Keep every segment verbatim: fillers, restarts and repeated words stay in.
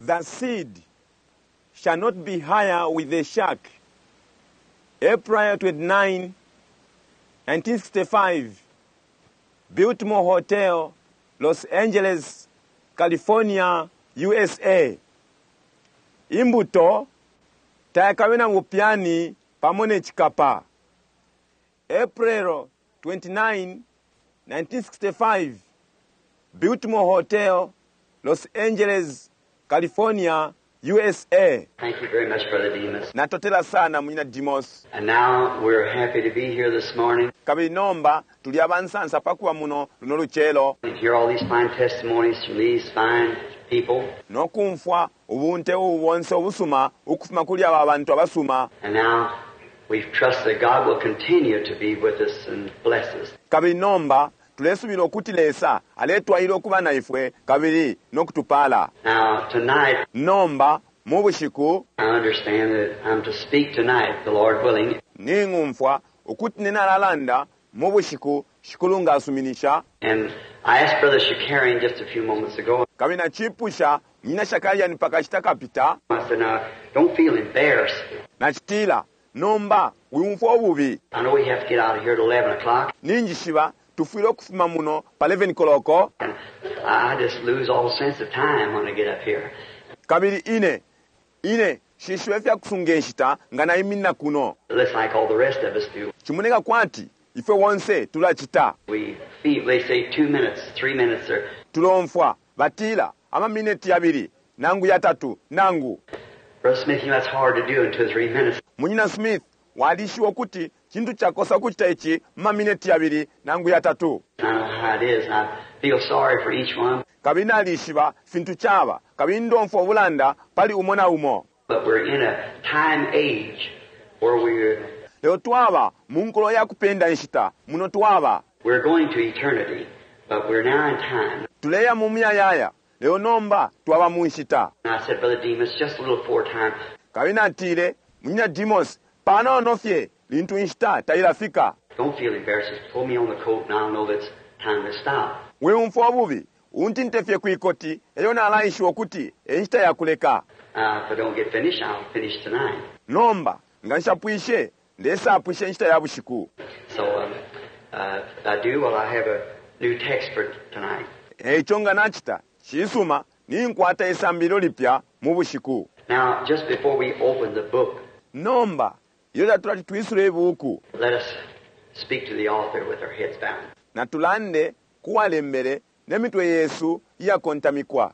The seed shall not be hire with the shark. April twenty-nine, nineteen sixty-five, Biltmore Hotel, Los Angeles, California, U S A. Imbuto tayakabe na bupyani pamo ne cikapa. April twenty-nine, nineteen sixty-five, Biltmore Hotel, Los Angeles, California, U S A. Thank you very much, Brother Demas. Natotela sana, munyina Demos. And now we're happy to be here this morning Kabili nomba tuli abansansa pakuba muno luno lucelo and hear all these fine testimonies from these fine people. Nokumfwa ubunte ubu bonse ubusuma ukufuma kuli aba bantu abasuma. And now we trust that God will continue to be with us and bless us. Kabili nomba tulesubila ukuti Lesa aletwalila ukuba na ifwe kabili nokutupala. Now, tonight, Nomba mu bushiku, I understand that I'm to speak tonight, the Lord willing. Ning'umfwa ukuti ninalalanda mu bushiku, Shikulu nga asuminisha. And I asked Brother Shakarian just a few moments ago, Kabili nachipusha munyina Shakarian pakashita kapita. I said, "Now, don't feel embarrassed. Nachitila, nomba wiumfwa ububi. I know we have to get out of here at eleven o'clock, Ninjishiba tufwile ukufuma muno pa eleven koloko. And I just lose all sense of time when I get up here." Kabili ine ine shishiba ifyakusunga inshita nga naiminina kuno. Just like all the rest of us do. Chimoneka kwati ifwe wonse tulacita. We feel, they say two minutes, three minutes, or Tulomfwa batila amamineti yabili nangu yatatu nangu Brother Smith, you know that's hard to do in two or three minutes. Munyina Smith, walishiwa ukuti chintu chakosa kuchita ichi mumamineti yabili nangu yatatu. I know how it is, and I feel sorry for each one. Kabili nalishiba fintu chaba kabili ndomfwa ubulanda pali umo na umo. But we're in a time age where we're, Lelo twaba mu nkulo ya kupenda inshita muno twaba. We're going to eternity, but we're now in time. Tuleya mu muyayaya, lelo nomba twaba mu nshita. And I said, "Brother Demas, just a little before time, Kabili natile, munyina Demos, panono fye lintu inshita tailafika. Don't feel embarrassed. Just pull me on the coat and I'll know that it's time to stop." Wiumfwa ububi, untinte fye kwikoti eyo nalaishiwa ukuti enshita yakuleka. Uh, if I don't get finished, I'll finish tonight. Nomba nga nshapwishe, ndesapwisha inshita ya bushiku. So um, uh, if I do, well, I have a new text for tonight. Eico nga nachita cisuma, ninkwata isambililo lipya mu bushiku. Now, just before we open the book, Nomba iyo tatulati twisule ibuku, let us speak to the author with our heads bowed. Natulande kuwalembele nemitwe yesu iyakontamikwa.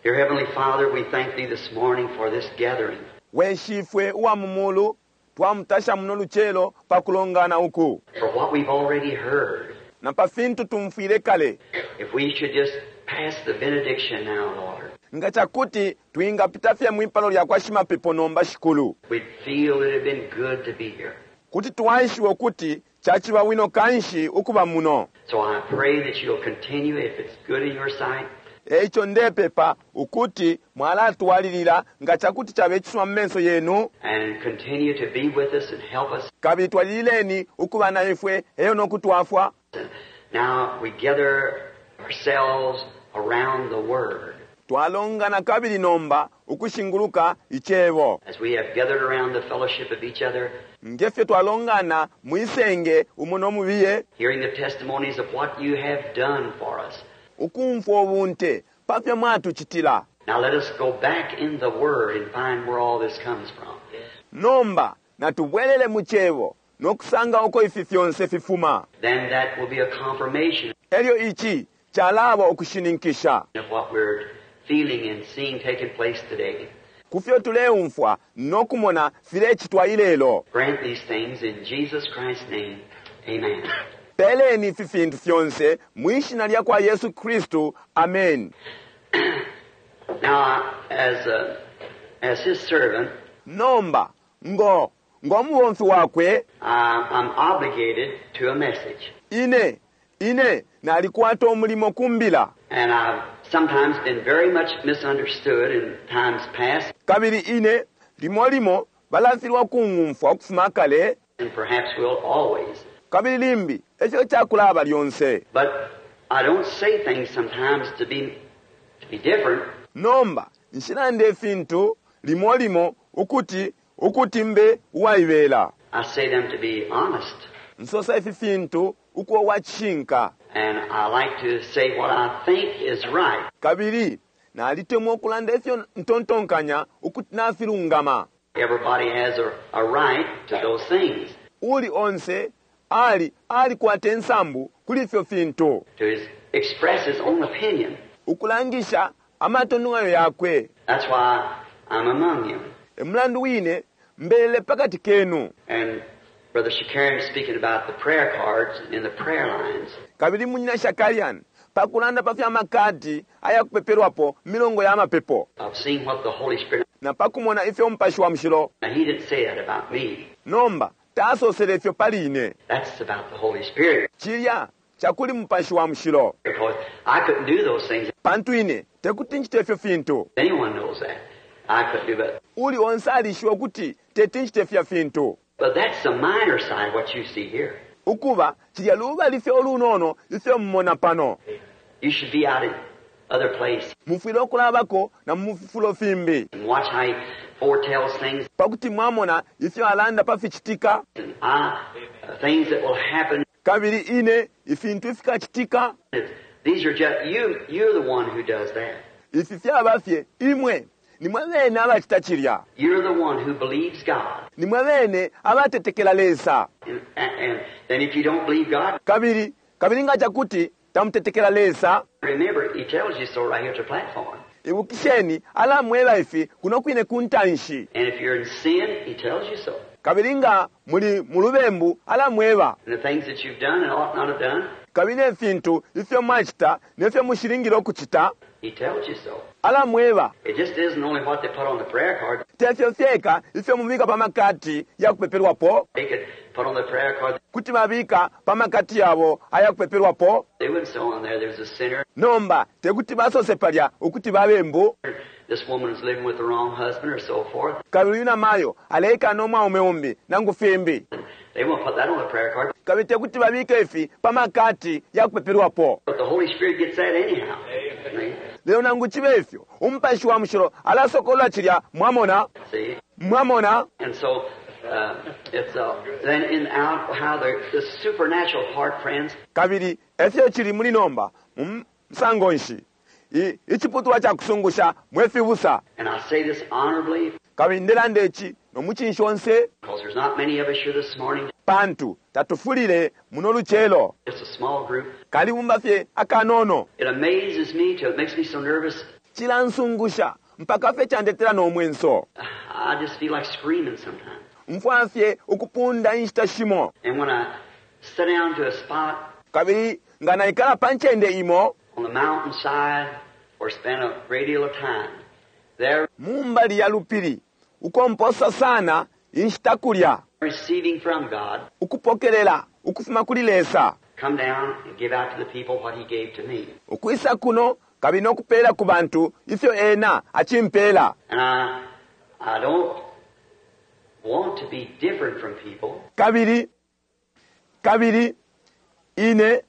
Dear Heavenly Father, we thank Thee this morning for this gathering. We shifwe uwa mu mulu, twamutasha muno lucelo pa kulongana uku, For what we've already heard. Na pa fintu tumfwile kale. If we should just pass the benediction now, Lord, Nga chakuti twingapita fye mwipalo lya kwa shimapepo nomba, Shikulu, we'd feel it had been good to be here. Kuti twaishiwa ukuti chachiba wino kanshi ukuba muno. So I pray that you'll continue, if it's good in your sight, Eico ndepepa ukuti mwalatwalilila nga chakuti chabe chisuma mu menso yenu, and continue to be with us and help us. Kabili twalilileni ukuba na ifwe eyo nokutwafwa. And now we gather ourselves around the Word Twalongana kabili nomba ukushinguluka icebo, as we have gathered around the fellowship of each other, ngefyo twalongana mwisenge umo nomubiye, hearing the testimonies of what you have done for us. Ukumfwa ubunte pafyo mwatuchitila. Now let us go back in the Word and find where all this comes from. Nomba natubwelele mu cebo nokusanga uko ifi fyonse fifuma. Then that will be a confirmation Elyo ichi chalaba ukushininkisha of what we're feeling and seeing taking place today. Kufyo tuleumfwa nokumona filecitwa ilelo. Grant these things in Jesus Christ's name. Amen. Peleni ifi fintu fyonse mwishina lya kwa Yesu Kristu, amen. Now, as, uh, as his servant, Nomba ngo ng'omubomfi wakwe, uh, I'm obligated to a message. ine ine nalikwata umulimo kumbila. And I've sometimes been very much misunderstood in times past, Kabili ine limo limo balafilwa kung'umfwa ukufuma kale, and perhaps will always. Kabili limbi ekyo kyakulaba lyonse. But I don't say things sometimes to be, to be different. Nomba Nshilanda ifintu limo limo ukuti, ukuti mbe uwaibela. I say them to be honest. Nsosa ifi fintu ukuba uwa cishinka. And I like to say what I think is right. Kabili nalitemwa ukulanda ifyo ntontonkanya ukuti nafilungama. Everybody has a, a right to those things, Uli onse ali alikwata insambu kuli ifyo fintu. to his, express his own opinion. Ukulangisha amatontonkanyo yakwe. That's why I'm among you. E mulandu wine mbelele pakati kenu. And Brother Shakarian speaking about the prayer cards and the prayer lines. Kabili Munyina Shakarian pakulanda pa fya makadi ayakupepelwapo milongo ya mapepo. I've seen what the Holy Spirit. Na pakumona ifyo Umupashi wa Mushilo. Now, he didn't say that about me. Nomba tasosele ifyo pali ine. That's about the Holy Spirit. Cilya cakuli Mupashi wa Mushilo. Because I couldn't do those things. Pantu ine tekuti nchite ifyo fintu. Anyone knows that. I couldn't do that. Uli onse alishiba ukuti teti nchite ifya fintu. But that's the minor side, what you see here. Ukuba cilya lubali fye ulunono ifyo mumona pano. You should be out in other place. Mufwile ukulabako na mu fifulo fimbi. And watch how he foretells things. Pakuti mwamona ifyo alanda pa fichitika. And I, uh, things that will happen. Kabili ine ifintu ifikachitika. It's, these are just you. You're the one who does that. Ifi fyaba fye imwe. Nimwe bene abachita cilya. You're the one who believes God. Nimwe bene abatetekela Lesa. And, and, and then if you don't believe God, Kabili, kabili nga chakuti tamutetekela Lesa. Remember, he tells you so right here at the platform. Ibukisheni alamweba ifi kuno kwine kuntanshi. And if you're in sin, he tells you so. Kabili nga muli mulubembu alamweba. And the things that you've done and ought not have done, Kabili ifintu ifyo mwachita nefyo mushilingile ukuchita, he tells you so. alamweba. It just isn't only what they put on the prayer card. Tefyo fyeka ifyo mubika pa makati ya kupepelwapo. They could put on the prayer card. Kuti babika pa makati yabo aya kupepelwapo. They wouldn't say on there there's a sinner. Nomba tekuti basose palya ukuti babembu. This woman is living with the wrong husband or so forth. Kabili uyu namayo aleika no mwaume umbi nangu fimbi. They won't put that on the prayer card. Kabili tekuti babike ifi pa makati ya kupepelwapo. But the Holy Spirit gets that anyhow. See? Lelo nangu chibe ifyo Umupashi wa Mushilo alasokola chilya mwamona. See? Mwamona. And so uh, it's uh, then in out how the, the supernatural part, friends. Kabili efyo chili muli nomba mu msango nshi. I, ichiputulwa cha kusungusha mwe fibusa. And I say this honorably. Kabili ndelanda ichi no muchinshi onse. Because there's not many of us here this morning. Pantu tatufulile muno luchelo. It's a small group. Kalibumba fye akanono. It amazes me till it makes me so nervous. Chilansungusha mpaka fye chandetera no mwenso. I just feel like screaming sometimes. Mfwa fye ukupunda inshita shimo. And when I sit down to a spot Kabili nga naikala pa ncende imo. on the mountainside or spend a great deal of time there Mumbali ya lupili ukomposa sana inshita kulya. receiving from God, Ukupokelela ukufuma kuli Lesa. come down and give out to the people what he gave to me. Ukwisa kuno kabili nokupela ku bantu ifyo ena achimpela. And I, I don't want to be different from people. Kabili, kabili ine,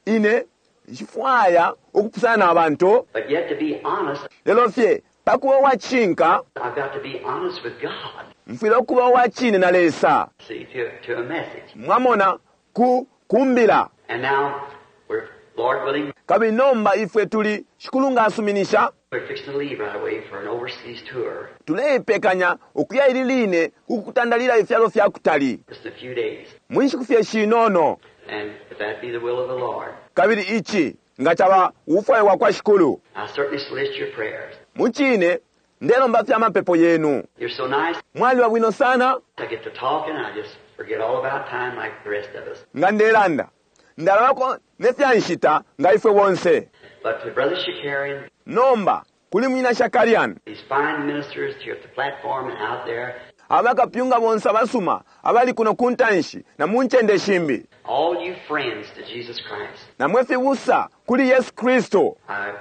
ine nshifwaya ukupusana na bantu. But yet to be honest, Lelo fye pakuba uwachinka, I've got to be honest with God. mfwile ukuba uwachine na Lesa. See, to, to a message. Mwamona ku kumbila. And now, we're, Lord willing, Kabili nomba ifwe tuli shikulu nga asuminisha. we're fixing to leave right away for an overseas tour. Tuleipekanya ukuya ili line kukutandalila ifyalo fya kutali. Just a few days. Mwinshiku fye shinono. And if that be the will of the Lord, Kabili ichi nga chaba ufwayo wa kwa shikulu. I certainly solicit your prayers. Muchine ndelomba fya mapepo yenu. You're so nice. Mwali wa bwino sana. I get to talking, I just forget all about time like the rest of us. Nga ndelanda. Ndalabako ne fya nshita nga ifwe bonse. But to Brother Shakarian, Nomba kuli Munyina Shakarian. these fine ministers here at the platform and out there, Abakapyunga bonse abasuma abali kuno kuntanshi na munchende shimbi. all you friends to Jesus Christ, Na mwe fibusa kuli Yesu Kristo. I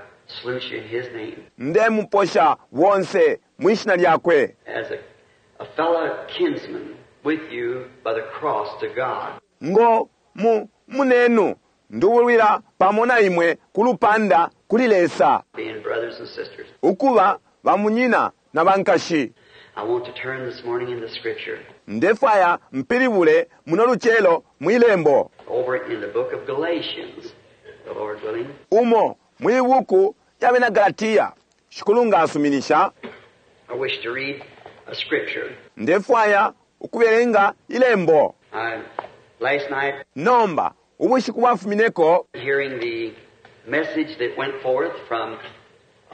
salute you in His name. Ndemuposha bonse mwishina lyakwe. As a, a fellow kinsman with you by the cross to God. Ngo mu munenu nduwulwira pamo na imwe kulupanda kuli Lesa. Being brothers and sisters. Ukuba ba munyina na bankashi. I want to turn this morning in the Scripture Ndefwaya mpilibule muno lucelo mwilembo over in the book of Galatians, the Lord willing. Umo mwibuku ya bena Galatia, Shikulu nga asuminisha. I wish to read a scripture. Ndefwaya ukubelenga ilembo. I, last night, Nomba ubushiku bwafumineko, hearing the message that went forth from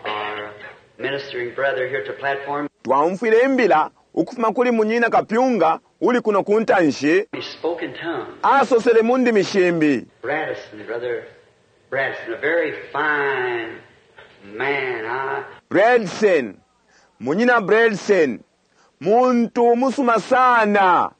our ministering brother here at the platform, twaumfwile imbila ukufuma kuli munyina kapyunga uli kuno ku ntanshi. He spoke in tongues. Asosele mu ndimi shimbi. Bradison, Brother Bradison, a very fine man. I, Bradson, munyina Bradson, muntu musuma sana.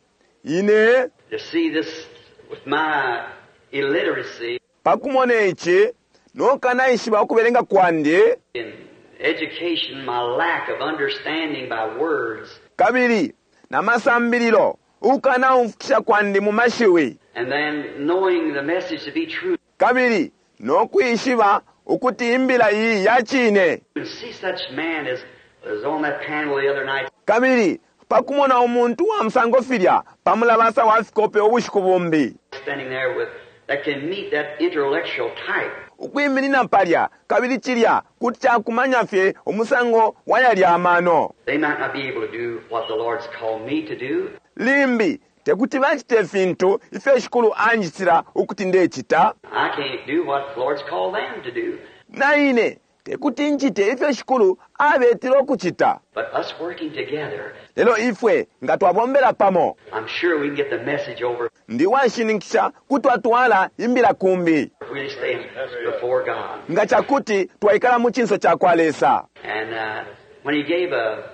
Ine to see this with my illiteracy pakumona ichi nokanaishiba ukubelenga kwandi in education, my lack of understanding by words, kabili na masambililo ukanaumfukisha kwandi mu mashiwi, and then knowing the message to be true, kabili nokwishiba ukuti imbila iyi ya chine, and see such man as was on that panel the other night, kabili pakumona umuntu wa musango filya pamulabasa wa fikope ubushiku bumbi, standing there with that can meet that intellectual type. Ukwiminina palya kabili chilya kuti chakumanya fye umusango wa yalya amano. They might not be able to do what the Lord's called me to do. Limbi tekuti bachite fintu ifyo Shikulu anjitira ukuti ndechita. I can't do what the Lord's called them to do. Na ine tekuti nchite ifyo Shikulu abetile ukuchita. But us working together, Lelo ifwe nga twabombela pamo, I'm sure we can get the message over. Ndi washininkisha kutwatwala imbila kumbi. If we stay before God. Nga chakuti twaikala mu chinso cha kwa Lesa. And uh, when he gave a,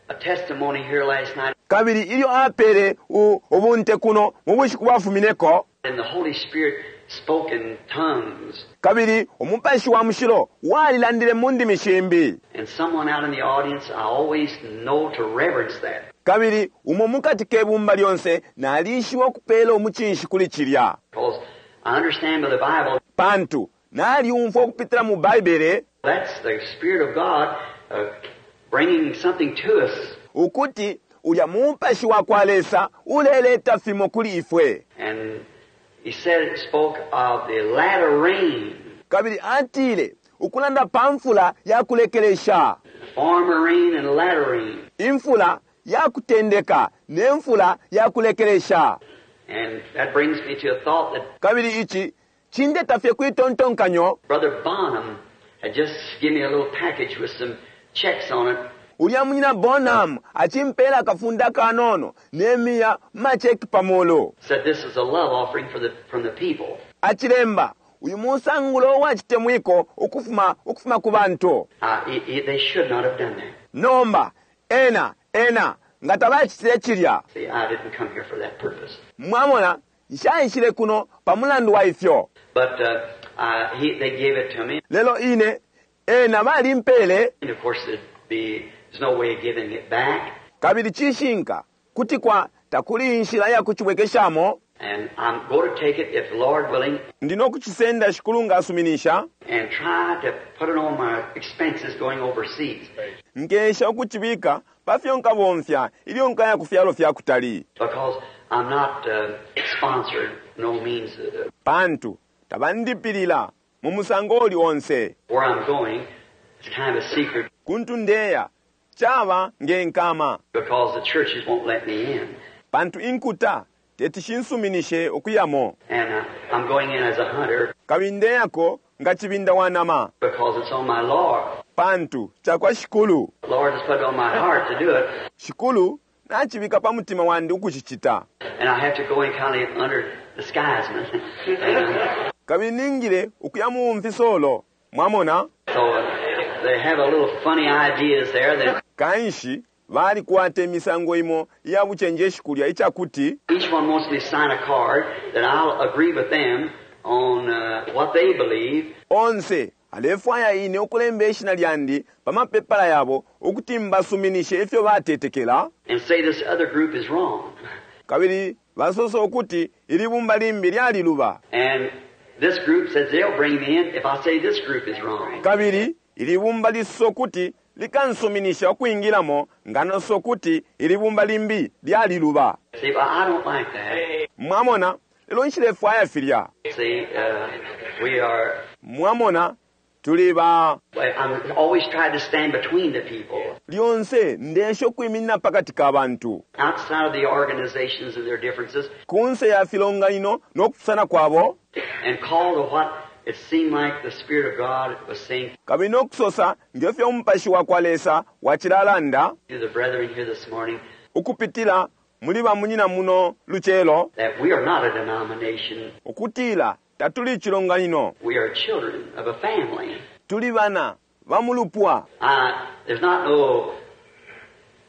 a testimony here last night, Kabili ilyo apele ubunte kuno mu bushiku bwafumineko, and the Holy Spirit spoke in tongues, kabili umupashi wa mushilo walilandile mu ndimi shimbi, and someone out in the audience, I always know to reverence that. Kabili umo mukati kebumba lyonse nalishiwa ukupela umuchinshi kuli chilya. Because I understand by the Bible, Pantu naliumfwa ukupitila mu Baibele, that's the Spirit of God, uh, bringing something to us. Ukuti ulya mupashi wa kwa Lesa uleleta fimo kuli ifwe. And he said it spoke of the latter rain. Kabili atile ukulanda pa mfula ya kulekelesha. Former rain and latter rain. Imfula ya kutendeka ne mfula ya kulekelesha. And that brings me to a thought that Kabili ichi chindeta fye kwitontonkanyo. Brother Bonham had just given me a little package with some checks on it. Ulya munyina Bonham achimpela kafunda kanono nemiya macheki pamolo. Said this is a love offering for the, from the people. Achilemba uyu musangulo wa chitemwiko ukufuma, ukufuma ku bantu. Uh, it, it, they should not have done that. Nomba ena ena nga tabachitile chilya. See, I didn't come here for that purpose. Mwamona nshaishile kuno pa mulandu wa ifyo. But, uh, uh, he, they gave it to me. Lelo ine ena balimpele. And of course there'd be, there's no way of giving it back. Kabili chishinka kuti kwa takuli inshila ya kuchibwekeshamo. And I'm going to take it, if the Lord willing, Ndino kuchisenda Shikulu nga asuminisha. and try to put it on my expenses going overseas. Nkesha ukuchibika pafyo nkabomfya ilyo nkaya ku fyalo fya kutali. Because I'm not, uh, sponsored, no means. Uh, Pantu tabandipilila mu musango uli onse. Where I'm going, it's kind of a secret. Kuntu ndeya chaba ngenkama. Because the churches won't let me in. Pantu inkuta teti shinsuminishe okuyamo. And, uh, I'm going in as a hunter. Kabili ndeyako nga chibinda wanama. Because it's on my Lord. Pantu chakwa Shikulu. The Lord has put it on my heart to do it. Shikulu nachibika pa mutima wandi ukuchichita. And I have to go in kind of under disguisement. And, uh, Kabili ningile ukuya mu mfisolo. Mwamona? So, uh, they have a little funny ideas there that Kanshi balikwata imisango imo iya buchenjeshi kulya ichakuti each one wants me to sign a card that I'll agree with them on, uh, what they believe. Onse alefwaya ine ukulemba ishina lyandi pa mapepala yabo ukuti mbasuminishe ifyo batetekela. And say this other group is wrong. Kabili basosa ukuti ilibumba limbi lyaliluba. And this group says they'll bring me in if I say this group is wrong. Kabili ilibumba lisosa ukuti likansuminisha ukwingilamo nga nasosa ukuti ili bumba limbi lyaliluba. See, but I don't like that. Mwamona, lelo nshilefwaya filya. See, uh, we are. Mwamona, tuli ba Well, I'm always trying to stand between the people, lyonse ndesha ukwiminina pakati ka bantu outside of the organizations and their differences, kunse ya filonganino no kupusana kwabo, and call to what it seemed like the Spirit of God was saying kabili no kusosa ngefyo umupashi wa kwa Lesa wacilalanda to the brethren here this morning, ukupitila muli bamunyina muno lucelo, that we are not a denomination. Ukutila tatuli icilonganino. We are children of a family. Tuli bana ba mu lupwa. Uh, there's not no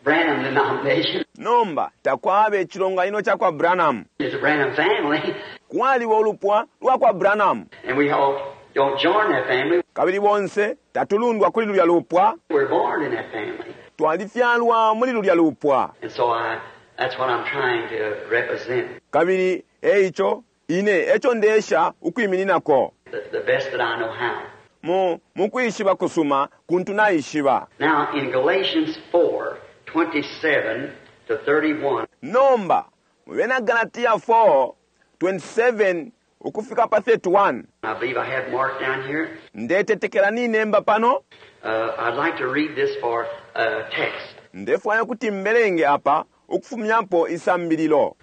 Branham denomination. Nomba takwaba icilonganino ca kwa Branham. It's a Branham family, Kwaliba ulupwa lwa kwa Branham, and we all don't join that family. Kabili bonse tatulundwa kuli lulya lupwa. We're born in that family. Twalifyalwa muli lulya lupwa. And so I, that's what I'm trying to represent Kabili eico ine eco ndesha ukwimininako the, the best that I know how. mu mukwishiba kusuma kuntu naishiba. Now, in Galatians four, twenty-seven to thirty-one, Nomba mu Bena Galatiya four twenty-seven ukufika pa thirty-one, I believe I have marked down here. Ndetetekela ninemba pano. Uh, I'd like to read this for a text. Ndefwaya kuti mbelenge apa ukufumyapo isambililo.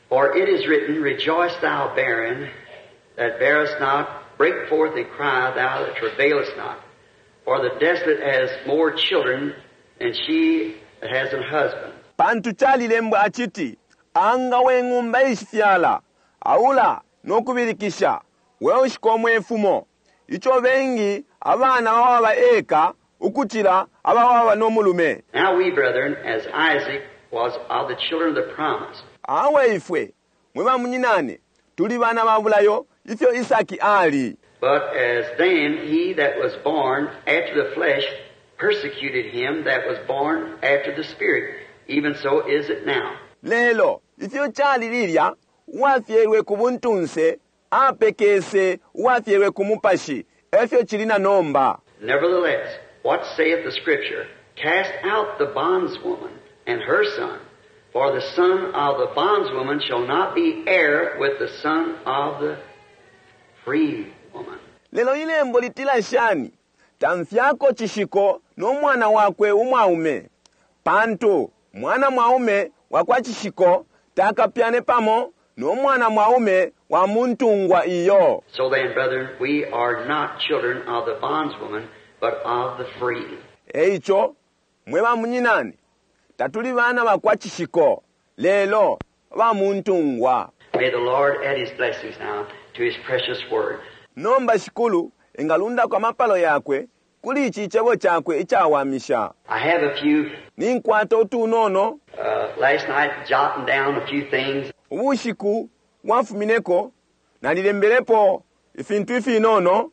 For it is written, "Rejoice thou barren that bearest not, break forth and cry thou that travailest not. For the desolate has more children than she that has an husband." Pantu calilembwa aciti, anga we ng'umba ishifyala, aula nokubilikisha, we ushikomwe ifumo, ico bengi abana bawaba eka ukucila abawaba n'omulume. Now we, brethren, as Isaac was of the children of the promise. Awe ifwe mwe bamunyinane tuli bana ba bulayo ifyo Isaki ali. But as then he that was born after the flesh persecuted him that was born after the Spirit, even so is it now. Lelo ifyo cali lilya uwafyelwe ku buntunse apekese uwafyelwe ku mupashi, efyo cili na nomba. Nevertheless, what saith the Scripture? "Cast out the bondswoman and her son, for the son of the bondswoman shall not be heir with the son of the free woman." Lelo ilembo litila shani? Tamfyako chishiko n'omwana wakwe umwaume, pantu mwana mwaume wa kwa chishiko takapyane pamo n'omwana mwaume wa muntungwa iyo. So then, brethren, we are not children of the bondswoman, but of the free. Eico mwe bamunyinane tatuli bana ba kwa chishiko, lelo ba muntungwa. May the Lord add His blessings now to His precious word. Nomba Shikulu engalundako amapalo yakwe kuli ici cebo cakwe icawamisha. I have a few, Ninkwata utunono. uh, last night jotting down a few things. Ubushiku bwafumineko nalilembelepo ifintu ifinono.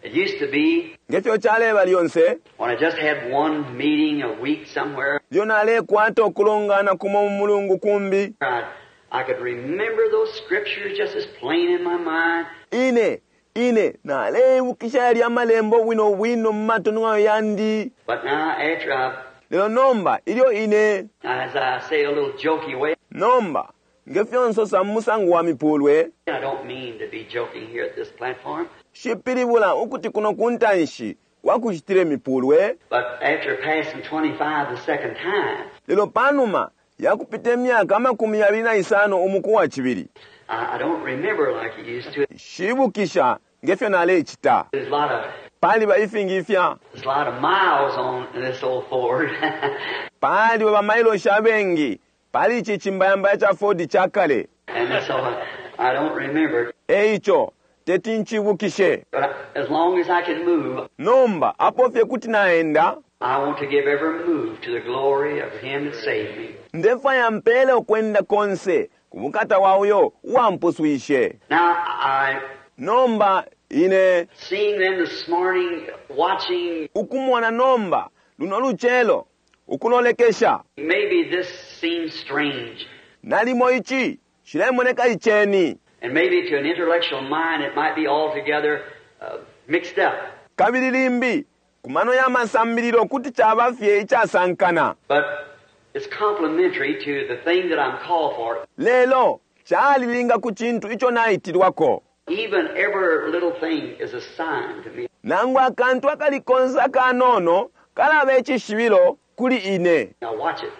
It used to be Ngefyo caleba lyonse, when I just had one meeting a week somewhere, lyo nalekwata ukulongana kumo mu mulungu kumbi, I, I could remember those scriptures just as plain in my mind. ine ine naleibukisha yalya amalembo bwino bwino mu matononganyo yandi. But now after I've, Lelo nomba ilyo ine, as I say a little jokey way, nomba ngefyo nsosa mu musango wa mipulwe, I don't mean to be joking here at this platform, shipilibula ukuti kuno ku ntanshi kwakucitile mipulwe, but after passing twenty-five the second time, lelo panuma yakupita imyaka amakumi yabili na isano umuku wa cibili, I, I don't remember like I used to. shibukisha ngefyo nalecita. There's a lot of, Paliba ifingi ifya there's a lot of miles on this old Ford. paliba bamailoshi abengi pali ici cimbayambaya ca Ford ca kale. And so I, I don't remember. Eico teti ncibukishe. But as long as I can move, Nomba apo fye kuti naenda, I want to give every move to the glory of Him that saved me. Ndefwaya mpele ukwenda konse ku bukata wa uyo uwampuswishe. Now, I, Nomba ine, seeing them this morning, watching, ukumona nomba luno lucelo ukulolekesha, maybe this seems strange. Nalimo ici cilemoneka iceni, And maybe to an intellectual mind it might be altogether uh, mixed up. Kabili limbi Ku mano ya masambililo kuti caba fye icasankana. But it's complementary to the thing that I'm called for. Lelo calilinga ku cintu ico naitilwako. Even every little thing is a sign to me. Nangu akantu akali konse akanono kalaba icishibilo kuli ine. Now watch it.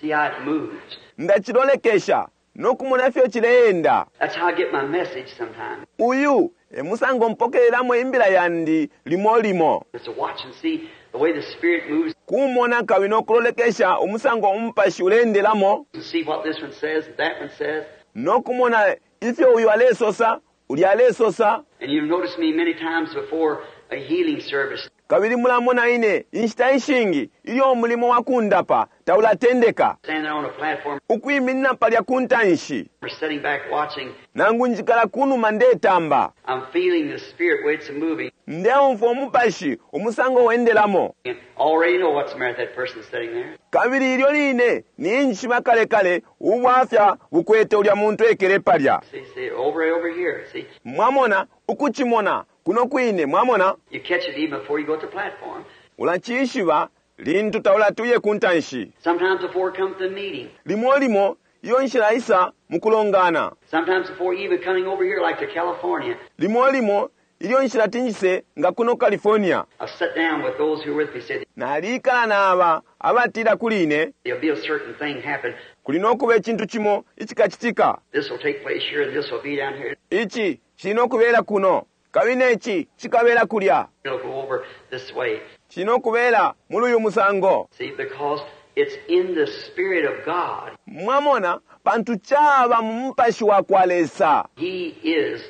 See how it moves. Ndacilolekesha nokumona ifyo cileenda. That's how I get my message sometimes. Uyu e musango mpokelelamo imbila yandi limo limo. It's to watch and see the way the Spirit moves Kumona kabili nokulolekesha umusango umupashi uleendelamo and see what this one says and that one says. nokumona ifyo uyu alesosa ulya alesosa. And you've noticed me many times before a healing service. Kabili mulamona ine inshita ishingi ilyo umulimo wa kundapa taulatendeka, Standing on a platform ukwiminina palya ku ntanshi or sitting back watching, nangu njikala kunuma ndetamba, I'm feeling the Spirit way it's moving. ndeumfwa umupashi umusango wendelamo. And already know what's the matter with that person sitting there. Kabili ilyo line ninjishiba kale kale ubwafya bukwete ulya muntu ekele palya. See, see, over over here. See, Mwamona ukucimona kuno kwine, mwamona you catch it even before you go to the platform. ulacishiba lintu taulatuye ku ntanshi. Sometimes before it comes to the meeting. Limo limo iyo nshila isa mukulongana. Sometimes before even coming over here, like to California. Limo limo ilyo nshila tinjise nga kuno California. I've sat down with those who were with me, said Nalikala naba abatila kuli ine there'll be a certain thing happen. kuli nokuba icintu cimo icikacitika. This will take place here and this will be down here. Ici cili nokubela kuno kabili neci cikabela kulya, It'll go over this way. cili nokubela muli uyu musango. See, because it's in the Spirit of God. Mwamona pantu caba mu mupashi wa kwa Lesa. He is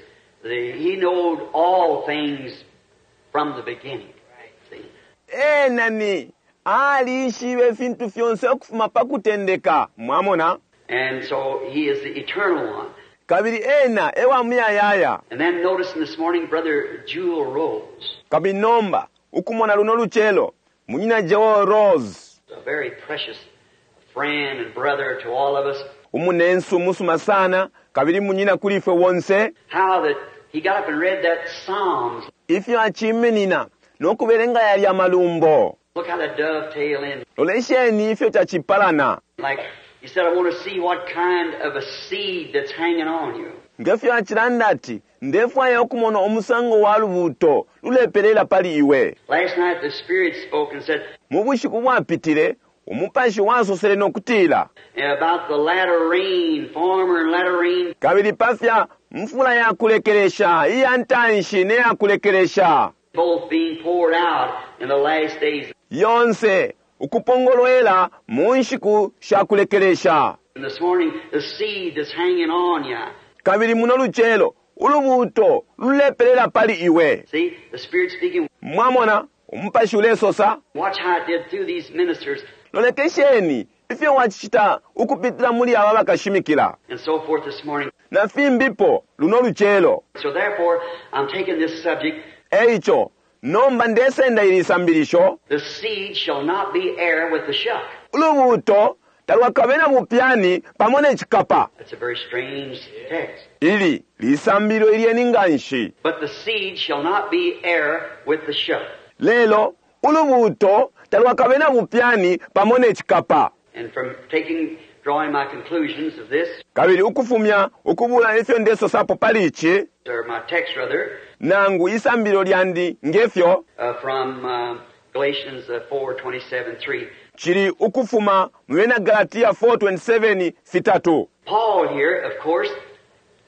the He knowed all things from the beginning. See? Ena ni alishibe ifintu fyonse ukufuma pa kutendeka, mwamona. And so He is the eternal one. Kabili ena ewa muyayaya. And then noticing this morning, Brother Jewel Rose, Kabili nomba ukumona luno lucelo munyina Jewel Rose, a very precious friend and brother to all of us, umunensu umusuma sana kabili munyina kuli ifwe wonse. how that he got up and read that Psalms. Ifyo aciminina nokubelenga yalya malumbo. Look how that dovetail in. Lolesheni ifyo cacipalana. Like he said, I want to see what kind of a seed that's hanging on you. Ngefyo acilanda ati ndefwaya ukumona umusango wa lubuto lulepelela pali iwe. Last night the Spirit spoke and said Mu bushiku bwapitile umupashi wasosele nokutila about the latter rain, former and latter rain, kabili pafya mfula yakulekelesha iya ntanshi neyakulekelesha both being poured out in the last days. yonse ukupongolwela mu nshiku shakulekelesha. And this morning, the seed that's hanging on you. Kabili muno lucelo ulubuto lulepelela pali iwe. See, the Spirit speaking. Mwamona umupashi ulesosa. Watch how it did through these ministers Lolekesheni ifyo wacicita ukupitila muli aba bakashimikila and so forth this morning. na fimbipo luno lucelo. So therefore, I'm taking this subject, Eico nomba ndesenda ili sambilisho, the seed shall not be heir with the shuck. ulubuto talwakabe na bupyani pamo ne cikapa. That's a very strange text. Ili lisambililo ilyeni nganshi. But the seed shall not be heir with the shuck. Lelo ulubuto talwakabe na bupyani pamo ne cikapa. And from taking, drawing my conclusions of this, Kabili ukufumya ukubula ifyo ndesosapo pali ici, or my text rather, nangu isambililo lyandi ngefyo uh, from uh, Galatians uh, four twenty-seven three. cili ukufuma mu bena Galatia four twenty-seven fitatu. Paul here, of course,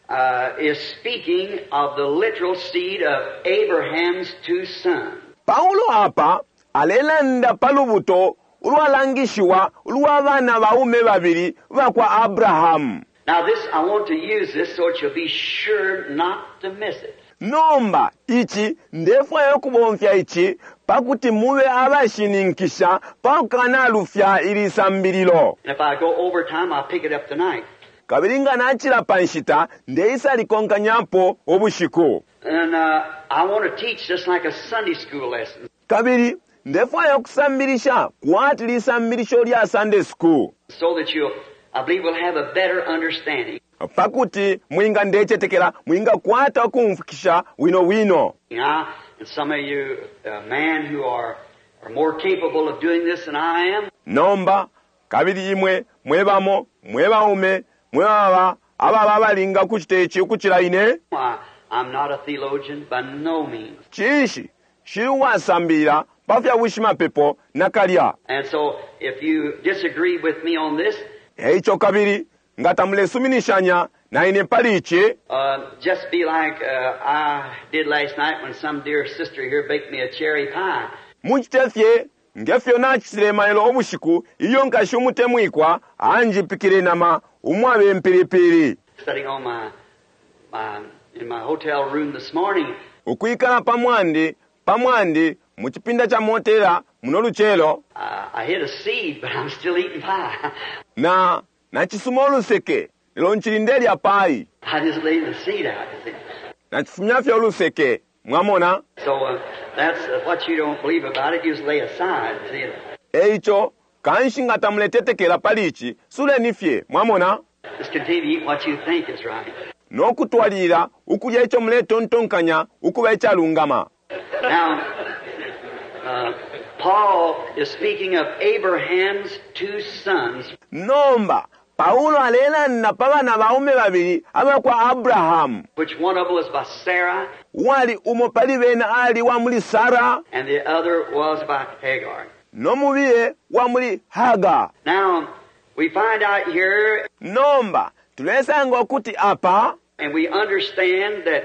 uh, is speaking of the literal seed of Abraham's two sons. Paulo apa alelanda pa lubuto ulwalangishiwa ulwa bana baume babili bakwa Abrahamu. Now this, I want to use this so that you'll be sure not to miss it. Nomba ici ndefwaya ukubomfya ici pakuti mube abashininkisha pakukanalufya ili sambililo. And if I go over time, I'll pick it up tonight. Kabili nga nachila pa nshita ndeisa likonkanyapo ubushiku. And, uh, I want to teach just like a Sunday school lesson. Kabili ndefwaya ukusambilisha kwati lisambilisho lya Sunday school. So that you'll, I believe, will have a better understanding. Pakuti mwinga ndecetekela mwinga kwata ukumfukisha wino wino. Now, and some of you, uh, men who are are more capable of doing this than I am, Nomba kabili imwe mwe bamo mwe baume mwe baba ababa abalinga kucita ici ukucila ine. Why, I'm not a theologian by no means. Cinshi shili uwasambilila pa fya bushimapepo nakalya. And so if you disagree with me on this, Eico kabili nga tamulesuminishanya na ine pali ici, uh, just be like uh, I did last night when some dear sister here baked me a cherry pie. Mucite fye ngefyo nacitile mailo ubushiku ilyo nkashi umutemwikwa anjipikile inama umwabe mpilipili. Sitting on my, my, in my hotel room this morning, Ukwikala pa mwandi pa mwandi mu cipinda ca motela muno lucelo, uh, I hit a seed, but I'm still eating pie. Na nacisuma uluseke lelo ncili ndelya pai. I just laid the seed out, you see. Nacifumya fye uluseke, mwamona. So uh, that's uh, what you don't believe about it. You just lay aside. See? Eico kanshi nga tamuletetekela pali ici, suleni fye, mwamona. Just continue to eat what you think is right. No kutwalilila ukulya ico muletontonkanya ukuba icalungama. Now, uh, Paul is speaking of Abraham's two sons. Nomba Paulo alelanda pa bana baume babili abakwa Abrahamu, Which one of them was by Sarah, Uwali umo pali bena ali wa muli Sara, and the other was by Hagar. No mubiye wa muli Hagar. Now, we find out here, Nomba tulesanga ukuti apa, and we understand that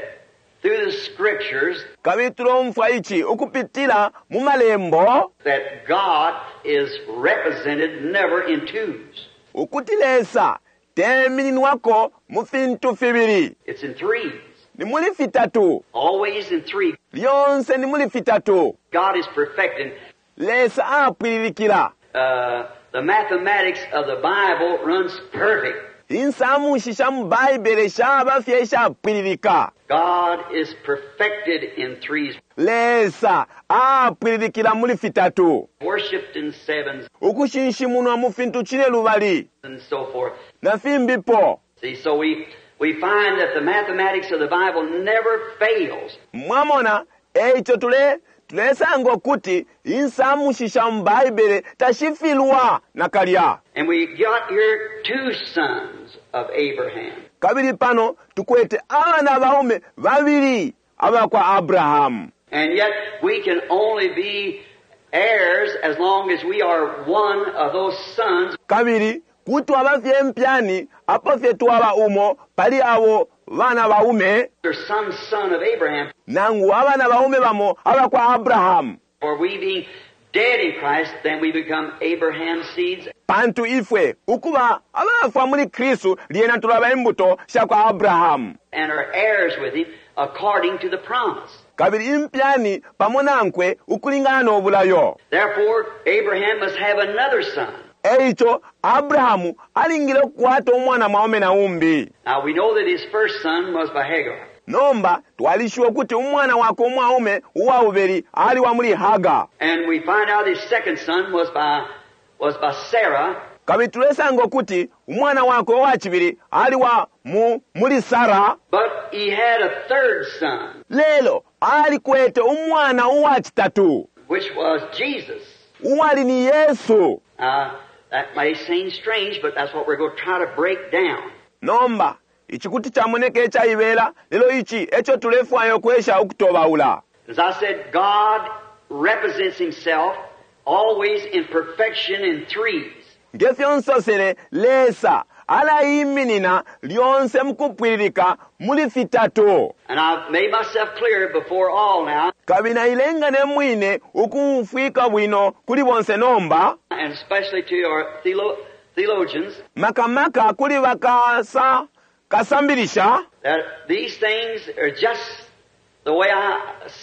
through the scriptures, kabili tulomfwa ici ukupitila mu malembo, that God is represented never in twos. Ukuti Lesa temininwako mu fintu fibili. It's in threes. Ni muli fitatu. Always in three. Lyonse ni muli fitatu. God is perfecting. Lesa apwililikila. Uh, the mathematics of the Bible runs perfect. Insamushi sha mu Baibele shaba fye ishapwililika. God is perfected in threes. Lesa apwililikila muli fitatu. Worshipped in sevens. Ukushinshimunwa mu fintu cine lubali. And so forth. Na fimbipo. See, so we, we find that the mathematics of the Bible never fails. Mwamona, eico tule tulesanga ukuti insamushi sha mu Baibele tashifilwa nakalya. And we got here two sons of Abraham. Kabili pano tukwete abana baume babili abakwa Abrahamu. And yet we can only be heirs as long as we are one of those sons. Kabili kuti twaba fye mpyani apo fye twaba umo pali abo bana baume, Or some son of Abraham. Nangu abana baume bamo abakwa Abrahamu. For we being dead in Christ, then we become Abraham's seeds. Pantu ifwe ukuba abafwa muli Kristu lyena tulaba imbuto sha kwa Abrahamu. And are heirs with him according to the promise. Kabili impyani pamo nankwe ukulingana no bulayo. Therefore, Abraham must have another son. Eico Abrahamu alingile ukukwata umwana mwaume na umbi. Now we know that his first son was by Hagar. Nomba twalishiwa ukuti umwana wakwe umwaume uwa bubili ali wa muli Hagar. And we find out his second son was by, was by Sarah. Kabili tulesanga ukuti umwana wakwe uwa cibili ali wa mu, muli Sara. But he had a third son, Lelo alikwete umwana uwa citatu, which was Jesus. Uwali ni Yesu. Uh, that may seem strange, but that's what we're gonna try to break down. Nomba ici kuti camoneka icaibela, lelo ici eco tulefwaya ukwesha ukutobaula. As I said, God represents himself always in perfection in threes. Ngefyo nsosele, Lesa alaiminina lyonse mukupwililika muli fitatu. And I've made myself clear before all now. Kabili nailenga ne mwine ukumfwika bwino kuli bonse nomba. And especially to our theolo-, theologians. Makamaka kuli bakasa kasambilisha. That these things are just the way I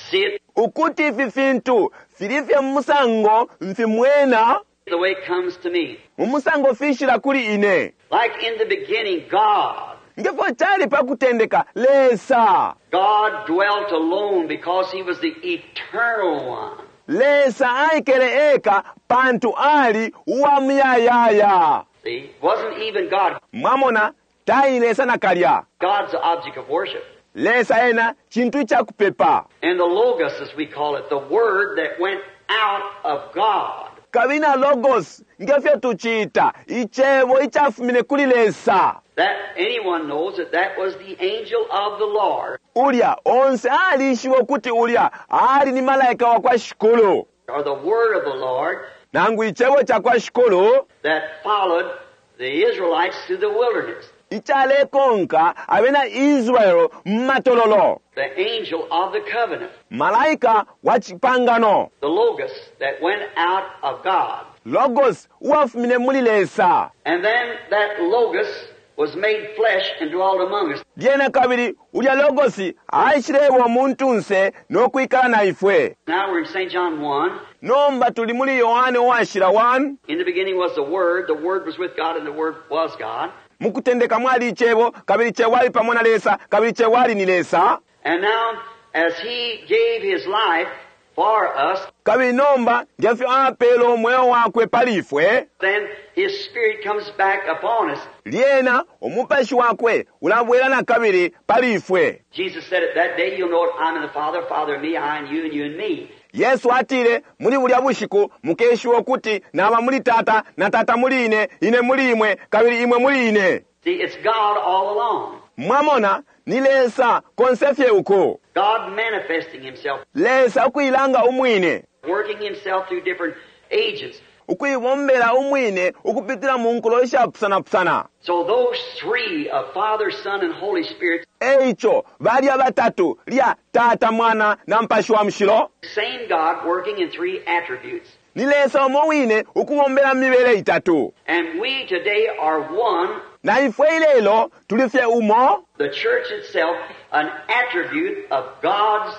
see it. Ukuti ifi fintu filifye musango mfimwena. The way it comes to me. Mumusango fishila kuli ine. Like in the beginning, God. Ngefo chali pa kutendeka, Lesa. God dwelt alone because he was the eternal one. Lesa aikele eka pantu ali uwa muyayaya. See, wasn't even God. Mwamona, tai Lesa nakalya. God's the object of worship. Lesa ena chintu cha kupepa. And the Logos, as we call it, the word that went out of God. Kabili na Logos ngefyo tuciita icebo icafumine kuli Lesa. That anyone knows that that was the angel of the Lord. Ulya onse alishiba ukuti ulya ali ni malaika wa kwa Shikulu. Or the word of the Lord Nangu icebo ca kwa Shikulu that followed the Israelites through the wilderness. Icalekonka abena Israel mu matololo. The angel of the covenant. Malaika wa cipangano. The Logos that went out of God. Logos uwafumine muli Lesa. And then that Logos was made flesh and dwelt among us. Lyena kabili ulya Logos aishileba umuntunse no kwikala na ifwe. Now we're in Saint John one. Nomba tuli muli Yohane uwashila one. In the beginning was the Word, the Word was with God, and the Word was God. Mukutendeka mwali icebo, kabili icebo ali pamo na Lesa, kabili icebo ali ni Lesa. And now, as he gave his life for us, kabili nomba ngefyo apele umweo wakwe pali ifwe, then his spirit comes back upon us. Lyena umupashi wakwe ulabwela na kabili pali ifwe. Jesus said it that day, you'll know it, I'm in the Father, Father in me, I in you, and you in me. Yesu atile muli bulya bushiku mukeshiwa ukuti naba muli tata na tata muli ine, ine muli imwe, kabili imwe muli ine. See, it's God all along. Mwamona ni Lesa konse fye uko. God manifesting himself. Lesa ukuilanga umwine. Working himself through different agents. Ukuibombela umwine ukupitila mu nkulo ishapusana-pusana. So those three of Father, Son, and Holy Spirit. Eico balya batatu lya Tata, Mwana na Mpashi wa Mushilo. Same God working in three attributes. Ni Lesa umo wine ukubombela mibele itatu. And we today are one. Na ifwe ilelo tuli fye umo. The church itself, an attribute of God's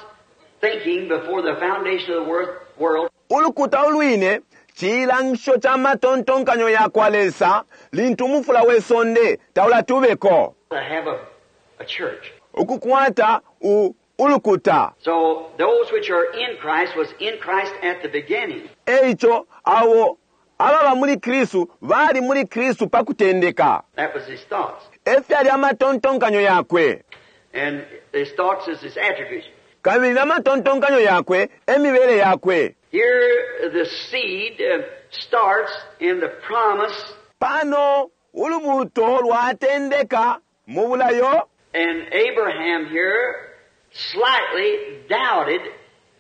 thinking before the foundation of the world. Ulukuta ulwine chilangisho cha matontonkanyo ya kwa Lesa lintu umufula we sonde taulatubeko. To have a, a church. Ukukwata u ulukuta. So those which are in Christ was in Christ at the beginning. Eico abo ababa muli Kristu bali muli Kristu pakutendeka. That was his thoughts. Efyali amatontonkanyo yakwe. And his thoughts is his attributes. Kabili namatontonkanyo yakwe emibele yakwe. Here the seed, uh, starts in the promise. Pano ulubuto lwatendeka mu bulayo. And Abraham here slightly doubted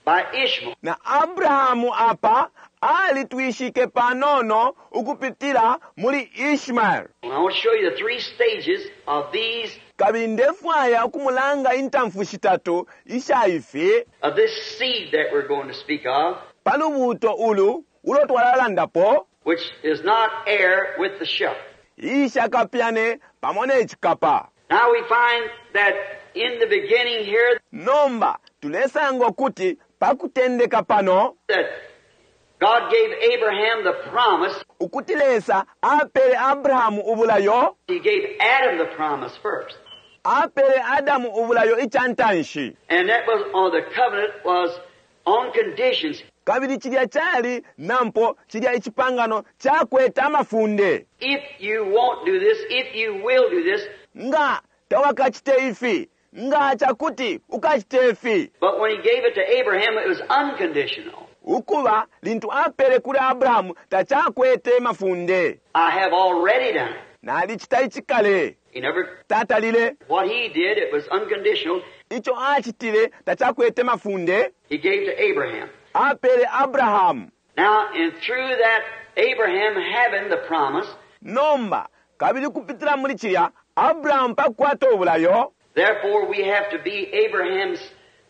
by Ishmael. Na Abrahamu apa alitwishike panono ukupitila muli Ishmael. I want to show you the three stages of these. Kabili ndefwaya ukumulanga intamfu shitatu isha ifi. Of this seed that we're going to speak of. Palubuto ulu ulo twalalandapo. Which is not heir with the shuck. Isha kapyane pamo ne chikapa. Now we find that in the beginning here. Nomba tulesanga ukuti pakutendeka pano. That God gave Abraham the promise. Ukuti Lesa apele Abrahamu ubulayo. He gave Adam the promise first. Apele Adamu ubulayo ichantanshi. And that was on the covenant was on conditions. Kabili chilya chali nampo chilya ichipangano chakweta amafunde. If you won't do this, if you will do this. Nga tawakachite ifi, nga chakuti ukachite ifi. But when he gave it to Abraham, it was unconditional. Ukuba lintu apele kuli Abrahamu tachakwete mafunde. I have already done it. Nalichita ichikale. He never tatalile. What he did, it was unconditional. Icho achitile tachakwete mafunde. He gave to Abraham. Apele Abraham. Now, and through that Abraham having the promise. Nomba kabili kupitila muli chilya Abraham pakwata obulayo. Therefore we have to be Abraham's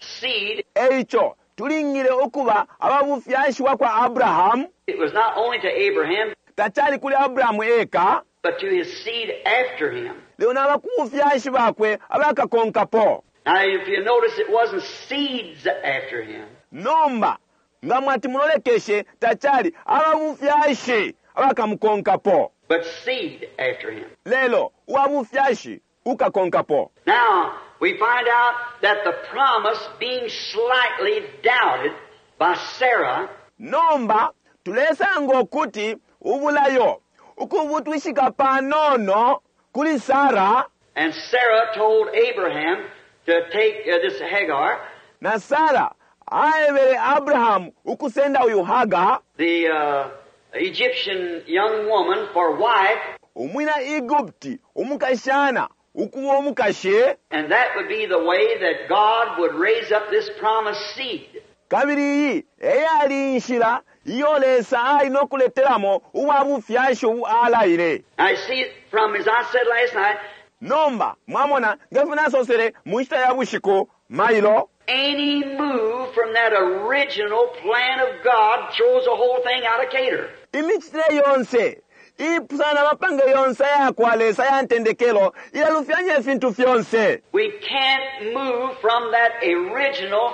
seed. Eicho tulingile okuba ababufyashi kwa Abraham. It was not only to Abraham, tachali kuli Abraham eka, but to his seed after him. Leo nabakufyashi bakwe abakakonkapo. Now if you notice, it wasn't seeds after him. Nomba nga mwati mulolekeshe tachali ababufyashi abakamukonkapo. But seed after him. Lelo uwabufyashi ukakonkapo. Now we find out that the promise being slightly doubted by Sarah. Nomba tulesanga ukuti ubulayo ukubutwishika panono kuli Sarah. And Sarah told Abraham to take, uh, this Hagar. Na Sarah Aebele Abrahamu ukusenda uyu Haga, the uh, Egyptian young woman, for wife, umwina Egupti umukashana ukuba umukashi, and that would be the way that God would raise up this promised seed. Kabili iyi eyali inshila iyo Lesa ali nokuletelamo uwa bufyashi ubu alaile. I see it from, as I said last night, Nomba mwamona ngefyo nasosele mu nshita ya bushiku mailo, any move from that original plan of God throws the whole thing out of cater. Imicitile yonse ipusana na mapange yonse ayakwa Lesa ya ntendekelo ilalufyanya ifintu fyonse. We can't move from that original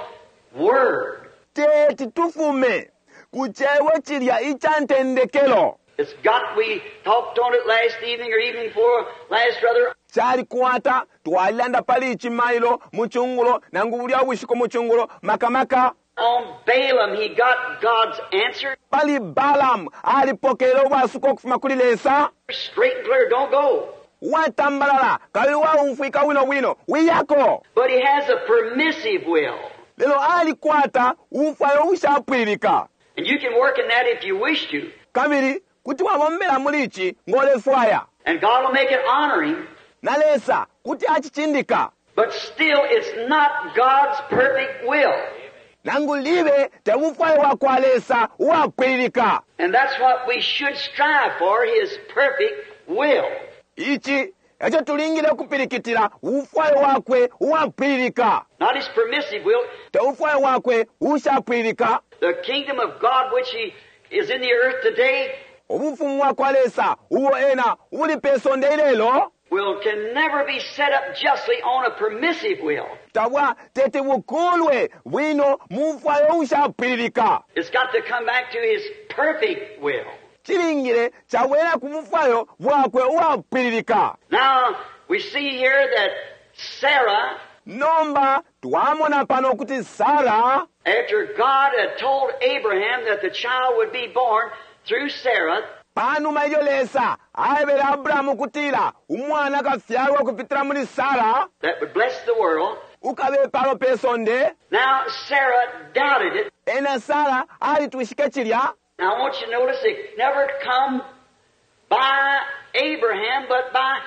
word. Teti tufume ku cebo cilya ica ntendekelo. It's got, we talked on it last evening or evening before last rather. Calikwata twalilanda pali ici mailo mu cungulo nangu bulya bushiku mu cungulo makamaka. On Balaam, he got God's answer. Pali Balaam alipokele ubwasuko ukufuma kuli Lesa. Straight and clear, don't go. Watambalala kabili waumfwika bwino bwino wiyako. But he has a permissive will. Lelo alikwata ubufwayo ubushapwililika. And you can work in that if you wish to. Kabili kuti wabombela muli ici ngolefwaya. And God will make it honoring. Na Lesa kuti acicindika. But still it's not God's perfect will. Nangu libe te bufwayo bwa kwa Lesa uwapwililika. And that's what we should strive for, His perfect will. Ici eco tulingile kupilikitila ubufwayo wakwe uwapwililika. Not His permissive will. Te bufwayo wakwe ushapwililika. The kingdom of God which He is in the earth today Ubufumu bwa kwa Lesa ubo ena ubuli pe sonde ilelo will can never be set up justly on a permissive will. Tabwa tete bukulwe bwino mu bufwayo ushapwililika. It's got to come back to His perfect will. Chilingile chabwera ku bufwayo bwakwe uwapwililika. Now we see here that Sarah, Nomba twamona pano kuti Sarah, after God had told Abraham that the child would be born through Sarah, panuma ilyo Lesa aebele Abrahamu kutila umwana akafyalwa kupitila muli Sarah, that would bless the world. Ukabe palo pe sonde. Now Sarah doubted it. Ena Sarah alitwishike chilya. Now I want you to notice it never come by Abraham but by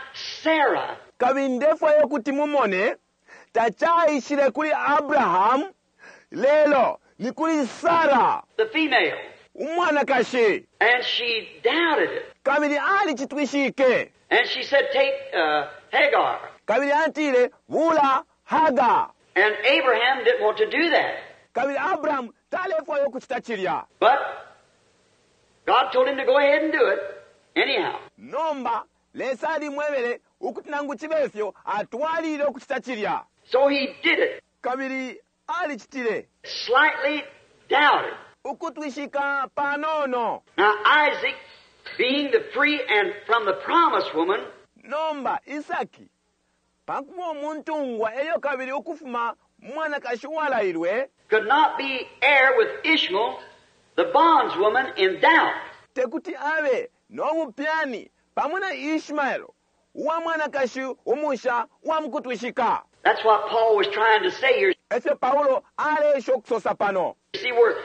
Sarah. Kabili ndefwayo kuti mumone tachaishile kuli Abraham lelo ni kuli Sarah, the female. Umwanakashi. And she doubted it. Kabili alichitwishike. And she said, take, uh, Hagar. Kabili atile bula Hagar. And Abraham didn't want to do that. Kabili Abraham talefwayo kuchita chilya. But God told him to go ahead and do it anyhow. Nomba Lesa alimwebele ukuti nangu chibefyo atwalile ukuchita chilya. So he did it. Kabili alichitile. Slightly doubted. Ukutwishika panono. Now Isaac, being the free and from the promised woman, Nomba Isaki pakuba umuntungwa elyo kabili ukufuma mwanakashi walailwe, could not be heir with Ishmael, the bondswoman, in doubt. Tekuti abe nobupyani pamwe na Ishmael uwa mwanakashi umusha wa mukutwishika. That's what Paul was trying to say here. Efyo Paulo alesha okusosa pano. You see where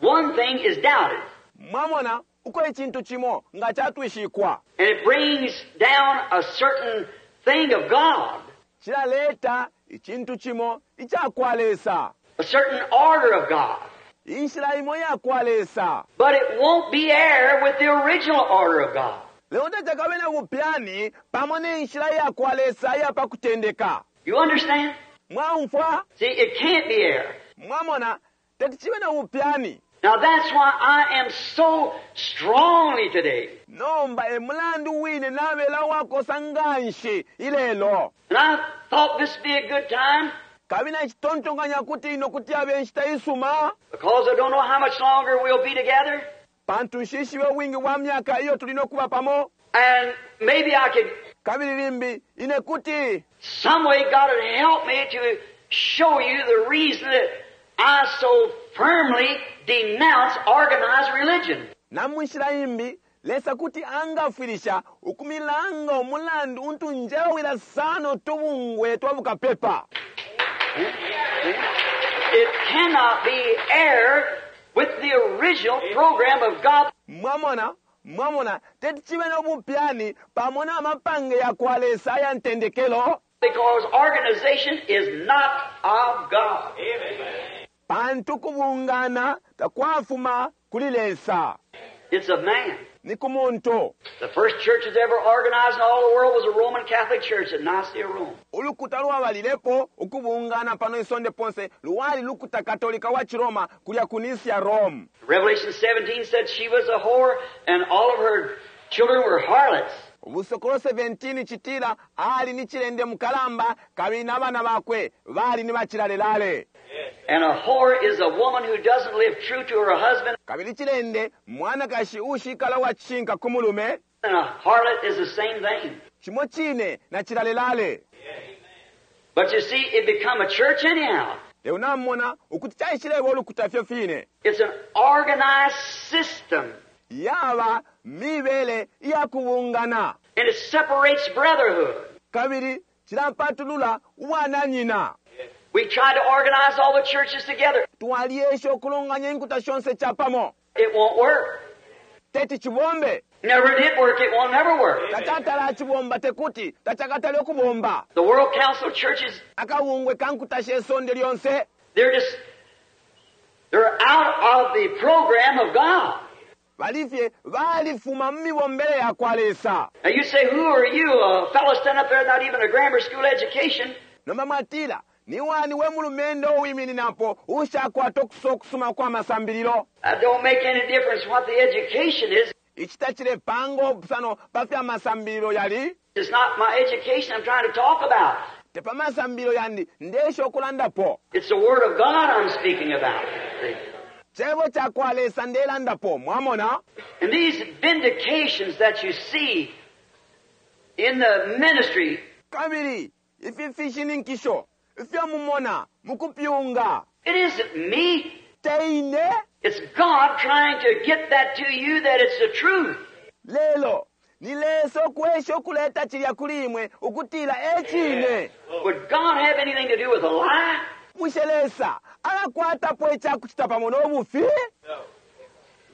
one thing is doubted. Mwamona uko icintu cimo nga catwishikwa. And it brings down a certain thing of God. Cilaleta icintu cimo icakwa Lesa. A certain order of God. Inshila imo yakwa Lesa. But it won't be heir with the original order of God. Lelo tacakabe na bupyani pamo ne nshila yakwa Lesa iya pa kutendeka. You understand? Mwaumfwa? See, it can't be heir. Mwamona teti cibe na bupyani. Now that's why I am so strongly today. Nomba e mulandu wine nabela wakosa nganshi ilelo. And I thought this would be a good time. Kabili nacitontonkanya kuti ino kuti abe nshita isuma. Because I don't know how much longer we'll be together. Pantu nshishibe wingi bwa myaka iyo tuli nokuba pamo. And maybe I could Kabili limbi ine kuti some way God would help me to show you the reason that I so firmly denounce organized religion. Na munshila imbi Lesa kuti angafwilisha ukumilanga umulandu untu njewila sana tubungwe twa bukapepa. It cannot be heir with the original program of God. Mwamona, mwamona, teti chibe nobupyani pamo na mapange ya kwa Lesa aya ntendekelo. Because organization is not of God. Pantu kubungana takwafuma kuli Lesa. It's of man. Ni ku muntu. The first church that's ever organized in all the world was a Roman Catholic Church at Nicaea, Rome. Ulukuta lwabalilepo ukubungana pano isonde ponse lwali lukuta Katolika wa Chiroma kulya ku Nicaea, Rome. Revelation seventeen said she was a whore and all of her children were harlots. Ubusokolo seventeen chitila ali ni chilende mukalamba kabili n'abana bakwe bali ni bachilalelale. And a whore is a woman who doesn't live true to her husband. Kabili chilende mwanakashi ushikala wa chinka kumulume. And a harlot is the same thing. Chimo chine na chilalelale. But you see, it become a church anyhow. Leo namona ukuti chaishilebo ulukuta fyo fine. It's an organized system. Yaba mibele ya kubungana. And it separates brotherhood. Kabili chilapatulula wananyina. We tried to organize all the churches together. Twaliesha okulonganya inkuta shonse chapamo. It won't work. Teti chibombe. Never did work. It won't never work. Tachatala chibomba tekuti tachakatale okubomba. The World Council of Churches, Akawungwe kankuta shesonde lyonse. they're just, they're out of the program of God. Balifye balifuma mmibombele ya kwa Lesa. Now you say, who are you? A fellow standing up there not even a grammar school education. Noma mwatila ni wani we mulumendo uwimininapo ushakwata okusokusuma kwa masambililo. That don't make any difference what the education is. Ichitachile pango obusano pafya masambililo yali. It's not my education I'm trying to talk about. Tepa masambililo yandi ndesho okulandapo. It's the Word of God I'm speaking about. See? Chebo cha kwa Lesa ndelandapo, mwamona? And these vindications that you see in the ministry. Kabili, ifi fishininkisho, ifyo mumona, mukupyunga. It isn't me. Teine. It's God trying to get that to you that it's the truth. Lelo, ni Lesa okwesha okuleta chilya kuli imwe ukutila echine. Would God have anything to do with a lie? Bushe Lesa alakwatapo echakuchita pamo n'obufi?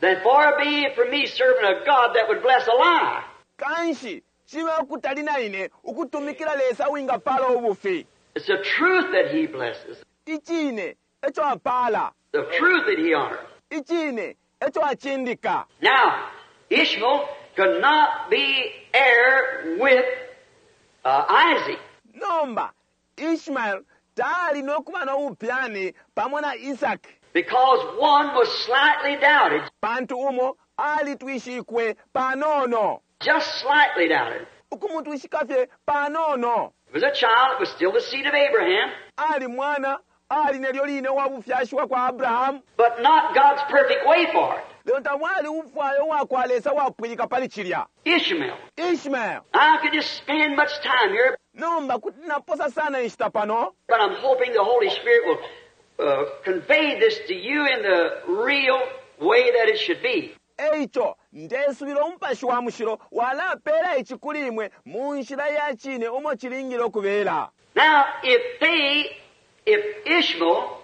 Then far be it from me serving a God that would bless a lie. Kanshi, chibe okutali na ine ukutumikila Lesa wingapala obufi. It's the truth that He blesses. Ichine echo apala. The truth that He honors. Ichine echo achindika. Now, Ishmael could not be heir with, uh, Isaac. Nomba, Ishmael tali nokuba n'obupyani pamo na Isaac. Because one was slightly doubted. Pantu umo alitwishikwe panono. Just slightly doubted. Ukumutwishika fye panono. It was a child, it was still the seed of Abraham. Ali mwana, ali nelyo line wa bufyashi wa kwa Abraham. But not God's perfect way for it. Lelo tamwali ufwayo wa kwa Lesa wapwilika pali chilya. Ishmael. Ishmael. I could just spend much time here. Nomba kuti naposa sana inshita pano. But I'm hoping the Holy Spirit will, uh, convey this to you in the real way that it should be. Eicho, ndesubila umupashi wa mushilo walapela ichi kuli imwe mu nshila ya chine umo chilingile okubela. Now, if they, if Ishmael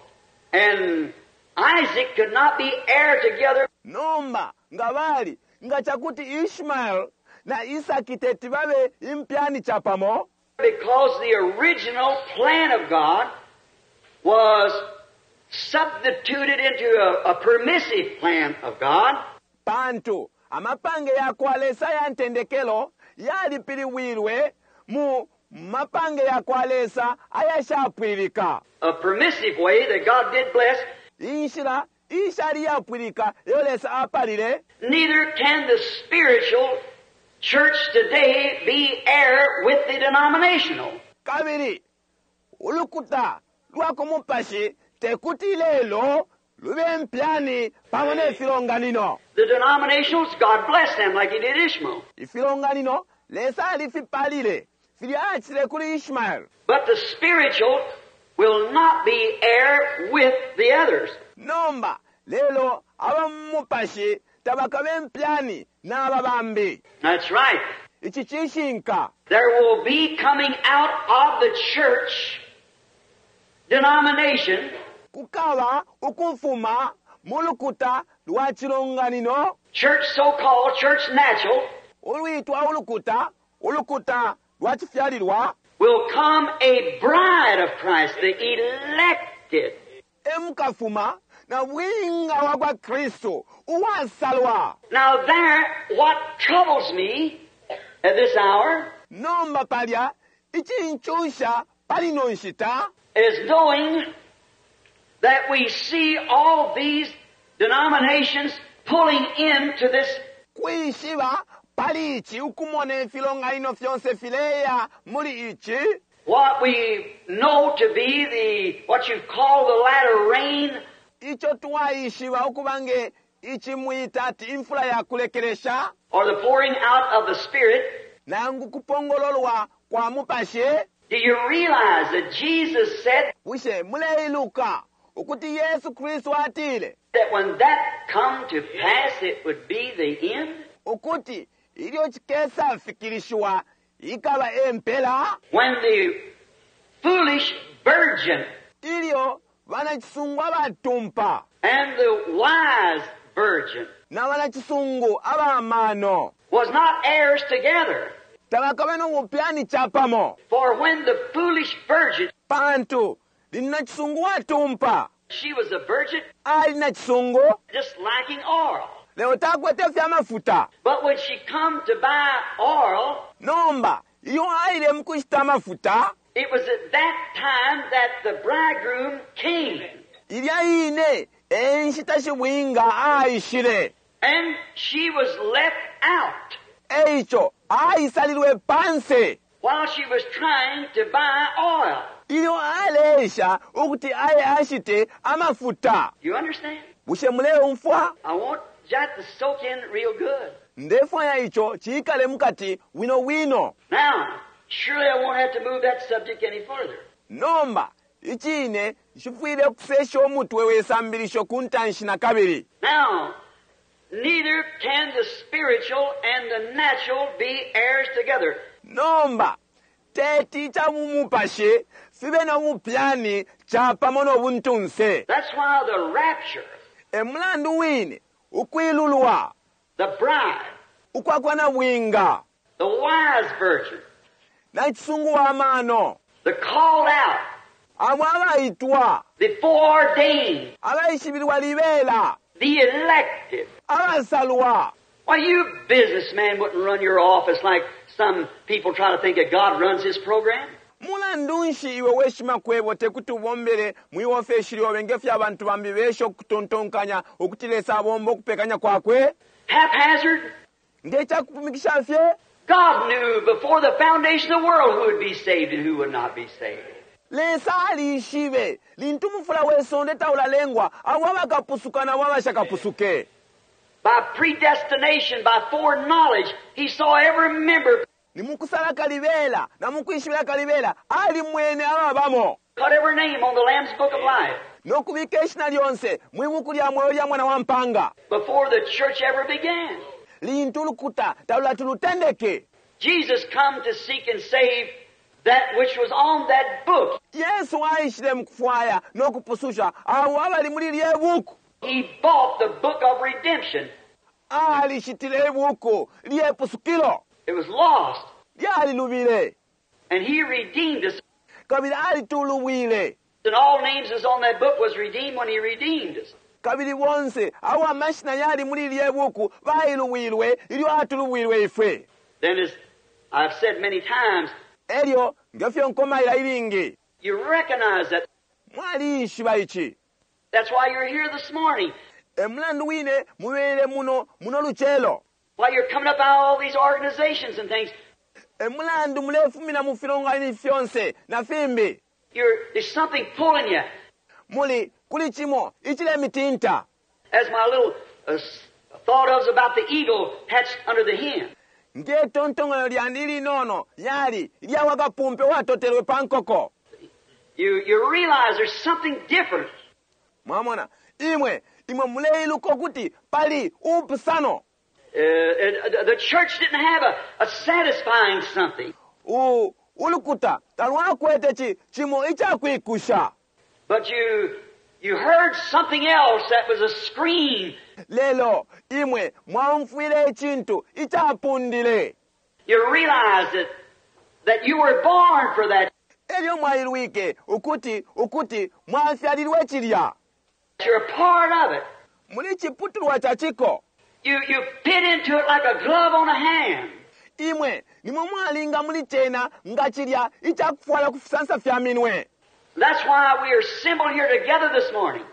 and Isaac could not be heir together, Nomba, nga bali, nga chakuti Ishmael na Isaki teti babe impyani chapamo. Because the original plan of God was substituted into a, a permissive plan of God. Pantu, amapange ya kwa Lesa ya ntendekelo yalipiliwilwe mu mapange ya kwa Lesa ayashapwilika. A permissive way that God did bless. Inshila ishali yapwilika yo Lesa apalile. Neither can the spiritual church today be heir with the denominational. Kabili, ulukuta lwa kumupashi tekuti lelo lube mpyani pamo ne filonganino. The denominationals, God bless them like He did Ishmael. Ifilonganino, Lesa alifipalile, filya achile kuli Ishmael. But the spiritual will not be heir with the others. Nomba, lelo abamupashi tabakabe mpyani n'ababambi. That's right. Ichi chishinka. There will be coming out of the church denomination. Kukaba ukufuma mu lukuta lwa chilonganino church so called, church natural, ulwitwa ulukuta ulukuta lwa chifyalilwa will come a bride of Christ, the elected. Emukafuma na bwinga wa kwa Kristu uwasalwa. Now there, what troubles me at this hour Nomba palya ichinchusha pali ino nshita is knowing that we see all these denominations pulling into this kwishiba pali ichi ukumona ifilonganino fyonse fileya muli ichi what we know to be the what you call the latter rain icho twaishiba ukubange ichi mwita ati imfula ya kulekelesha or the pouring out of the Spirit. Nangu kupongololwa kwa mupashi. Do you realize that Jesus said Bushe muleiluka ukuti Yesu Kristu atile that when that come to pass it would be the end? Ukuti ilyo chikesa fikilishiwa ikaba empela. When the foolish virgin Ilyo banachisungu abatumpa and the wise virgin na banachisungu abamano was not heirs together. Tabakabe no bupyani chapamo. For when the foolish virgin, Pantu lina chisungu watumpa, she was a virgin ali na chisungu just lacking oil. Leo takwete fya mafuta. But when she come to buy oil, Nomba iyo aile mukushita mafuta, it was at that time that the bridegroom came. Ilya ine enshita shibwinga aishile. And she was left out. Eicho aisalilwe panse. While she was trying to buy oil. Ilyo aleisha ukuti aye ashite amafuta. You understand? Bushe muleumfwa? I want that to soak in real good. Ndefwaya icho chikale mukati wino wino. Now, surely I won't have to move that subject any further. Nomba, ichine chifwile kusesha umutwe wesambilisho kuntanshi na kabili. Now, neither can the spiritual and the natural be heirs together. Nomba, teti cha mumupashi fibe na mupyani cha pamo no buntunse. That's why the rapture, E mulandu wine ukwilulwa, the bride, ukwakwa na bwinga, the wise virgin, na chisungu wa mano, the called out, abo abaitwa, the foreordained, abaishibilwa libela, the elected. abasalwa. Why, you businessman wouldn't run your office like some people try to think that God runs his program. Mulandu nshi iwe weshima kwebo tekuti ubombele mwi ofesi lyobe ngefyo abantu bambi besha okutontonkanya ukuti Lesa abomba okupekanya kwakwe? Haphazard. Ngekyakupumikisha fye? God knew before the foundation of the world who would be saved and who would not be saved. Lesa alishibe lintu mufula wesonde taulalengwa abo abakapusuka nabo abashakapusuke. By predestination, by foreknowledge, he saw every member. Ni mukusala kalibela na mukwishibila kalibela ali mwene ababamo. Put every name on the Lamb's Book of Life. Nokubika ishina lyonse mwibuku lya mwoyo lya mwana wa mpanga. Before the church ever began. Lintu lukuta talulatulutendeke. Jesus come to seek and save that which was on that book. Yesu aishile mukufwaya nokupususha abo abali muli lye buku. He bought the book of redemption. Alishitile ibuku lye pusukilo. It was lost. Lyalilubile. And he redeemed us. Kabili alitulubwile. And all names is on that book was redeemed when he redeemed us. Kabili bonse abo amashina yali muli lye buku bailubwilwe ilyo atulubwilwe ifwe. Then, as I've said many times, Elyo ngefyo nkomaila ilingi. You recognize that. Mwaliishiba ichi. That's why you're here this morning. E mulandu wine mubele muno muno luchelo. Why you're coming up out of all these organizations and things. E mulandu mulefumina mu filonganino fyonse na fimbi. You're, there's something pulling you. Muli kuli chimo ichile mitinta. As my little, uh, thought of about the eagle hatched under the hen. Nge tontongoyo lyandi linono yali lya wakapumpe watotelwe pankoko. You, you realize there's something different. Mwamona imwe imwe muleiluko kuti pali upusano. Uh, uh, the church didn't have a, a satisfying something. U, ulukuta talwakwete chi chimo ichakwikusha. But you You heard something else that was a scream. Lelo imwe mwaumfwile icintu icapundile. You realized that, that you were born for that. Elyo mwailwike ukuti ukuti mwafyalilwe cilya. You're a part of it. Muli ciputulwa ca ciko. You, you fit into it like a glove on a hand. Imwe nimwe mwalinga muli cena nga cilya icakufwala ku fisansa fya minwe. That's why we are assembled here together this morning.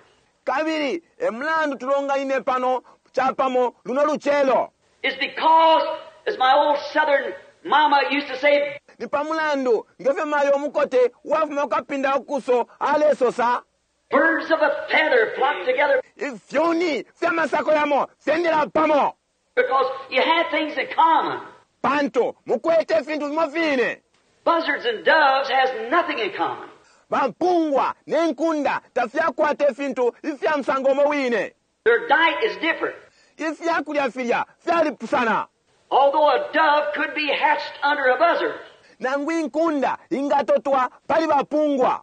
Kabili e mulandu tulonganine pano capamo luno lucelo. It's because, as my old southern mama used to say, Ni pa mulandu ngefyo mayo umukote uwafuma ku kapinda kukuso alesosa, birds of a feather flock together. Ifyuni fya masako yamo fyendela pamo. Because you have things in common. Pantu mukwete ifintu fimo fine. Buzzards and doves has nothing in common. Bampungwa ne nkunda tafyakwata ifintu ifya musango umo wine. Their diet is different. Ifyakulya filya fyalipusana. Although a dove could be hatched under a buzzard. Nangu inkunda ingatotwa pali bapungwa.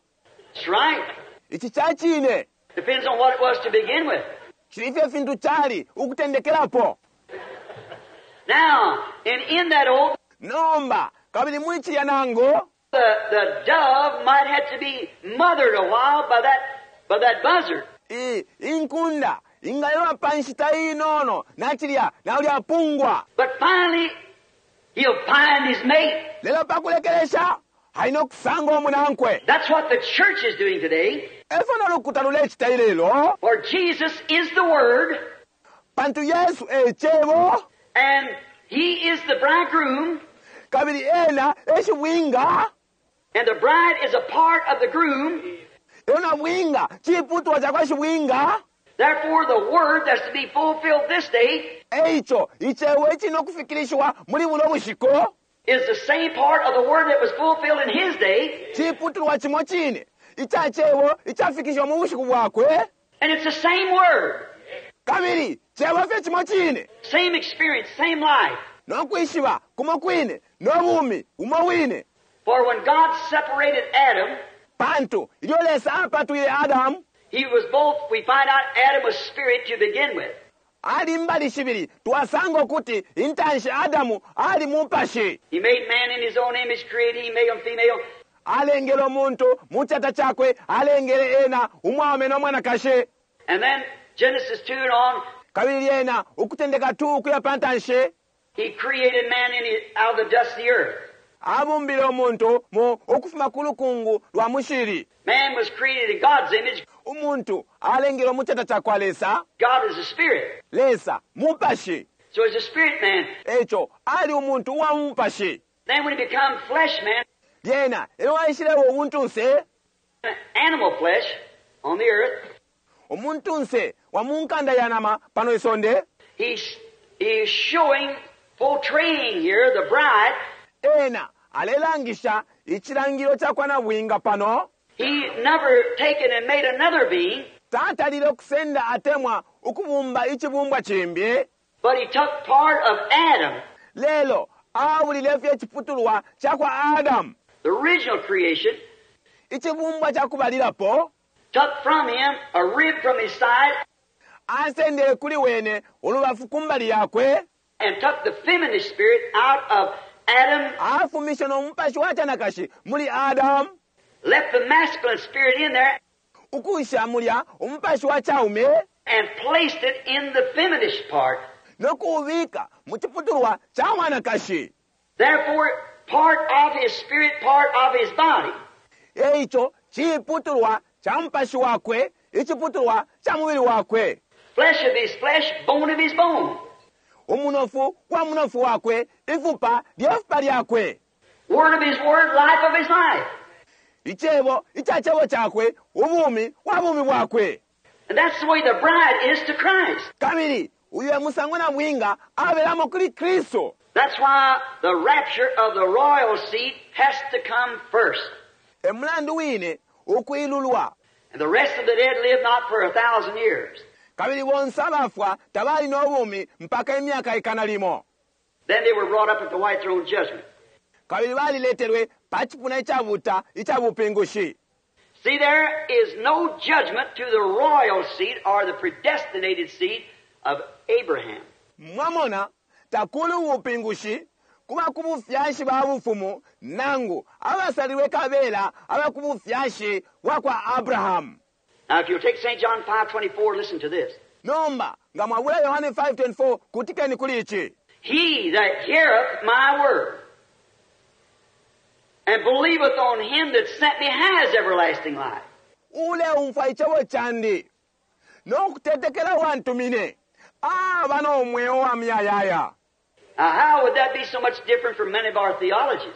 That's right. Ici ca cine. Depends on what it was to begin with. Cili fye fintu cali ukutendekelapo. Now, and in that old, Nomba, kabili muli cilya nangu, the, the dove might have to be mothered a while by that, by that buzzard. I, inkunda ingalewa pa nshita inono na cilya na ulya pungwa. But finally, he'll find his mate. Lelo pa kulekelesha, alina ukusanga umunankwe. That's what the church is doing today. Efyo no lukuta lulecita ilelo. For Jesus is the Word. Pantu Yesu e cebo. And he is the bridegroom. Kabili ena e shibwinga. And the bride is a part of the groom. Elyo na bwinga ciputulwa ca kwa shibwinga. Therefore, the word that's to be fulfilled this day Eico icebo icili no kufikilishiwa muli buno bushiku is the same part of the word that was fulfilled in his day. Ciputulwa cimo cine ica cebo icafikishiwa mu bushiku bwakwe. And it's the same word. Kabili cebo fye cimo cine. Same experience, same life. No kwishiba kumo kwine no bumi umo wine. For when God separated Adam, Pantu ilyo Lesa apatwile Adamu, he was both, we find out Adam was spirit to begin with. Ali mbali shibili, twasanga ukuti intanshi Adamu ali mupashi. He made man in his own image, created him, male and female. Alengele umuntu mu cata cakwe, alengele ena umwaume no mwanakashi. And then Genesis two and on, Kabili lyena ukutendeka two ukuya pa ntanshi, he created man in his, out of the dust of the earth. Abumbile umuntu mu ukufuma ku lukungu lwa mushili. Man was created in God's image. Umuntu alengelwe mu cata ca kwa Lesa. God is a spirit. Lesa mupashi. So he's a spirit man. Eco ali umuntu uwa mupashi. Then when he became flesh man, Lyena elyo aishilewa ubuntunse, animal flesh on the earth, umuntunse wa mu nkanda ya nama pano isonde, he's, he's showing, portraying here the bride. Ena alelangisha icilangilo ca kwa nabwinga pano. He never taken and made another being. Tatalile ukusenda atemwa ukubumba icibumbwa cimbi. But he took part of Adam. Lelo abulile fye iciputulwa ca kwa Adam. The original creation. Icibumbwa ca kubalilapo. Took from him a rib from his side. Asendele kuli wene ulubafu kumbali yakwe. And took the feminine spirit out of Adam. Afumishe no mupashi wa canakashi muli Adam. Left the masculine spirit in there. Ukusha mulya umupashi wa caume. And placed it in the feminine part. No kuubika mu ciputulwa ca mwanakashi. Therefore, part of his spirit, part of his body. Eico ciputulwa ca mupashi wakwe, iciputulwa ca mubili wakwe. Flesh of his flesh, bone of his bone. Umunofu wa munofu wakwe, ifupa lyefupa lyakwe. Word of his word, life of his life. Icebo ica cebo cakwe, ubumi wa bumi bwakwe. And that's the way the bride is to Christ. Kabili uyu e musango na bwinga abelamo kuli Kristo. That's why the rapture of the royal seed has to come first. E mulandu wine ukuilulwa. And the rest of the dead live not for a thousand years. Kabili bonse abafwa tabali no bumi mpaka imyaka ikana limo. Then they were brought up at the white throne judgment. Kabili baliletelwe pa cipuna icabuta icabupingushi. See, there is no judgment to the royal seed or the predestinated seed of Abraham. Mwamona takuli ubupingushi kuba ku bufyashi ba bufumu nangu abasalilwe kabela aba ku bufyashi bwa kwa Abrahamu. Now, if you'll take Saint John five twenty-four, listen to this. Nomba nga mwabula Yohane five twenty-four, kutikeni kuli ichi. He that heareth my word and believeth on him that sent me has everlasting life. Uleumfwa icebo candi no kutetekela wantumine aba no mweo wa muyayaya. Now, how would that be so much different from many of our theologies?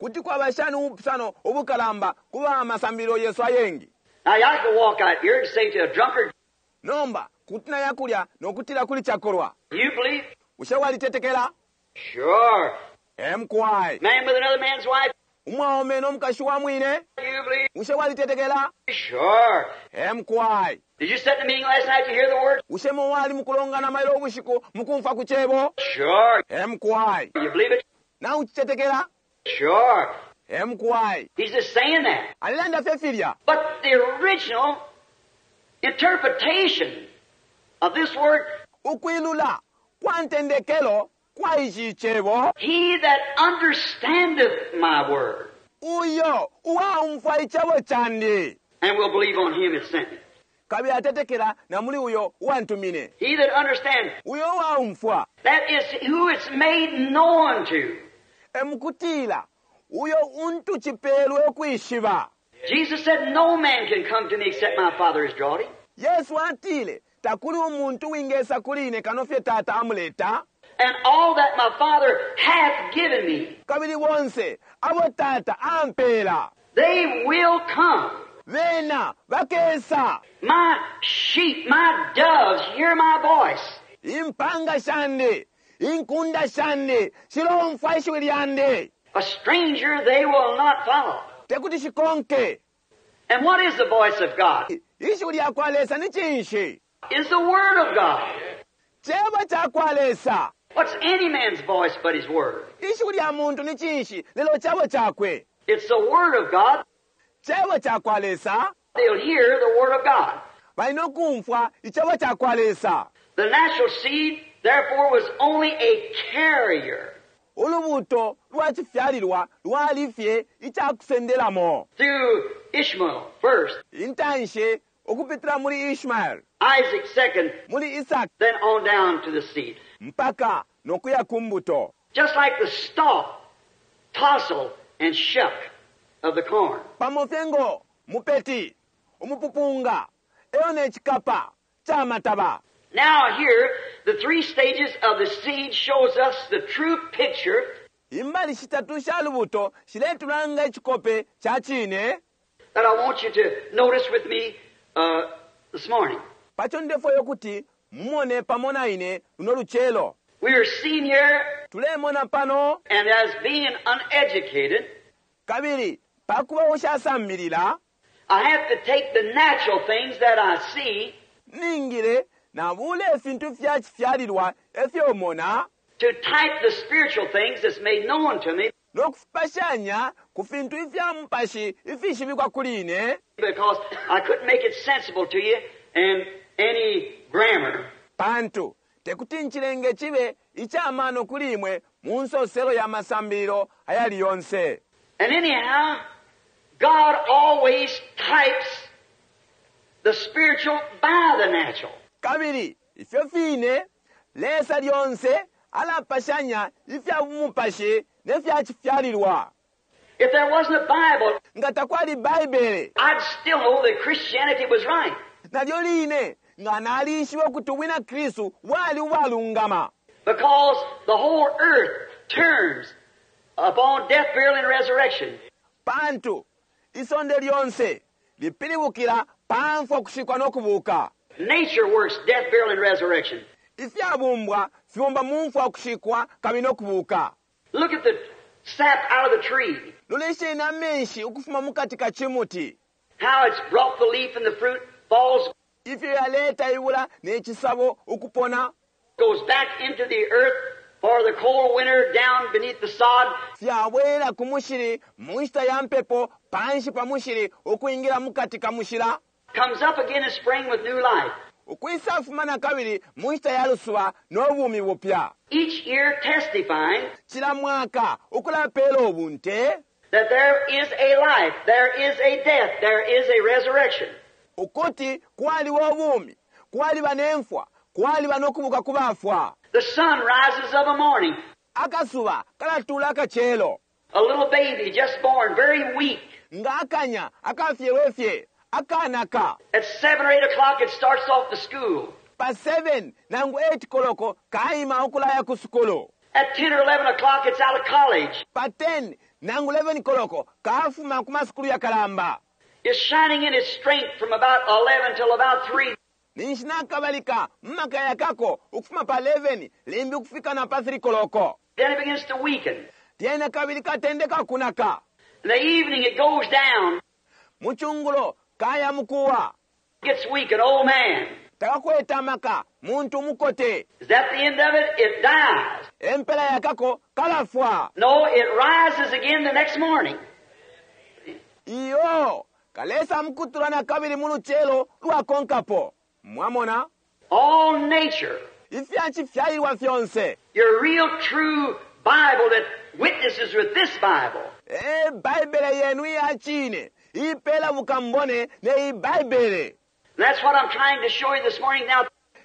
Kuti kwaba shani ubupusano ubukalamba kuba amasambililo yesu ayengi? Now, I could walk out here and say to a drunkard, Nomba kuti nayakulya nokutila kuli chakolwa, "You believe?" Bushe walitetekela? "Sure." M K. Man with another man's wife, Umwaume n'omukashi wa mwine, "You believe?" Bushe walitetekela? "Sure." M K. Did you sit in the meeting last night to hear the word? Bushe mwali mukulongana mailo ubushiku mukumfwa ku cebo? "Sure." M K. "You believe it?" Nauchitetekela? "Sure." M K. He's just saying that. Alilanda fye filya. But the original interpretation of this word, Ukwilula kwa ntendekelo kwa ichi cebo, he that understandeth my word uyo uwaumfwa icebo candi and will believe on him that sent me. Kabili atetekela na muli uyo uwantumine. He that understands, Uyo uwaumfwa, that is who it's made known to. Emukutila uyo untu chipelwe ukwishiba. Jesus said, "No man can come to me except my Father has drawn him." Yesu atile takuli umuntu wingesa kuli ine kano fye Tata amuleta. And all that my Father hath given me, Kabili bonse abo Tata ampela, they will come. Bena bakesa. My sheep, my doves hear my voice. Impanga shandi, inkunda shandi shilomfwa ishiwi lyandi. A stranger they will not follow. Tekuti shikonke. And what is the voice of God? Ishiwi lya kwa Lesa ni cinshi? Is the Word of God. Cebo ca kwa Lesa. What's any man's voice but his word? Ishiwi lya muntu ni cinshi lelo cebo cakwe? It's the Word of God. Cebo ca kwa Lesa. They'll hear the Word of God. Balina okumfwa icebo ca kwa Lesa. The natural seed, therefore, was only a carrier Ulubuto lwa cifyalilwa lwali fye icakusendelamo through Ishmael first, intanshi ukupitila muli Ishmael, Isaac second, muli Isaki, then on down to the seed. Mpaka nokuya ku mbuto. Just like the stalk, tassel, and shuck of the corn. Pamo fye ngo mupeti umupupunga eyo n'ekikapa ky'amataba. Now here, the three stages of the seed shows us the true picture Imbali shitatu sha lubuto shiletulanga ekikope kya cine that I want you to notice with me uh, this morning. Pacho ndefwayo kuti mumone pamo na ine luno lucelo. We are seen here, Tulemona pano, and as being uneducated, kabili pakuba ushasambilila, I have to take the natural things that I see ningile nabula efintu fya cifyalilwa efyomona to type the spiritual things that's made known to me nokufipashanya ku fintu ifya mupashi ifishibikwa kuli ine, because I couldn't make it sensible to you in any grammar. Pantu tekuti nchilenge chibe ichamano kuli imwe mu nsoselo ya masambililo ayali yonse. And anyhow, God always types the spiritual by the natural. Kabili ifyo fine Lesa lyonse alapashanya ifya bumupashi ne fya cifyalilwa. If there wasn't a Bible, Nga takwali Baibele, I'd still know that Christianity was right. Nalyo line nga nalishiba ukuti ubwina Kristu bwali ubwalungama, Because the whole earth turns upon death, burial, and resurrection. Pantu isonde lyonse lipilibukila pa mfwa, kushikwa n'okubuuka. Nature works death, burial, and resurrection. Ifyabumbwa fibomba mu mfwa, kushikwa kabili n'okubuuka. Look at the sap out of the tree. Lolesheni amenshi ukufuma mukati ka chimuti, How it's brought the leaf and the fruit falls, ifyo yaleta ibula n'ekisabo ukupona, goes back into the earth for the cold winter down beneath the sod. Fyabwera ku mushili mu nshita ya mpepo Panshi pa mushili ukwingila mukati ka mushila. Comes up again in spring with new life. Ukwisafuma na kabili mu nshita ya lusuba no bumi bupya. Each year testifying Cila mwaka ukulapela ubunte that there is a life, there is a death, there is a resurrection. Ukuti kwaliba ubumi, kwaliba nemfwa, kwaliba nokubuka ku bafwa. The sun rises of a morning. Akasuba kalatula akachelo. A little baby just born, very weak. Nga akanya akafyelwe fye akanaka. At seven or eight o'clock it starts off to school. Pa seven nangu eight koloko kaima ukulaya ku sukulu. At ten or eleven o'clock it's out of college. Pa ten nangu eleven koloko kafuma ku masukulu ya kalamba. It's shining in its strength from about eleven till about three. Ninshi nakabalika mmakaya kako ukufuma pa eleven limbi ukufika na pa three koloko. Then it begins to weaken. Lyena kabili katendeka kunaka. In the evening it goes down. Muchungulo kaya mukuwa. Gets weak, an old man. Takakweta amaka muntu mukote. Is that the end of it? It dies. Empela yakako kalafwa. No, it rises again the next morning. Iyo kalesa mukutula na kabili muluchelo lwakonkapo. Mwamona? All nature. Ifyachi fyalilwa fyonse. Your real true Bible that witnesses with this Bible. E Bible yenu iya chine. Ipela bukambone ne I Bible. And that's what I'm trying to show you this morning now.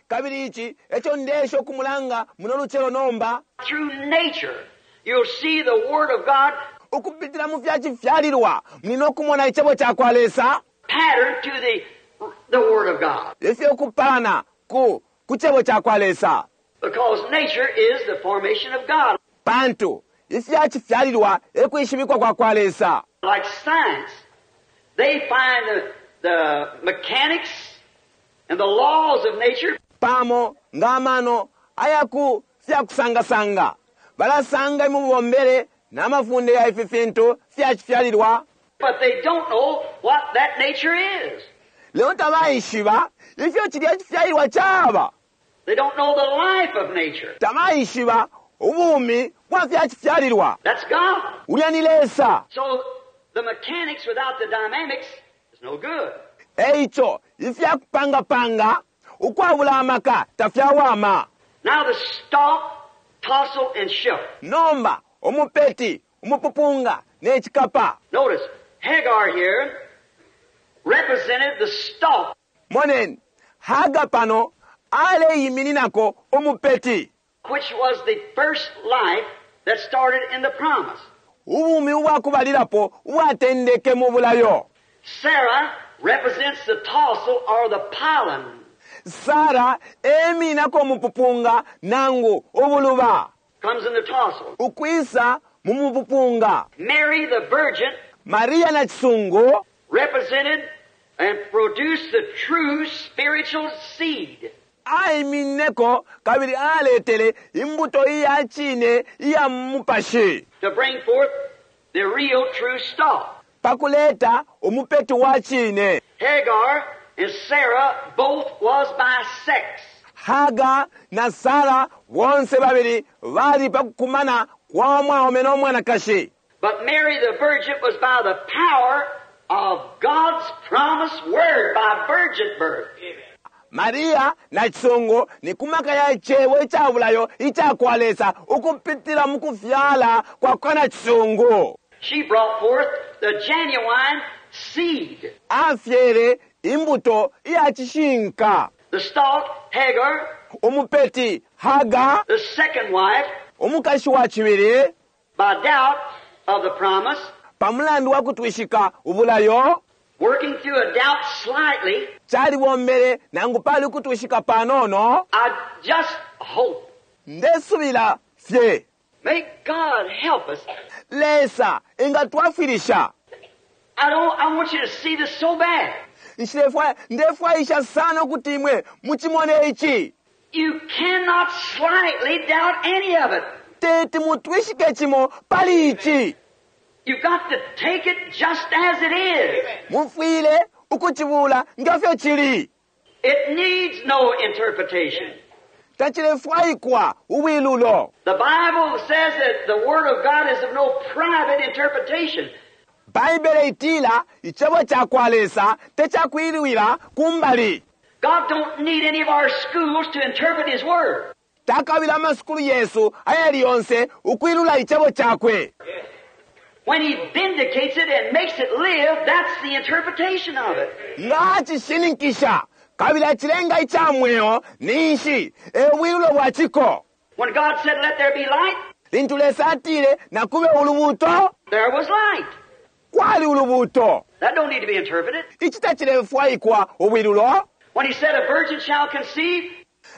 Kabili ichi echo ndesho kumulanga muno luchelo nomba. Through nature, you'll see the Word of God Ukupitira mu fyachi fyalilwa muli kumona ichebo cha kwa Lesa. Pattern to the, the Word of God. Ifyo kupalana ku kuchebo cha kwa Lesa. Because nature is the formation of God. Pantu ifyachi fyalilwa ekuishibikwa kwa kwa Lesa. Like science, they find the, the mechanics and the laws of nature. Pamo ngamano ayaku fyakusangasanga balasanga imubombere n'amafunde ya ifi fintu fyachifyalilwa. But they don't know what that nature is. Leo tabaishiba ifyo chilya chifyalilwa chaba. They don't know the life of nature. Tabaishiba ubumi bwa fyachifyalilwa. That's God. Ulya ni Lesa. So the mechanics without the dynamics is no good. Eicho ifyakupangapanga ukwabula amaka tafyawama. Now the stalk, tassel, and shook. Nomba umupeti, umupupunga nechikapa. Notice Hagar here represented the stalk. Moneni Hagar pano aleyimininako umupeti, which was the first life that started in the promise. Ubumi ubwakubalilapo ubwatendeke mu bulayo. Sarah represents the tassel or the pollen. Sarah eminako umupupunga nangu ubuluba. Comes in the tassel. Ukwisa mu mupupunga. Mary the Virgin Maria na chisungu represented and produced the true spiritual seed. Aimineko kabili aletele imbuto iya chine iya mupashi. To bring forth the real true stalk. Pakuleta umupeti wa chine. Hagar and Sarah both was by sex. Hagar na Sarah bonse babili bali pakukumana kwa mwaume no mwanakashi. But Mary the Virgin was by the power of God's promised word, by virgin birth. Maria na chisungu ni kumaka ya chewe ichabulayo ichakwalesa ukupitira mukufyala kwa kana chisungu. She brought forth the genuine seed. Afyere imbuto iya chishinka. The stalk, Hagar. Umupeti, Hagar. The second wife. Umukashi wa chibili. By doubt of the promise. Pamulandu wa kutwishika ubulayo. Working through a doubt slightly. Chaliwombere nangu pali kutwishika panono. I just hope. Ndesubila fye. May God help us. Lesa ingatwafirisha. I don't, I want you to see this so bad. Nshilefwa, ndefwaisha sana kuti imwe muchimone ichi. You cannot slightly doubt any of it. Teti mutwishike chimo pali ichi. You've got to take it just as it is. Mufwile ukuchibula ngafyo chili. It needs no interpretation. Tachilefwaikwa ubwilulo. The Bible says that the Word of God is of no private interpretation. Baibele itila icebo cakwa Lesa tecakwilwila kumbali. God don't need any of our schools to interpret His Word. Takabila amasukulu yesu ayali yonse ukwilula icebo cakwe. When He vindicates it and makes it live, that's the interpretation of it. Nga acishininkisha kabili acilenga ica mweo ninshi e bwilulo bwa ciko. When God said, "Let there be light," Lintu Lesa atile nakube ulubuuto, there was light. kwali ulubuuto. That don't need to be interpreted. Ici tacilefwaikwa ubwilulo. When He said, "A virgin shall conceive,"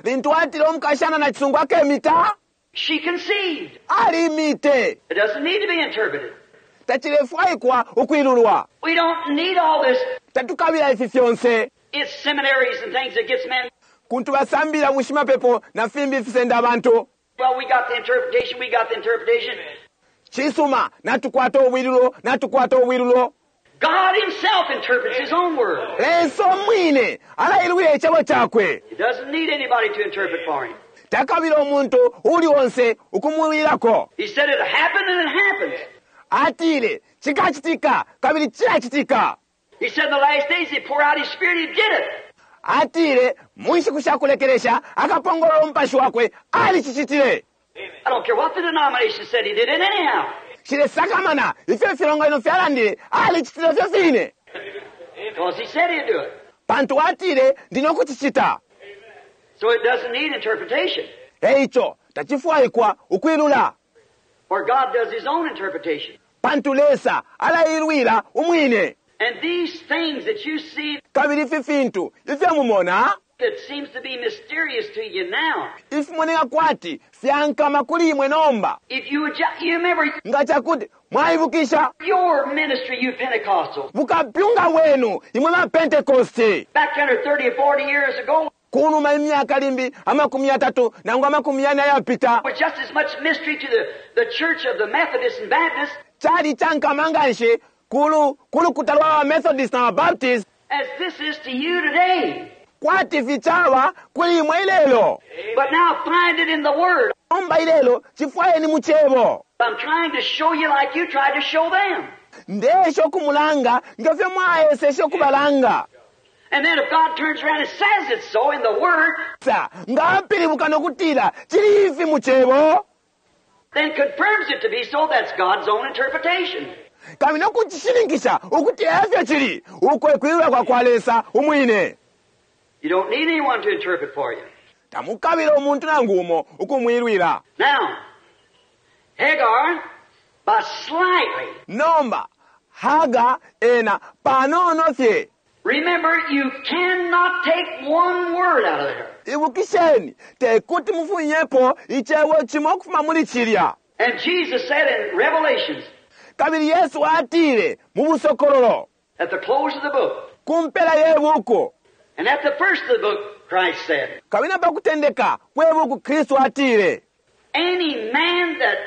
Lintu atile umukashana na cisungu akemita, she conceived. alimite. It doesn't need to be interpreted. Tacilefwaikwa ukwilulwa. We don't need all this. Tatukabila ifi fyonse. It's seminaries and things that gets men. Kuntu basambila bushimapepo na fimbi fisenda abantu. Well, we got the interpretation, we got the interpretation. Cisuma, natukwata ubwilulo, natukwata ubwilulo. God Himself interprets His own Word. Lesa umwine alailwila icebo cakwe. He doesn't need anybody to interpret for Him. Takabila umuntu uli onse ukumwilako. He said it happened and it happens. Atile cikacitika kabili cilacitika. He said in the last days He'd pour out His Spirit, He did it. Atile mu nshiku sha kulekelesha akapongolola umupashi wakwe, alicicitile. I don't care what the denomination said, He did it anyhow. Nshilesakamana ifyo ifilonganino fyalandile, alicitile fyo fine. Because He said He'd do it. Pantu atile ndi no kucicita. So it doesn't need interpretation. Eico tacifwaikwa ukwilula. For God does His own interpretation. Pantu Lesa alailwila umwine. And these things that you see Kabili ifi fintu ifyo mumona that seems to be mysterious to you now, ifimoneka kwati fyankama kuli imwe nomba. if you would ju- you remember Nga cakuti mwaibukisha your ministry, you Pentecostals, bukapyunga bwenu imwe ba Pentecosti back under thirty or forty years ago, kunuma imyaka limbi amakumi yatatu nangu amakumi yane ayapita, was just as much mystery to the, the church of the Methodists and Baptists cali cankama nganshi kulu kulukuta lwa ba Methodist na ba Baptist as this is to you today. kwati ficaba kuli imwe ilelo. But now find it in the Word. Nomba ilelo cifwayeni mu cebo. I'm trying to show you like you tried to show them. Ndesha ukumulanga ngefyo mwaeseshe ukubalanga. And then if God turns around and says it's so in the Word, Sa nga apilibuka nokutila cili ifi mu cebo, then confirms it to be so, that's God's own interpretation. kabili nokucishininkisha ukuti efyo cili, uko ekwilula kwa kwa Lesa umwine. You don't need anyone to interpret for you. Tamukabila umuntu nangu umo ukumwilwila. Now, Hagar, by slightly, Nomba Haga ena panono fye. Remember, you cannot take one word out of there. Ibukisheni tekuti mufunyepo icebo cimo ukufuma muli cilya. And Jesus said in Revelations, Kabili Yesu atile mu busokololo at the close of the book, ku mpela ye buku, and at the first of the book, Christ said, kabili na pakutendeka kwe buku Kristu atile, any man that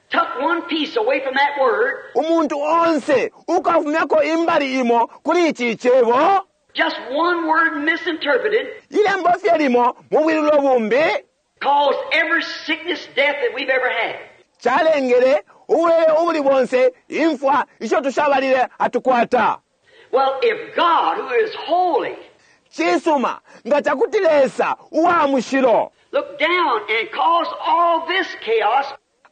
took one piece away from that word, umuntu onse ukafumyako imbali imo kuli ici icebo, just one word misinterpreted, ilembo fye limo mu bwilulo bumbi, caused every sickness, death that we've ever had. calengele ubulwele ubuli bonse imfwa isho tushabalile atukwata. Well, if God, who is holy, Cisuma nga cakuti Lesa uwa mushilo looked down and caused all this chaos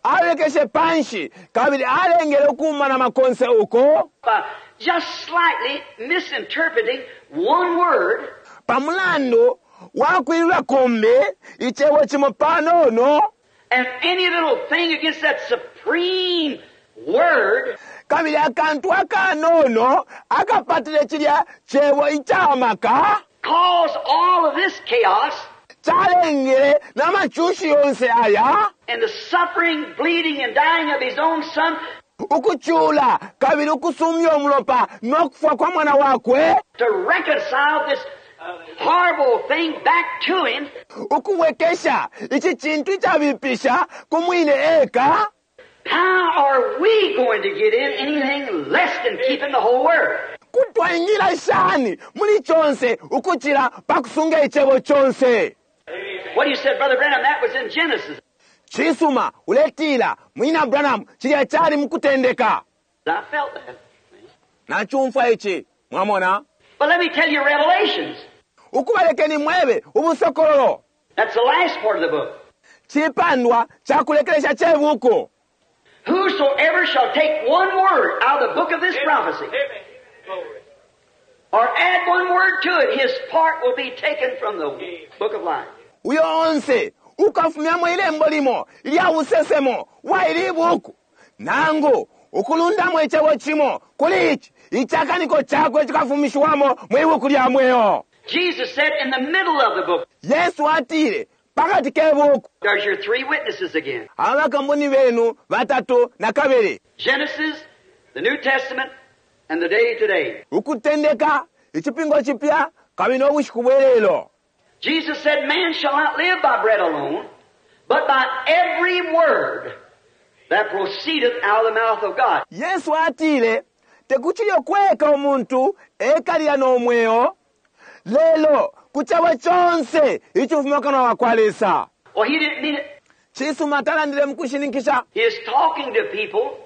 alekeshe panshi kabili alengele ukuumana makonse uko by just slightly misinterpreting one word, pamulandu wakwilula kumbi icebo cimo panono, and any little thing against that supreme word, kabili akantu akanono akapatile cilya cebo icamaka caused all of this chaos calengele n'amacushi yonse aya, and the suffering, bleeding, and dying of his own son ukucula kabili ukusumya umulopa nokufwa kwa mwana wakwe, to reconcile this horrible thing back to him. Ukubwekesha ici cintu icabipisha ku mwine eka. How are we going to get in anything less than keeping the whole word? Kutwaingila shani muli conse ukucila pakusunga icebo conse? What you said, Brother Branham, that was in Genesis. Cisuma uletila mwina Branham cilya cali mukutendeka. I felt that. Nacumfwa ici, mwamona. But let me tell you Revelations. Ukubalekeni mwebe ubusokololo. That's the last part of the book. Cipandwa cakulekelesha ce buku. Whosoever shall take one word out of the book of this prophecy, or add one word to it, his part will be taken from the book of life. Uyo onse ukafumyamo ilembo limo ilya busesemo wa ili buku, nangu ukulundamo icebo cimo kuli ici, icakaniko cakwe cikafumishiwamo mwi buku lya mweo. Jesus said in the middle of the book, Yesu atile pakati ke buku, there's your three witnesses again. abakamboni benu batatu na kabili. Genesis, the New Testament, and the day today. Ukutendeka icipingo cipya kabili n'obushiku bwelelo. Jesus said, man shall not live by bread alone, but by every word that proceedeth out of the mouth of God. Yesu atile tekuchilyo kweka umuntu ekalira n'omweo lelo ku cebo conse icifuma kanwa wa kwa Lesa. Well, he didn't mean it. Cisuma talandile mu kushininkisha. He is talking to people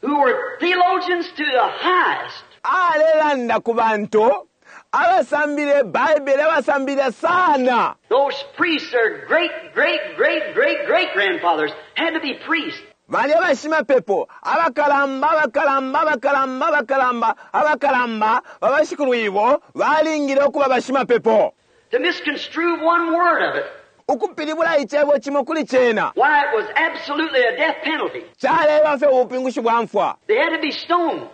who were theologians to the highest. Alelanda ku bantu abasambile Baibele, abasambile sana. Those priests, their great, great, great, great, great grandfathers had to be priests. Bali abashimapepo abakalamba, abakalamba, abakalamba, abakalamba, abakalamba babashikulwibo balingile okuba bashimapepo. To misconstrue one word of it, Ukupilibula icebo cimo kuli cena, why, it was absolutely a death penalty. Caleba fye ubupingushi bwa mfwa. They had to be stoned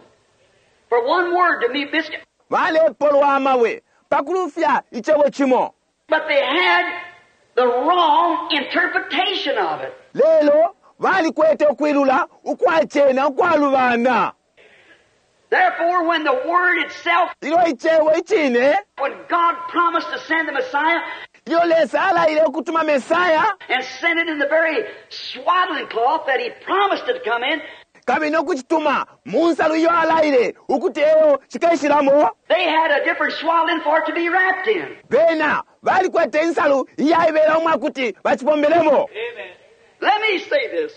for one word to be mis. Balepolwa amabwe pakulufya icebo cimo. But they had the wrong interpretation of it. Lelo balikwete ukwilula ukwacena ukwalubana. Therefore, when the word itself, Ilyo icebo icine, when God promised to send the Messiah, ilyo Lesa alaile ukutuma Mesaya, and sent it in the very swaddling cloth that he promised it to come in, kabili nokucituma mu nsalu iyo alaile ukuti eyo cikaishilamo, they had a different swaddling for it to be wrapped in. Bena balikwete insalu iyaibela umwakuti bacipombelemo. Amen. Let me say this.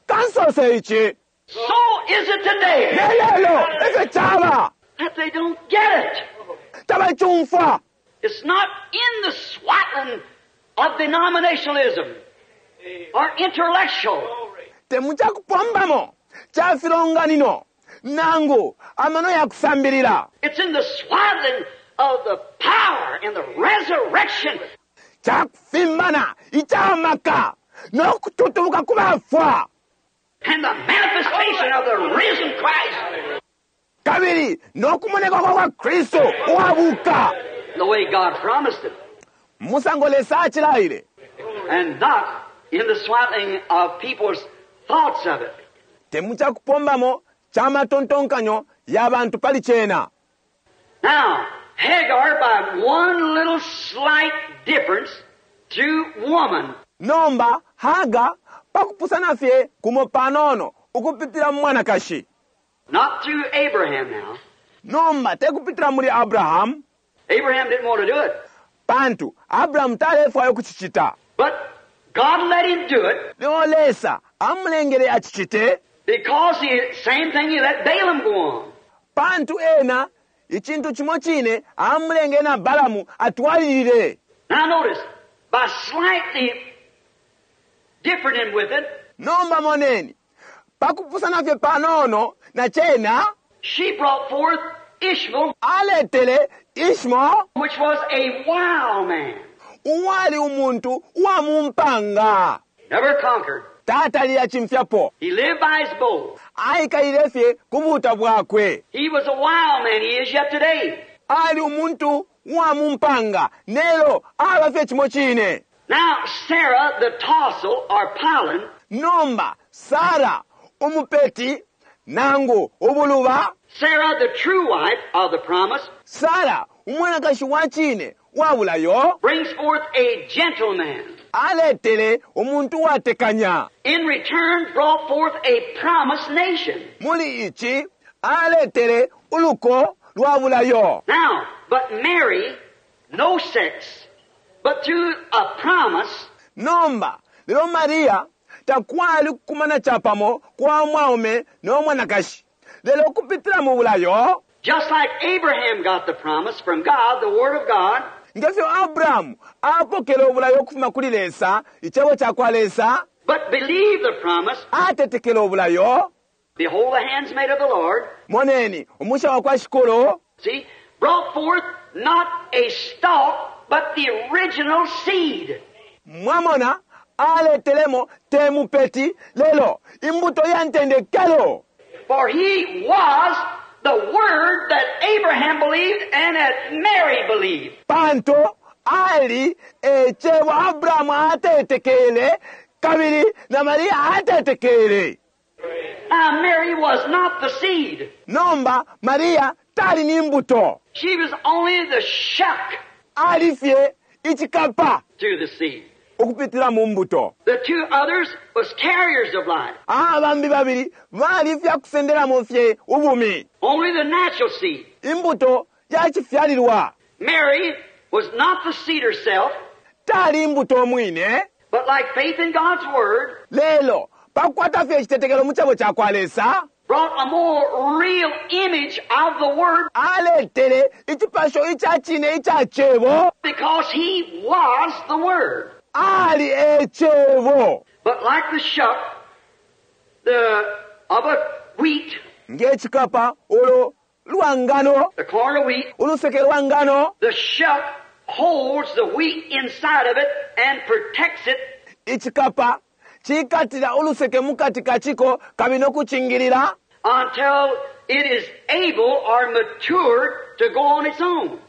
Kansose ici. So is it today Lelelo efyo caba that they don't get it. Tabacumfwa. It's not in the swaddling of denominationalism or intellectual. Temucakupombamo ca filonganino nangu amano ya kusambilila. It's in the swaddling of the power and the resurrection. Cakufimbana icamaka nokututubuka ku bafwa. And the manifestation of the risen Christ. Kabili nokumoneka kwa kwa Kristo uwabuka. The way God promised it. Musango Lesa acilaile. And not in the swaddling of people's thoughts of it. Temucakupombamo ca matontonkanyo ya bantu pali cena. Now, Hagar, by one little slight difference to woman. Nomba Hagar pakupusana fye kumo panono ukupitila mu mwanakashi. Not through Abraham now. Nomba tekupitila muli Abraham. Abraham didn't want to do it. Pantu Abraham talefwayo kucicita. But God let him do it. Leo Lesa amulengele acicite. Because the same thing he let Balaam go on. Pantu ena icintu cimo cine amulengele na Balamu atwalilile. Now notice, by slightly different in with it, Nomba moneni pakupusana fye panono na cena, she brought forth Ishmael, aletele Ishmael, which was a wild man. Uwali umuntu uwa mumpanga. Never conquered. Tatali acimfyapo. He lived by his bow. Aikalile fye ku buta bwakwe. He was a wild man. He is yet today. Ali umuntu uwa mumpanga. Nelo aba fye cimo cine. Now Sarah, the tassel or pollen, Nomba Sarah umupeti nangu ubuluba, Sarah, the true wife of the promise, Sarah umwanakashi wa cine wa bulayo, brings forth a gentleman. Aletele umuntu watekanya. In return, brought forth a promised nation. Muli ici aletele uluko lwa bulayo. Now, but Mary, no sex, but through a promise. Nomba, lelo Maria takwali kukumana chapamo kwa mwaume no mwanakashi. Lelo ukupitila mu bulayo, just like Abraham got the promise from God, the Word of God, ngefyo Abrahamu apokele ubulayo ukufuma kuli Lesa, icebo cakwa Lesa, but believe the promise, atetekele ubulayo. behold the handsmaid of the Lord, Moneni, umusha wa kwa Shikulu see, brought forth not a stalk, but the original seed. mwamona aletelemo te mupeti lelo imbuto ya ntendekelo. For he was the Word that Abraham believed and that Mary believed. Pantu ali ecebo Abrahamu atetekele kabili na Maria atetekele. Now, Mary was not the seed. Nomba Maria tali ni mbuto, She was only the shuck ali fye icikapa to the seed. ukupitila mu mbuto. The two others was carriers of life. Abambi babili bali fya kusendelamo fye ubumi, Only the natural seed. imbuto yacifyalilwa. Mary was not the seed herself, Tali imbuto mwine, but like faith in God's Word, lelo pakukwata fye icitetekelo mu cebo cakwa Lesa, brought a more real image of the Word aletele icipasho ica cine ica cebo. because He was the Word. Ali e cebo. But like the shuck the, of a wheat, Ng'ekikapa olwo lwa ngano, the corn of wheat, oluseke lwa ngano, the shuck holds the wheat inside of it and protects it icikapa cikatira oluseke mukati kaciko kabili n'okucingirira until it is able or matured to go on its own.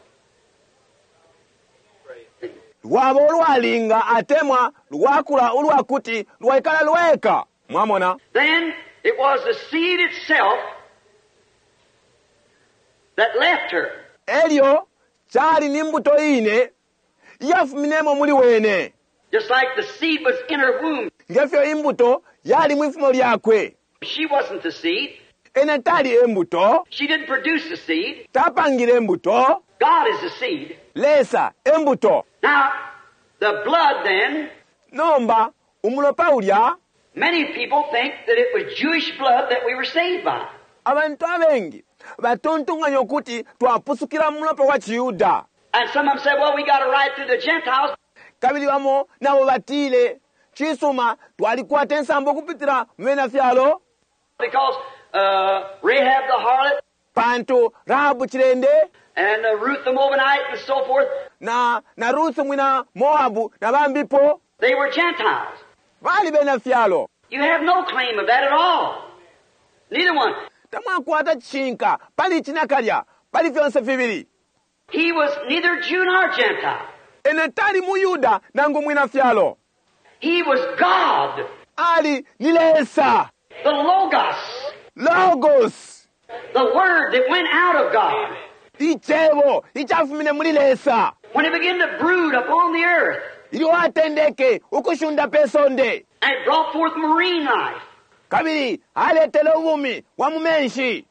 lwaba olwalinga atemwa lwakula olwakuti lwaikala lweka. Mwamona? Then it was the seed itself that left her. Elyo kyali ni mbuto ine iyafuminemo muli wene, Just like the seed was in her womb. ngefyo imbuto yali mwifumo lyakwe. She wasn't the seed. Ena tali embuto, She didn't produce the seed. tapangile embuto. God is the seed. Lesa embuto. Now, the blood then, Nomba umulopa ulya, many people think that it was Jewish blood that we were saved by. abantu abengi batontonganya ukuti twapusukila mu mulopa wa Chiyuda. And some of them said, well, we got a right through the Gentiles. Kabili bamo nabo batile cisuma twalikwata ensambo okupitila mu bena fyalo, Because uh, Rahab the harlot pantu Rahabu cilende and uh, Ruth the Moabite and so forth, na, na Ruth mwina Moabu na bambipo they were Gentiles. bali bena fyalo. You have no claim of that at all. Neither one. Tamwakwata cishinka pali ici nakalya pali fyonse fibili. He was neither Jew nor Gentile. Ene tali mu Yuda nangu mwina fyalo, He was God, ali ni Lesa, the Logos, Logos, the Word that went out of God. icebo icafumine muli Lesa. When it began to brood upon the earth Ilyo atendeke ukushunda pe sonde, and it brought forth marine life, kabili aletele ubumi bwa mu menshi.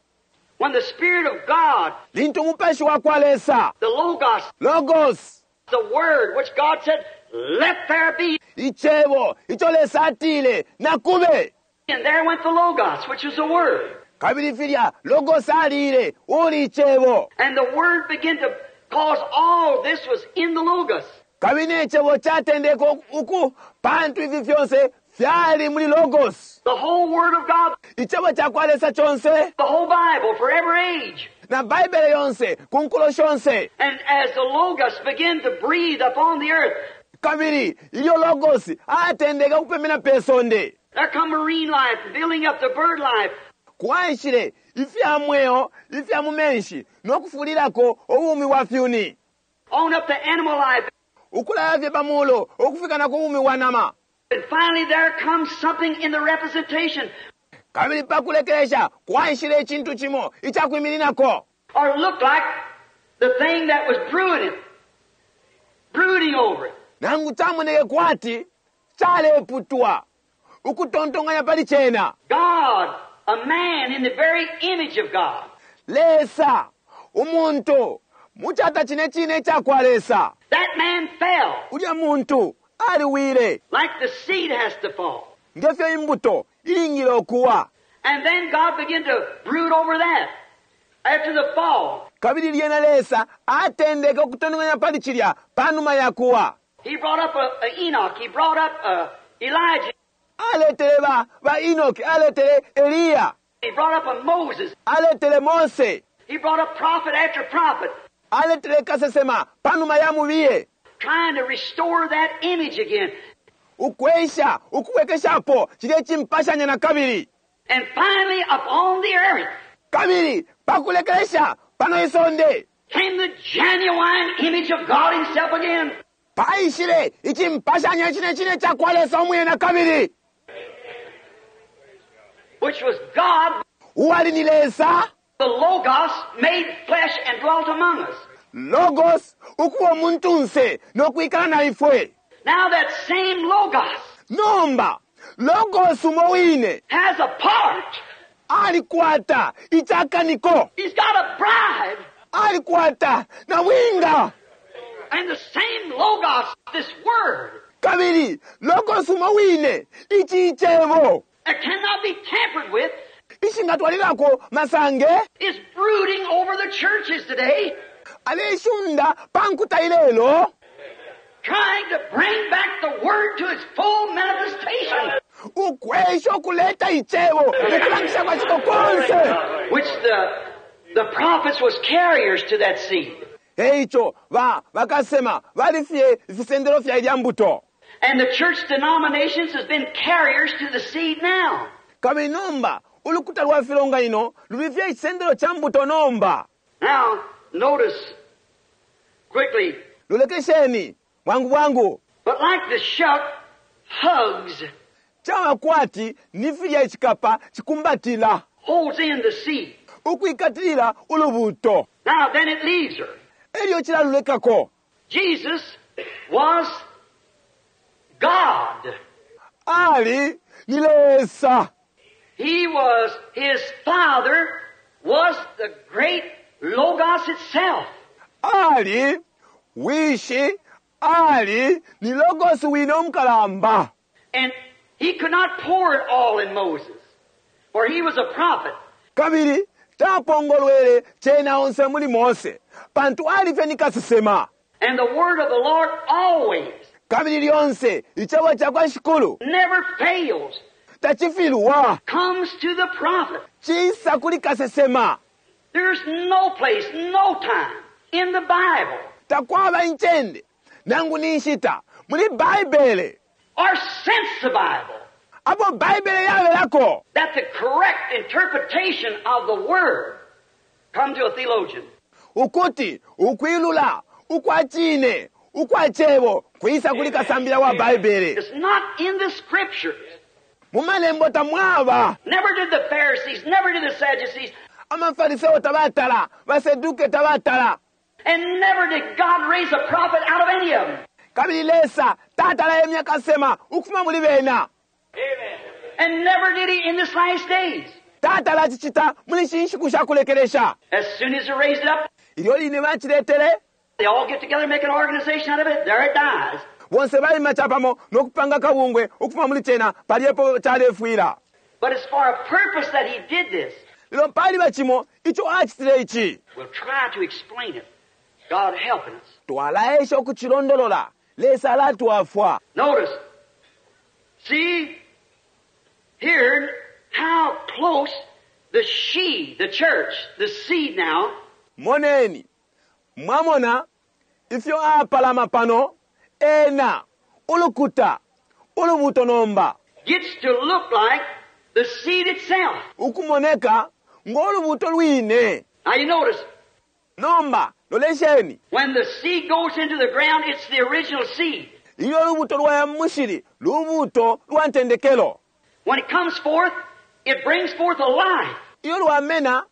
when the Spirit of God, Lintu umupashi wa kwa Lesa, the Logos, Logos, the Word, which God said, let there be, icebo ico Lesa atile nakube, and there went the Logos, which is the Word. kabili filya Logos alile uli icebo, And the Word began to cause all this was in the Logos. kabili n'ecebo catendeka uku pantu ifi fyonse fyali muli Logos. The whole Word of God, Icebo ca kwa Lesa conse the whole Bible for every age. na Baibele yonse ku nkulo shonse. And as the Logos began to breathe upon the earth, Kabili ilyo Logos atendeka kupemena pe sonde, there come marine life, building up the bird life, kwaishile ifya mweo ifya mu menshi n'okufulilako obumi bwa fyuni, on up to animal life. ukulaya fye pamulo okufika na ku bumi bwa nama. And finally there comes something in the representation Kabili pakulekelesha kwaishile icintu cimo icakwimininako, or looked like the thing that was brewing it, brooding over it. nangu camoneke kwati caleputwa ukutontonganya pali cena. God, a man in the very image of God. Lesa umuntu mucata cine cine icakwa Lesa, That man fell ulya muntu aliwile like the seed has to fall. ngefyo imbuto ilingile okuwa. And then God began to brood over that after the fall. Kabili lyena Lesa atendeke ukutontonkanya pali cilya panuma ya kuwa. He brought up a, a Enoch. He brought up a Elijah. Aletele ba, ba Enoch, aletele Eliya, He brought up a Moses. aletele Mose, He brought up prophet after prophet, aletele kasesema panuma ya mubiye, trying to restore that image again. Ukwesha ukubwekeshapo cilye cimpashanya na kabili. And finally, upon the earth Kabili pakulekelesha pano isonde came the genuine image of God Himself again. Paishile icimpashanya cine cine ca kwa Lesa umwine na kabili, which was God, uwali ni Lesa, the Logos, made flesh and dwelt among us. Logos ukuba umuntunse no kwikala na ifwe. Now that same Logos Nomba Logos umo wine has a part. Alikwata icakaniko. He's got a bride. Alikwata na winga. And the same Logos, this word, Kabili Logos umo wine ici icebo that cannot be tampered with, ishingatwalilako masange is brooding over the churches today, aleshunda pankuta ilelo, trying to bring back the word to its full manifestation, ukwesha ukuleta icebo mukulangisha kwa ciko konse, which the, the prophets was carriers to that seed. Eico ba bakasema balifye ifisendelo fya ilya mbuto. And the church denominations has been carriers to the seed now. Kabili nomba ulukuta lwa filonganino lulifye icisendelo cha mbuto nomba. Now, notice quickly. Lolekesheni bwangu bwangu. But like the shuck hugs, Chama kwati ni filya icikapa cikumbatila, holds in the seed. Ukwikatilila ulubuto. Now then it leaves her. Elyo chilalulekako. Jesus was God. Ali ni Lesa. He was, his Father was the great Logos itself. Ali wishi ali ni Logos wino mukalamba. And he could not pour it all in Moses, for he was a prophet. Kabili tapongolwele chena onse muli Mose, pantu alife ni kasesema. And the word of the Lord always, Kabili lyonse icebo cha kwa Shikulu never fails, tachifilwa, comes to the prophet. Chisa kuli kasesema. There's no place, no time in the Bible Takwaba inchende nangu ni nshita muli Bible or since the Bible apo Bible yabelako that the correct interpretation of the word come to a theologian. Ukuti ukwilula ukwachine ukwachebo kuisa kuli kasambila wa Bible. It's not in the scriptures. Mumalembo tamwaba. Never did the Pharisees, never did the Sadducees, Amafariseo tabatala, baseduke tabatala. And never did God raise a prophet out of any of them. Kabili Lesa tatala emya kasema ukufuma muli bena. Amen. And never did he in this last days. Tatala chichita muli shinshiku sha kulekelesha. As soon as they raised it up, Ilyo line bachiletele, they all get together and make an organization out of it. There it dies. Bonse balima chapamo nokupanga kabungwe ukufuma muli chena paliepo chalefwila. But it's for a purpose that he did this. Lelo pali bachimo icho achitile ichi. We'll try to explain it. God helping us. Twalaesha okuchilondolola. Lesa alatwafwa. Notice. See here how close the she, the church, the seed now. Moneni. Mwamona ifyo apalama pano ena ulukuta ulubuto nomba gets to look like the seed itself. Ukumoneka ngolubuto lwine. Now you notice Nomba lolesheni. when the seed goes into the ground, it's the original seed. Ilyo lubuto lwa mushili lubuto lwa ntendekelo. When it comes forth, it brings forth a life. Iyo lwamena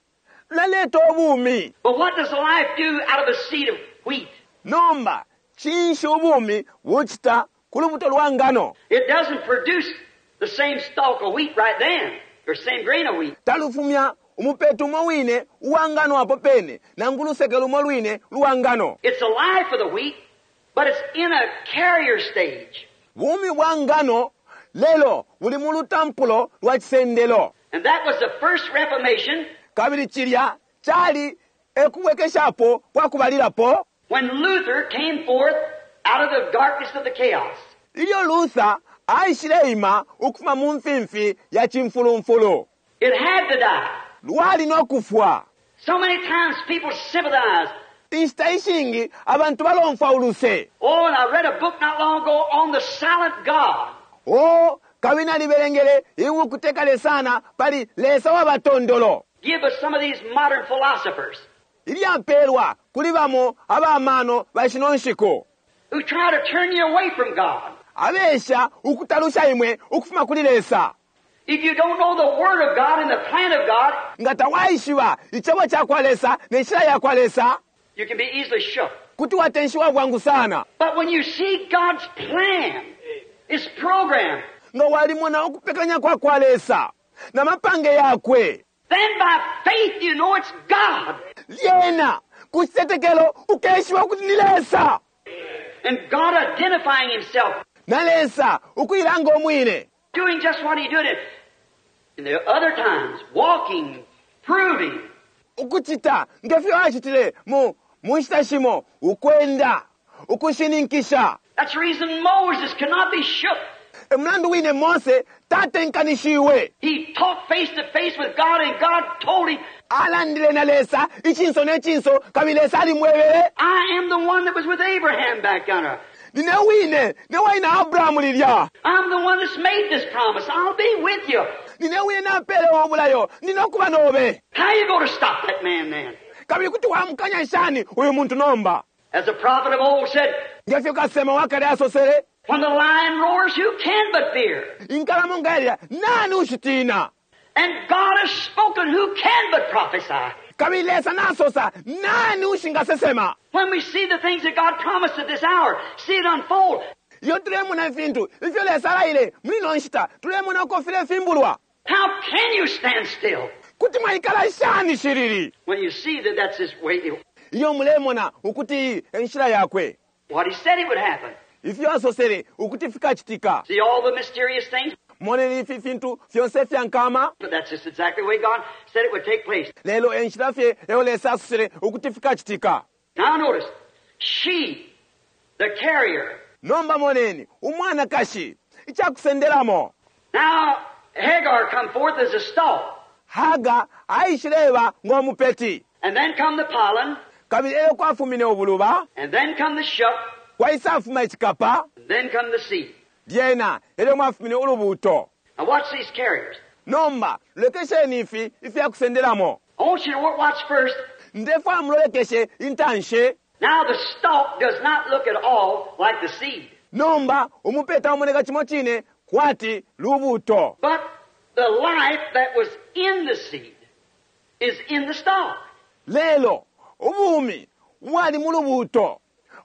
laleta obumi. But what does the life do out of a seed of wheat? Nomba chinshi ubumi buchita ku lubuto lwa ngano. It doesn't produce the same stalk of wheat right then, or same grain of wheat. Talufumya umupeto umo wine uwa ngano apo pene, nangu luseke lumo lwine lwa ngano. It's the life of the wheat, but it's in a carrier stage. Bumi bwa ngano lelo buli mu lutampulo lwa chisendelo. And that was the first Reformation Kabili cilya cali ekubwekeshapo kwa kubalilapo when Luther came forth out of the darkness of the chaos. Ilyo Luther aishileima ukufuma mu mfimfi ya cimfulumfulu. It had to die. Lwali no kufwa. So many times people sympathize. Inshita ishingi abantu balomfwa uluse. Oh, and I read a book not long ago on the silent God. O kabili nalibelengele ibuku tekale sana pali Lesa wa batondolo. Give us some of these modern philosophers Ilyapelwa kuli bamo abamano ba shino nshiku. who try to turn you away from God. Abesha ukutalusha imwe ukufuma kuli Lesa. If you don't know the Word of God and the plan of God, Nga tawaishiba icebo ca kwa Lesa ne nshila ya kwa Lesa, you can be easily shook. kuti watenshiwa bwangu sana. But when you see God's plan, His program, Nga walimona ukupekanya kwa kwa Lesa na mapange yakwe, then by faith you know it's God. lyena ku citetekelo ukeshiba ukuti ni Lesa. And God identifying Himself, Na Lesa ukuilanga umwine, doing just what He did in the other times, walking, proving. Ukucita ngefyo acitile mu mu nshita shimo, ukwenda, ukushininkisha. That's the reason Moses cannot be shook. E mulandu wine Mose tatenkanishiwe. He talked face to face with God, and God told him, Alandile na Lesa icinso ne cinso, kabili Lesa alimwebele, I am the one that was with Abraham back yonder. Nine wine ne waina Abrahamu lilya. I'm the one that's made this promise. I'll be with you. Nine wine napele obulayo, ninokuba nobe. How you going to stop that man then? Kabili kuti wamukanya shani uyu muntu nomba? As the prophet of old said, Ngefyo kasema wakale asosele, when the lion roars, who can but fear? Inkalamo nga yalya, nani ushitina? And God has spoken, who can but prophesy? Kabili Lesa nasosa, nani ushingasesema? When we see the things that God promised at this hour, see it unfold. Iyo tulemona ifintu ifyo Lesa alaile muli ino nshita, tulemona uko filefimbulwa. How can you stand still? Kuti mwaikala shani shiriri? When you see that that's His way. Iyo mulemona ukuti iyi e nshila yakwe. What He said it would happen. Ifyo asosele ukuti fikacitika. See all the mysterious things? Moneni ifi fintu fyonse fya nkama. But that's just exactly the way God said it would take place. Lelo e nshila fye eyo Lesa asosele ukuti fikacitika. Now notice, she, the carrier. Nomba moneni, umwanakashi, icakusendelamo. Now Hagar come forth as a stalk. Hagar aishileba ng'omupeti. And then come the pollen. Kabili eyo kwafumine ubuluba. And then come the shuck. Kwaisafuma icikapa. And then come the seed. Lyena elyo mwafumine ulubuto. Now watch these carriers. Nomba lolekesheni ifi ifyakusendelamo. I want you to watch first. Ndefwa mulolekeshe intanshi. Now the stalk does not look at all like the seed. Nomba umupeta umoneka chimo chine kwati lubuto. But the life that was in the seed is in the stalk. Lelo ubumi bwali mu lubuto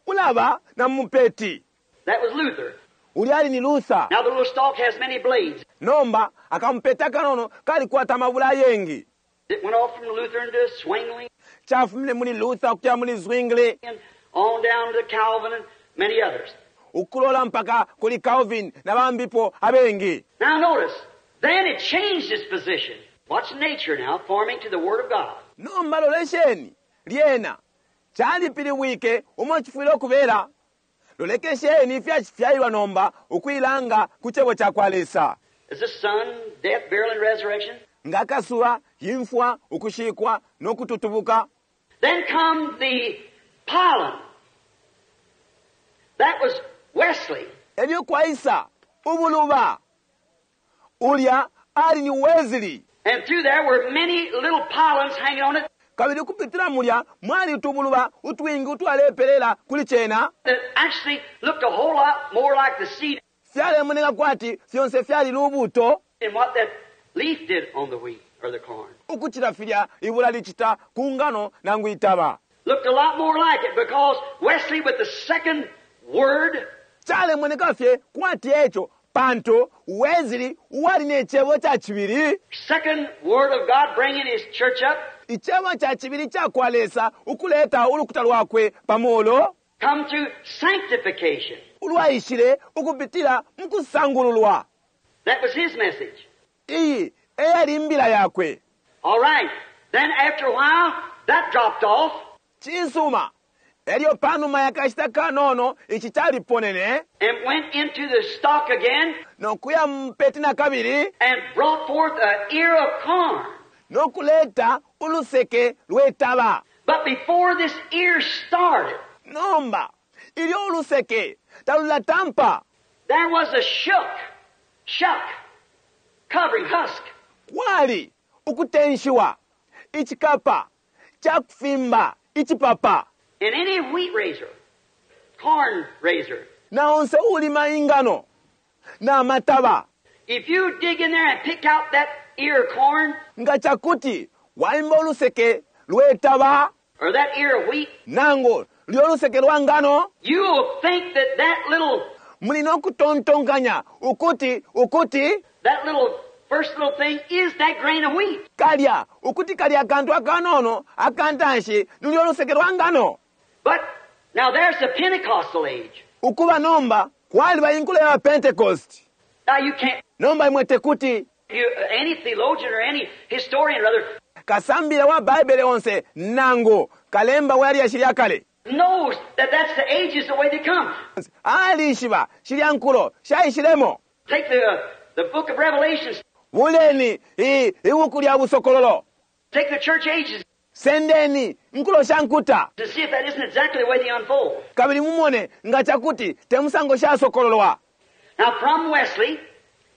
ulaba na mupeti. That was Luther. Ulyali ni Luther. Now the little stalk has many blades. Nomba akampeta kanono kalikwata mabula yengi. It went off from Luther into Zwingli. Chafumine muli Luther kuya muli Zwingli. And on down to Calvin and many others. Ukulola mpaka kuli Calvin na bambipo abengi. Now notice, then it changed its position. Watch nature now forming to the Word of God. Nomba lolesheni lyena chalipiliwike umo chifwile okubera. Lolekesheni ifyachifyalilwa nomba ukuilanga ku chebo cha kwa Lesa. Is the sun, death, burial, and resurrection? Ngakasuba, imfwa, ukushikwa, nokututubuka. Then come the pollen. That was Wesley. Elyo kwaisa ubuluba. Ulya ali ni Wesley. And through there were many little pollens hanging on it. Kabili kupitila mulya mwali utubuluba utwingi utwalepelela kuli chena. That actually looked a whole lot more like the seed. Fyalemoneka kwati fyonse fyali lubuto. And what that leaf did on the wheat or the corn. Ukuchila filya ibula lichita ku ngano nangu itaba. Looked a lot more like it because Wesley with the second word. Chalemoneka fye kwati echo pantu Wesley wali ne chebo cha chibili. Second word of God bringing his church up. Ichebo cha chibili cha kwa Lesa ukuleta ulukuta lwakwe pamolo. Come through sanctification. Ulwaishile ukupitila mkusangululwa. That was his message. Iyi Eyali imbila yakwe. All right. Then after a while, that dropped off. Cisuma. Elyo panuma yakashita kanono ici caliponene and went into the stalk again no kuya mupeti na kabili and brought forth an ear of corn. no kuleta uluseke lwetaba. But before this ear started, Nomba ilyo uluseke talulatampa there was a shook, shuck, covering husk. kwali ukutenshiwa icikapa cakufimba icipapa In any wheat raiser, corn raiser, na onse ulima ingano na mataba if you dig in there and pick out that ear of corn nga cakuti waimba uluseke lwetaba or that ear of wheat, nangu lyo luseke lwa ngano you will think that that little, muli nokutontonkanya ukuti ukuti that little first little thing is that grain of wheat. kalya ukuti kalya akantu akanono akantanshi lulyo luseke lwa ngano. But now there's the Pentecostal age. Ukuba nomba kwaliba inkulo ya Pentecost. Now you can't, Nomba imwe tekuti you, any theologian or any historian rather kasambila wa Baibele onse nangu kalemba wa lyashi lya kale knows that that's the ages the way they come. alishiba shilya nkulo shaishilemo. Take the, the book of Revelations, Buleni i ibuku lya busokololo, take the church ages sendeni nkulo sha nkuta to see if that isn't exactly the way they unfold. kabili mumone nga cakuti temusango shasokololwa. Now from Wesley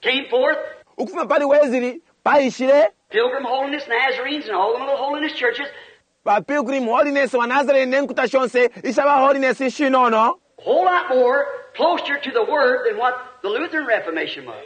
came forth Ukufuma pali Wesley paishile Pilgrim Holiness, Nazarenes, and all the little holiness churches. ba Pilgrim Holiness wa Nazarene ne nkuta shonse isha ba Holiness ishinono A whole lot more closer to the Word than what the Lutheran Reformation was.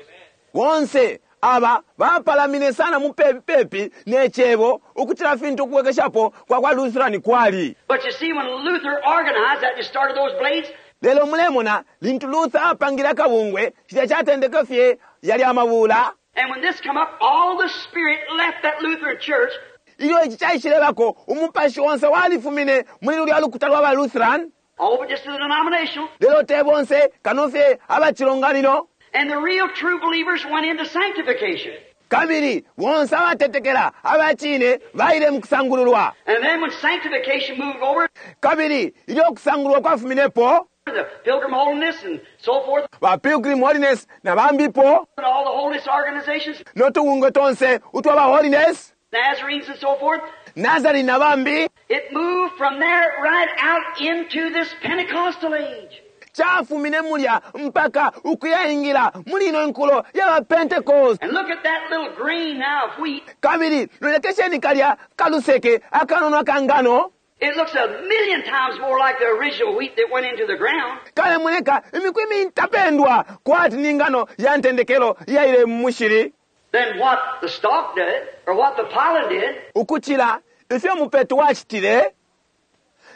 Bonse aba bapalamine sana mupepipepi ne cebo ukucila fintu ukubwekeshapo kwa kwa Lutheran kwali. But you see, when Luther organized that and started those blades, Lelo mulemona lintu Luther apangile akabungwe cilya catendeke fye yali amabula. and when this come up, all the Spirit left that Lutheran church. Ilyo ici caishilebako umupashi onse walifumine muli lulya lukuta lwa ba Lutheran. All but just to the denominational. Lelo te bonse kano fye abacilonganino. And the real true believers went into sanctification. Kabili bonse abatetekela abacine baile mu kusangululwa. And then when sanctification moved over, Kabili ilyo kusangululwa kwafuminepo the Pilgrim Holiness and so forth, ba Pilgrim Holiness na bambipo and all the holiness organizations, no tubungwe tonse utwa ba Holiness Nazarenes and so forth, Nazarene na bambi it moved from there right out into this Pentecostal age. Chafumine mulya mpaka ukuyaingila muli ino nkulo ya ba Pentecost. And look at that little grain now of wheat. Kabili lolekesheni kalya kaluseke akanono akangano. It looks a million times more like the original wheat that went into the ground. Kalemoneka imiku imintapendwa kwati ni ngano ya ntendekelo yaile mu mushili than what the stalk did or what the pollen did. Ukuchila ifyo mupeto wachitile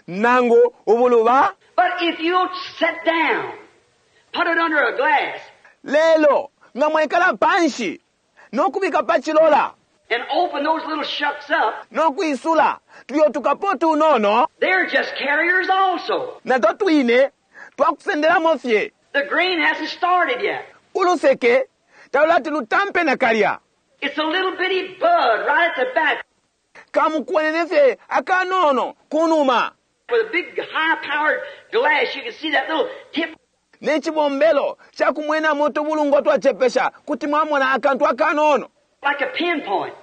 nangu ubuluba. But if you'll sit down, put it under a glass, Lelo nga mwekala panshi nokubika pachilola and open those little shucks up, nokwisula tulyo tukapo tunono, they're just carriers also. Nato twine twakusendelamo fye. The grain hasn't started yet. Uluseke talulati lutampe na kalya. It's a little bitty bud right at the back. Kamukwenene fye akanono kunuma. With a big high-powered glass, you can see that little tip. Nechibombelo chakumwenamo tubulungo twachepesha kuti mwamona akantu akanono. Like a pinpoint.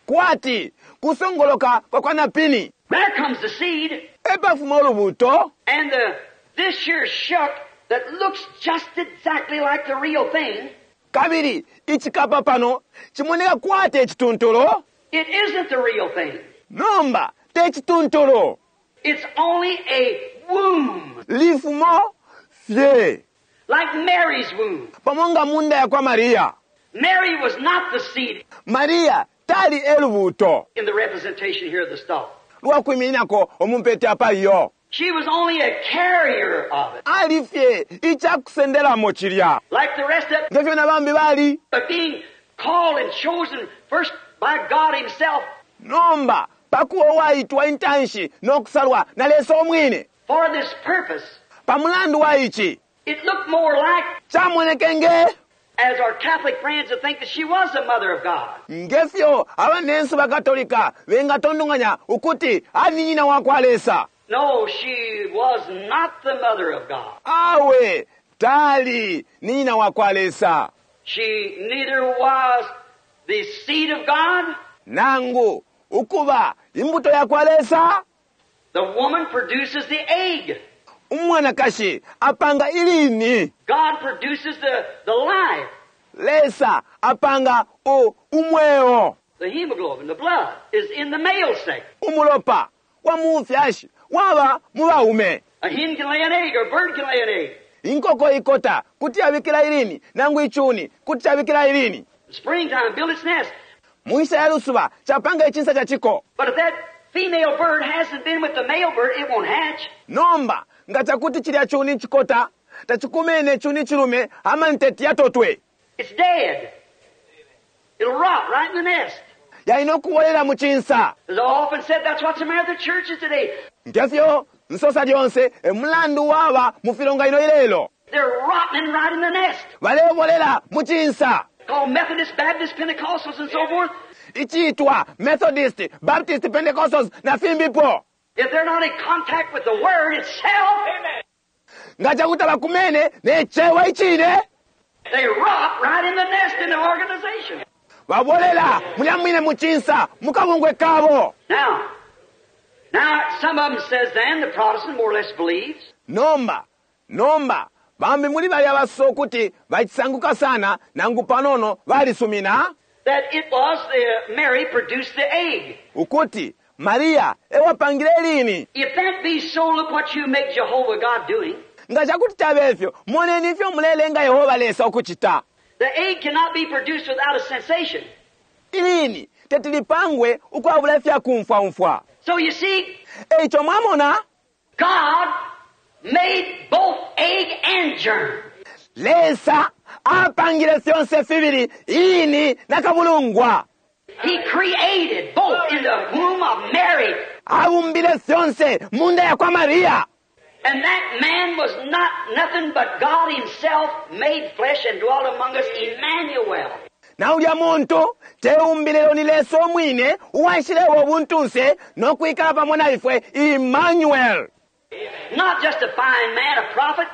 Kwati kusongoloka kwa kwa napini. There comes the seed. Epafuma olubuto. And the, this here shuck that looks just exactly like the real thing. Kabili ichikapa pano chimoneka kwati echituntulu. It isn't the real thing. Nomba te chituntulu. It's only a womb. Lifumo fye. Like Mary's womb. Pamonga munda ya kwa Maria. Mary was not the seed. Maria tali elubuto. In the representation here of the stalk. Lwakwiminako omumpete apaliyo. She was only a carrier of it. Alifye ichakusendelamo chilya. Like the rest of it. Ngefyo na bambi bali. But being called and chosen first by God himself. Nomba pakuwa waitwa intanshi nokusalwa na Lesa omwine. For this purpose. Pamulandu wa ichi. It looked more like Chamonekenge. As our Catholic friends that think that she was the mother of God. Ngefyo abanensu bakatolika bengatondonganya ukuti ali ni nyina wa kwa Lesa. No, she was not the mother of God. Awe tali ni nyina wa kwa Lesa. She neither was the seed of God. Nangu ukuba imbuto ya kwa Lesa. The woman produces the egg. Umwanakashi apanga ilini. God produces the, the life. Lesa apanga u umweo. The hemoglobin, the blood, is in the male sex. Umulopa wa mufyashi waba mu baume. A hen can lay an egg, or a bird can lay an egg. Inkoko ikota kuti yabikila ilini, nangu ichuni kuti yabikila ilini. Springtime, build its nest. Muisha ya lusuba chapanga ichinsa cha chiko. But if that female bird hasn't been with the male bird, it won't hatch. Nomba nga chakuti chilya chuni chikota tachikumene chuni chilume ama nteti yatotwe. It's dead. It'll rot right in the nest. Yaino kuwolela muchinsa. As I often said, that's what's the matter with the churches today. Ngefyo nsosa lyonse emulandu waba mufilonga ino ilelo. They're rotting right in the nest. Balewolela muchinsa. Called Methodist, Baptist, Pentecostals, and so forth. Ichitwa Methodist, Baptist, Pentecostals na fimbipo. If they're not in contact with the Word itself, Nga chakuti bakumene nechewa ichine. they rot right in the nest in the organization. Babolela mulyamwine muchinsa mukabungwe kabo. Now, now some of them says then the Protestant more or less believes. Nomba, nomba bambi muli bali abaso kuti bachisanguka sana nangu panono balisumina That it was the Mary produced the egg. ukuti Maria ewapangile lini. If that be so, look what you make Jehovah God doing. Nga chakuti chabefyo moneni ifyo mulelenga Yehova Lesa ukuchita. The egg cannot be produced without a sensation. Ilini tetilipangwe ukwabula ifya kumfwa-umfwa. So you see, Eicho mwamona God made both egg and germ. Lesa apangile fyonse fibili ini na kabulungwa. He created both in the womb of Mary. Abumbile fyonse munda ya kwa Maria. And that man was not nothing but God Himself made flesh and dwelt among us, Emmanuel. Na ulya muntu teumbile ni Lesa omwine uwaishilewo obuntunse n'okwikala pamo na ifwe Emmanuel. Not just a fine man, a prophet.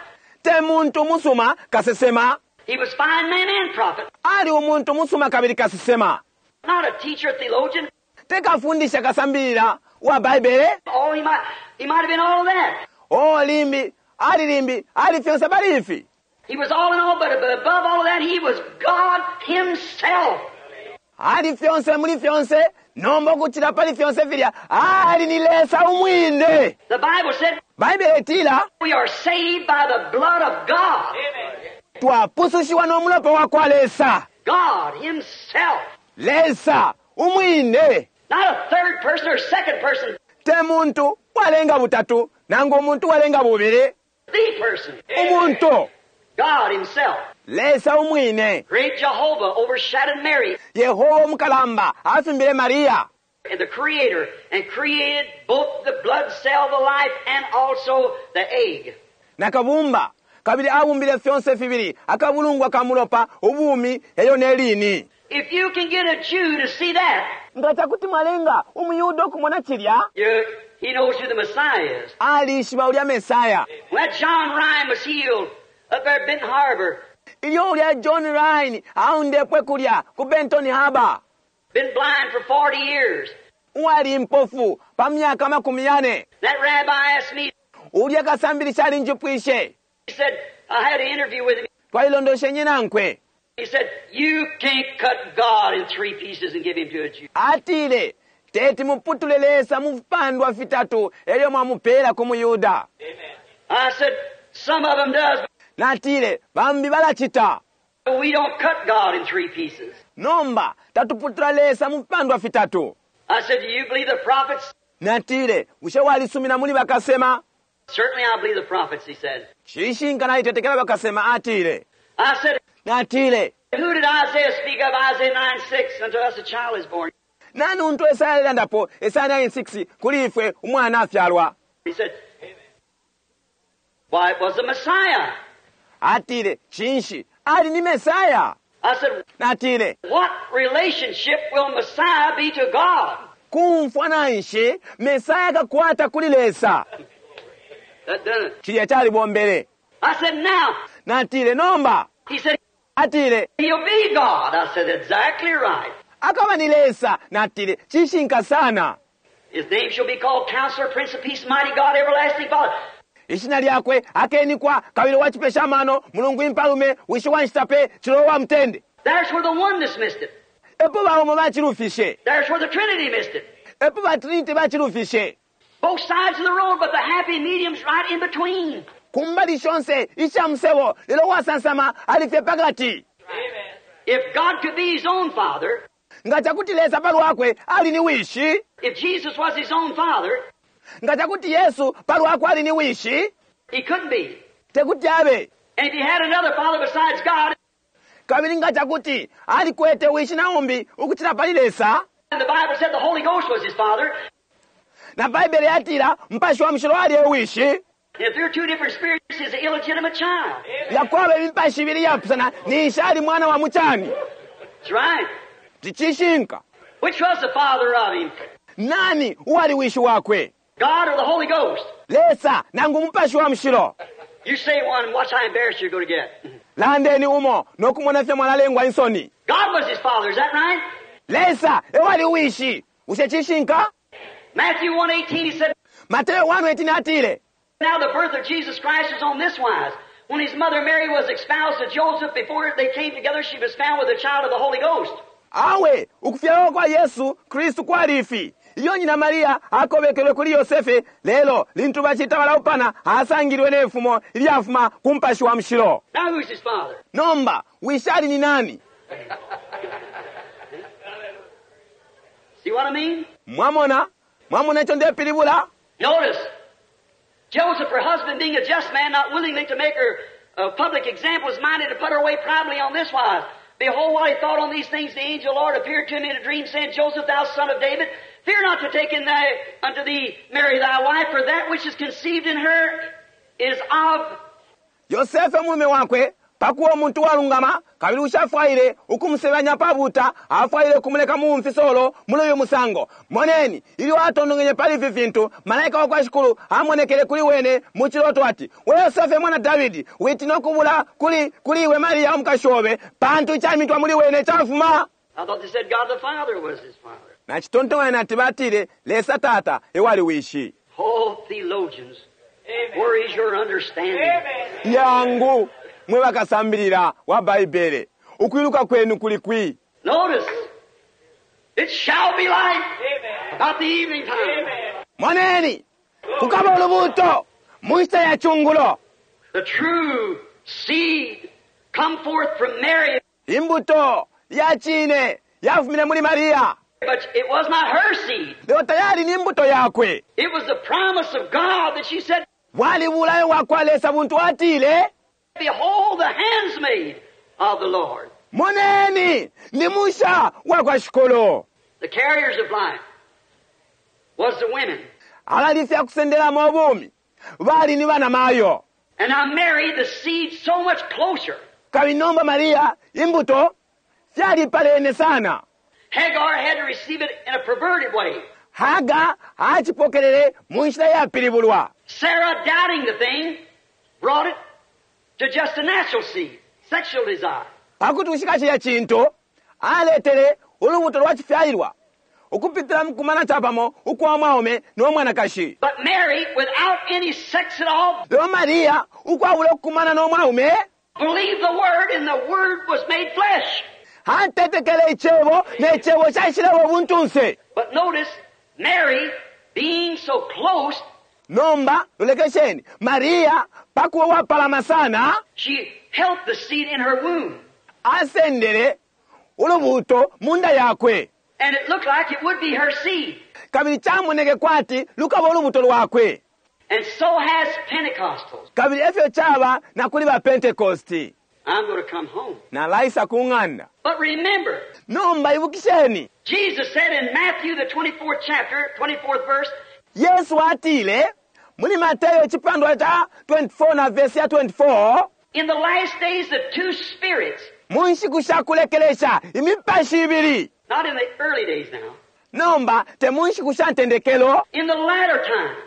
Te muntu musuma kasesema. He was fine man and prophet. Ali umuntu musuma kabili kasesema. Not a teacher, theologian. Tekafundisha kasambirira wa Baibele. Oh, he might, he might have been all of that. Oh, limbi, ali limbi, ali fyonse bali ifi. He was all in all, but above all of that, he was God Himself. Ali fyonse muli fyonse, nomba okuchila pali fyonse filya, ali ni Lesa umwine. The Bible said Baibele etila, we are saved by the blood of God. twapusushiwa n'omulopa wa kwa Lesa. God Himself. Lesa umwine. Not a third person or second person, Te muntu walenga butatu, nangu omuntu walenga bubili. the person. Umuntu, God Himself. Lesa umwine. Great Jehovah overshadowed Mary, Yehova omukalamba afimbile Maria. the Creator, and created both the blood cell, the life, and also the egg. Nakabumba kabili abumbile fyonse fibili akabulungwa kamulopa ubumi eyo nelini. If you can get a Jew to see that, Nga chakuti mwalenga umuyuda okumona chilya you, he knows who the Messiah is. alishiba ulya Mesaya. When that John Rhyn was healed up there at Benton Harbor, Ilyo ulya John Rhyn aundepwe kulya ku Benton Harbor. been blind for forty years. Uwali mpofu pa myaka makumi yane. That rabbi asked me, Ulya kasambilisha alinjipwishe. he said, I had an interview with him. Twalilondoshe nyinankwe. He said, you can't cut God in three pieces and give him to a Jew. Atile teti muputule Lesa mu vipandwa fitatu elyo mwamupela ku muyuda. I said, some of them does, Natile bambi balachita. but we don't cut God in three pieces. Nomba tatuputula Lesa mu vipandwa fitatu. I said, do you believe the prophets? Natile bushe walisumina muli bakasema? Certainly I believe the prophets, he said. Chishinka nalitetekela bakasema atile. I said, Natile who did Isaiah speak of? Isaiah nine six, unto us a child is born. nani untu Esaya alelandapo Esaya nine six kuli ifwe umwana afyalwa. He said, why, it was the Messiah. Atile chinshi Ali ni Mesaya. I said, Natile, What relationship will Messiah be to God? kumfwa nanshi Mesaya akakwata kuli Lesa. That done it. Cilya calibombele. I said, Now. Natile, nomba. He said, Atile, He'll be God. I said, Exactly right. akaba ni Lesa. Natile, cishinka sana. His name shall be called Counselor, Prince of Peace, Mighty God, Everlasting Father. Ishina lyakwe akenikwa kabili wachipesha amano mulungu impalume wishi wanshitape chilowa wa mtende. There's where the oneness missed it. Epo baumo bachilufishe. There's where the Trinity missed it. Epo ba Trinity bachilufishe. Both sides of the road, but the happy medium's right in between. Kumbali shonse isha musebo lelo wasansama alifye pakati. If God could be his own father, Nga chakuti Lesa palwakwe ali ni wishi. if Jesus was his own father, Nga chakuti Yesu palwakwe ali ni wishi. he couldn't be. Tekuti abe. And if he had another father besides God, Kabili nga chakuti alikwete wishi naumbi ukuchila pali Lesa. and the Bible said the Holy Ghost was his father, Na Baibele yatila mpashi wa mushilo ali e wishi. and if there are two different spirits, he's an illegitimate child. Yakwaba imipashi ibili yapusana ninshi ali mwana wa muchani. That's right. Ticishinka. Which was the father of him? Nani uwali wishi wakwe? God or the Holy Ghost? Lesa nangu mupashi wa mushilo. You say one, watch how embarrassed you're going to get. Landeni umo nokumona fye mwalalengwa insoni. God was his father, is that right? Lesa ewali wishi. Ushe cishinka? Matthew one eighteen, he said, Mateo one eighteen atile. Now the birth of Jesus Christ was on this wise. When his mother Mary was espoused to Joseph, before they came together, she was found with the child of the Holy Ghost. Awe ukufyalwa kwa Yesu Kristu kwali ifi. Iyo nyina Maria akobekelwe kuli Yosefe lelo lintu bachita balaupana asangilwe nefumo ilyafuma ku mupashi wa mushilo. Now who's his father? Nomba wishi ali ni nani? See what I mean? Mwamona? Mwamona icho ndepilibula? Notice, Joseph, her husband, being a just man, not willingly to make her a public example, was minded to put her away privately on this wise. Behold, while he thought on these things, the angel of the Lord appeared to him in a dream, saying, Joseph, thou son of David, fear not to take in thy, unto thee Mary thy wife, for that which is conceived in her is of Yosefe mulume wakwe pakuwa omuntu walungama kabili ushafwaile ukumusebanya pabuta afwaile kumuleka mumfisolo muli uyu musango. Moneni ilyo atondongenye pali ifi fintu malaika wa kwa Shikulu amonekele kuli wene mu chiloto ati we Yosefe mwana Davidi witina okubula kuli kuli iwe Maria omukashi obe pantu ichamitwa muli wene chafuma. I thought they said God the Father was his father. Nachitontonganya nati batile Lesa tata ewali wishi. Oh, theologians, where is your understanding? Yangu mwe bakasambilila wa Baibele ukwiluka kwenu kuli kwi. Notice, it shall be light about the evening time. Moneni kukaba ulubuto mu nshita ya chungulo. The true seed come forth from Mary, Imbuto ya chine yafumine muli Maria. but it was not her seed. Leo tayari ni imbuto yakwe. It was the promise of God that she said, Bwali bulayo bwa Lesa buntu atile, Behold the handsmaid of the Lord. Moneni ni musha wa kwa Shikulu. The carriers of life was the women. Abalifya kusendelamo obumi bali ni bana mayo. And now Mary, the seed, so much closer. Kabili nomba Maria imbuto fyalipalene sana. Hagar had to receive it in a perverted way. Haga achipokelele mu nshila yapilibulwa. Sarah, doubting the thing, brought it to just a natural seed, sexual desire. Pakuti ushika chilya chintu aletele ulubuto lwa chifyalilwa ukupitila mukumana chapamo ukwa mwaume no mwanakashi. But Mary, without any sex at all, Lelo Maria ukwabula okukumana no mwaume believed the Word, and the Word was made flesh. atetekele icebo ne cebo caishilepo ubuntunse. But notice, Mary, being so close, Nomba lolekesheni Maria pakuwa wapalama sana she held the seed in her womb. asendele ulubuto munda yakwe. And it looked like it would be her seed. Kabili chamoneke kwati lukaba ulubuto lwakwe. And so has Pentecostals. Kabili efyo chaba na kuli ba Pentecosti. I'm going to come home. Nalaisa ku ng'anda. But remember, Nomba ibukisheni Jesus said in Matthew, the twenty-fourth chapter, twenty-fourth verse, Yesu atile muli Mateo chipandwa cha twenty-four na verse ya twenty-four, In the last days, the two spirits, Mu nshiku sha kulekelesha imipashi ibili not in the early days now, nomba te mu nshiku sha ntendekelo in the latter times,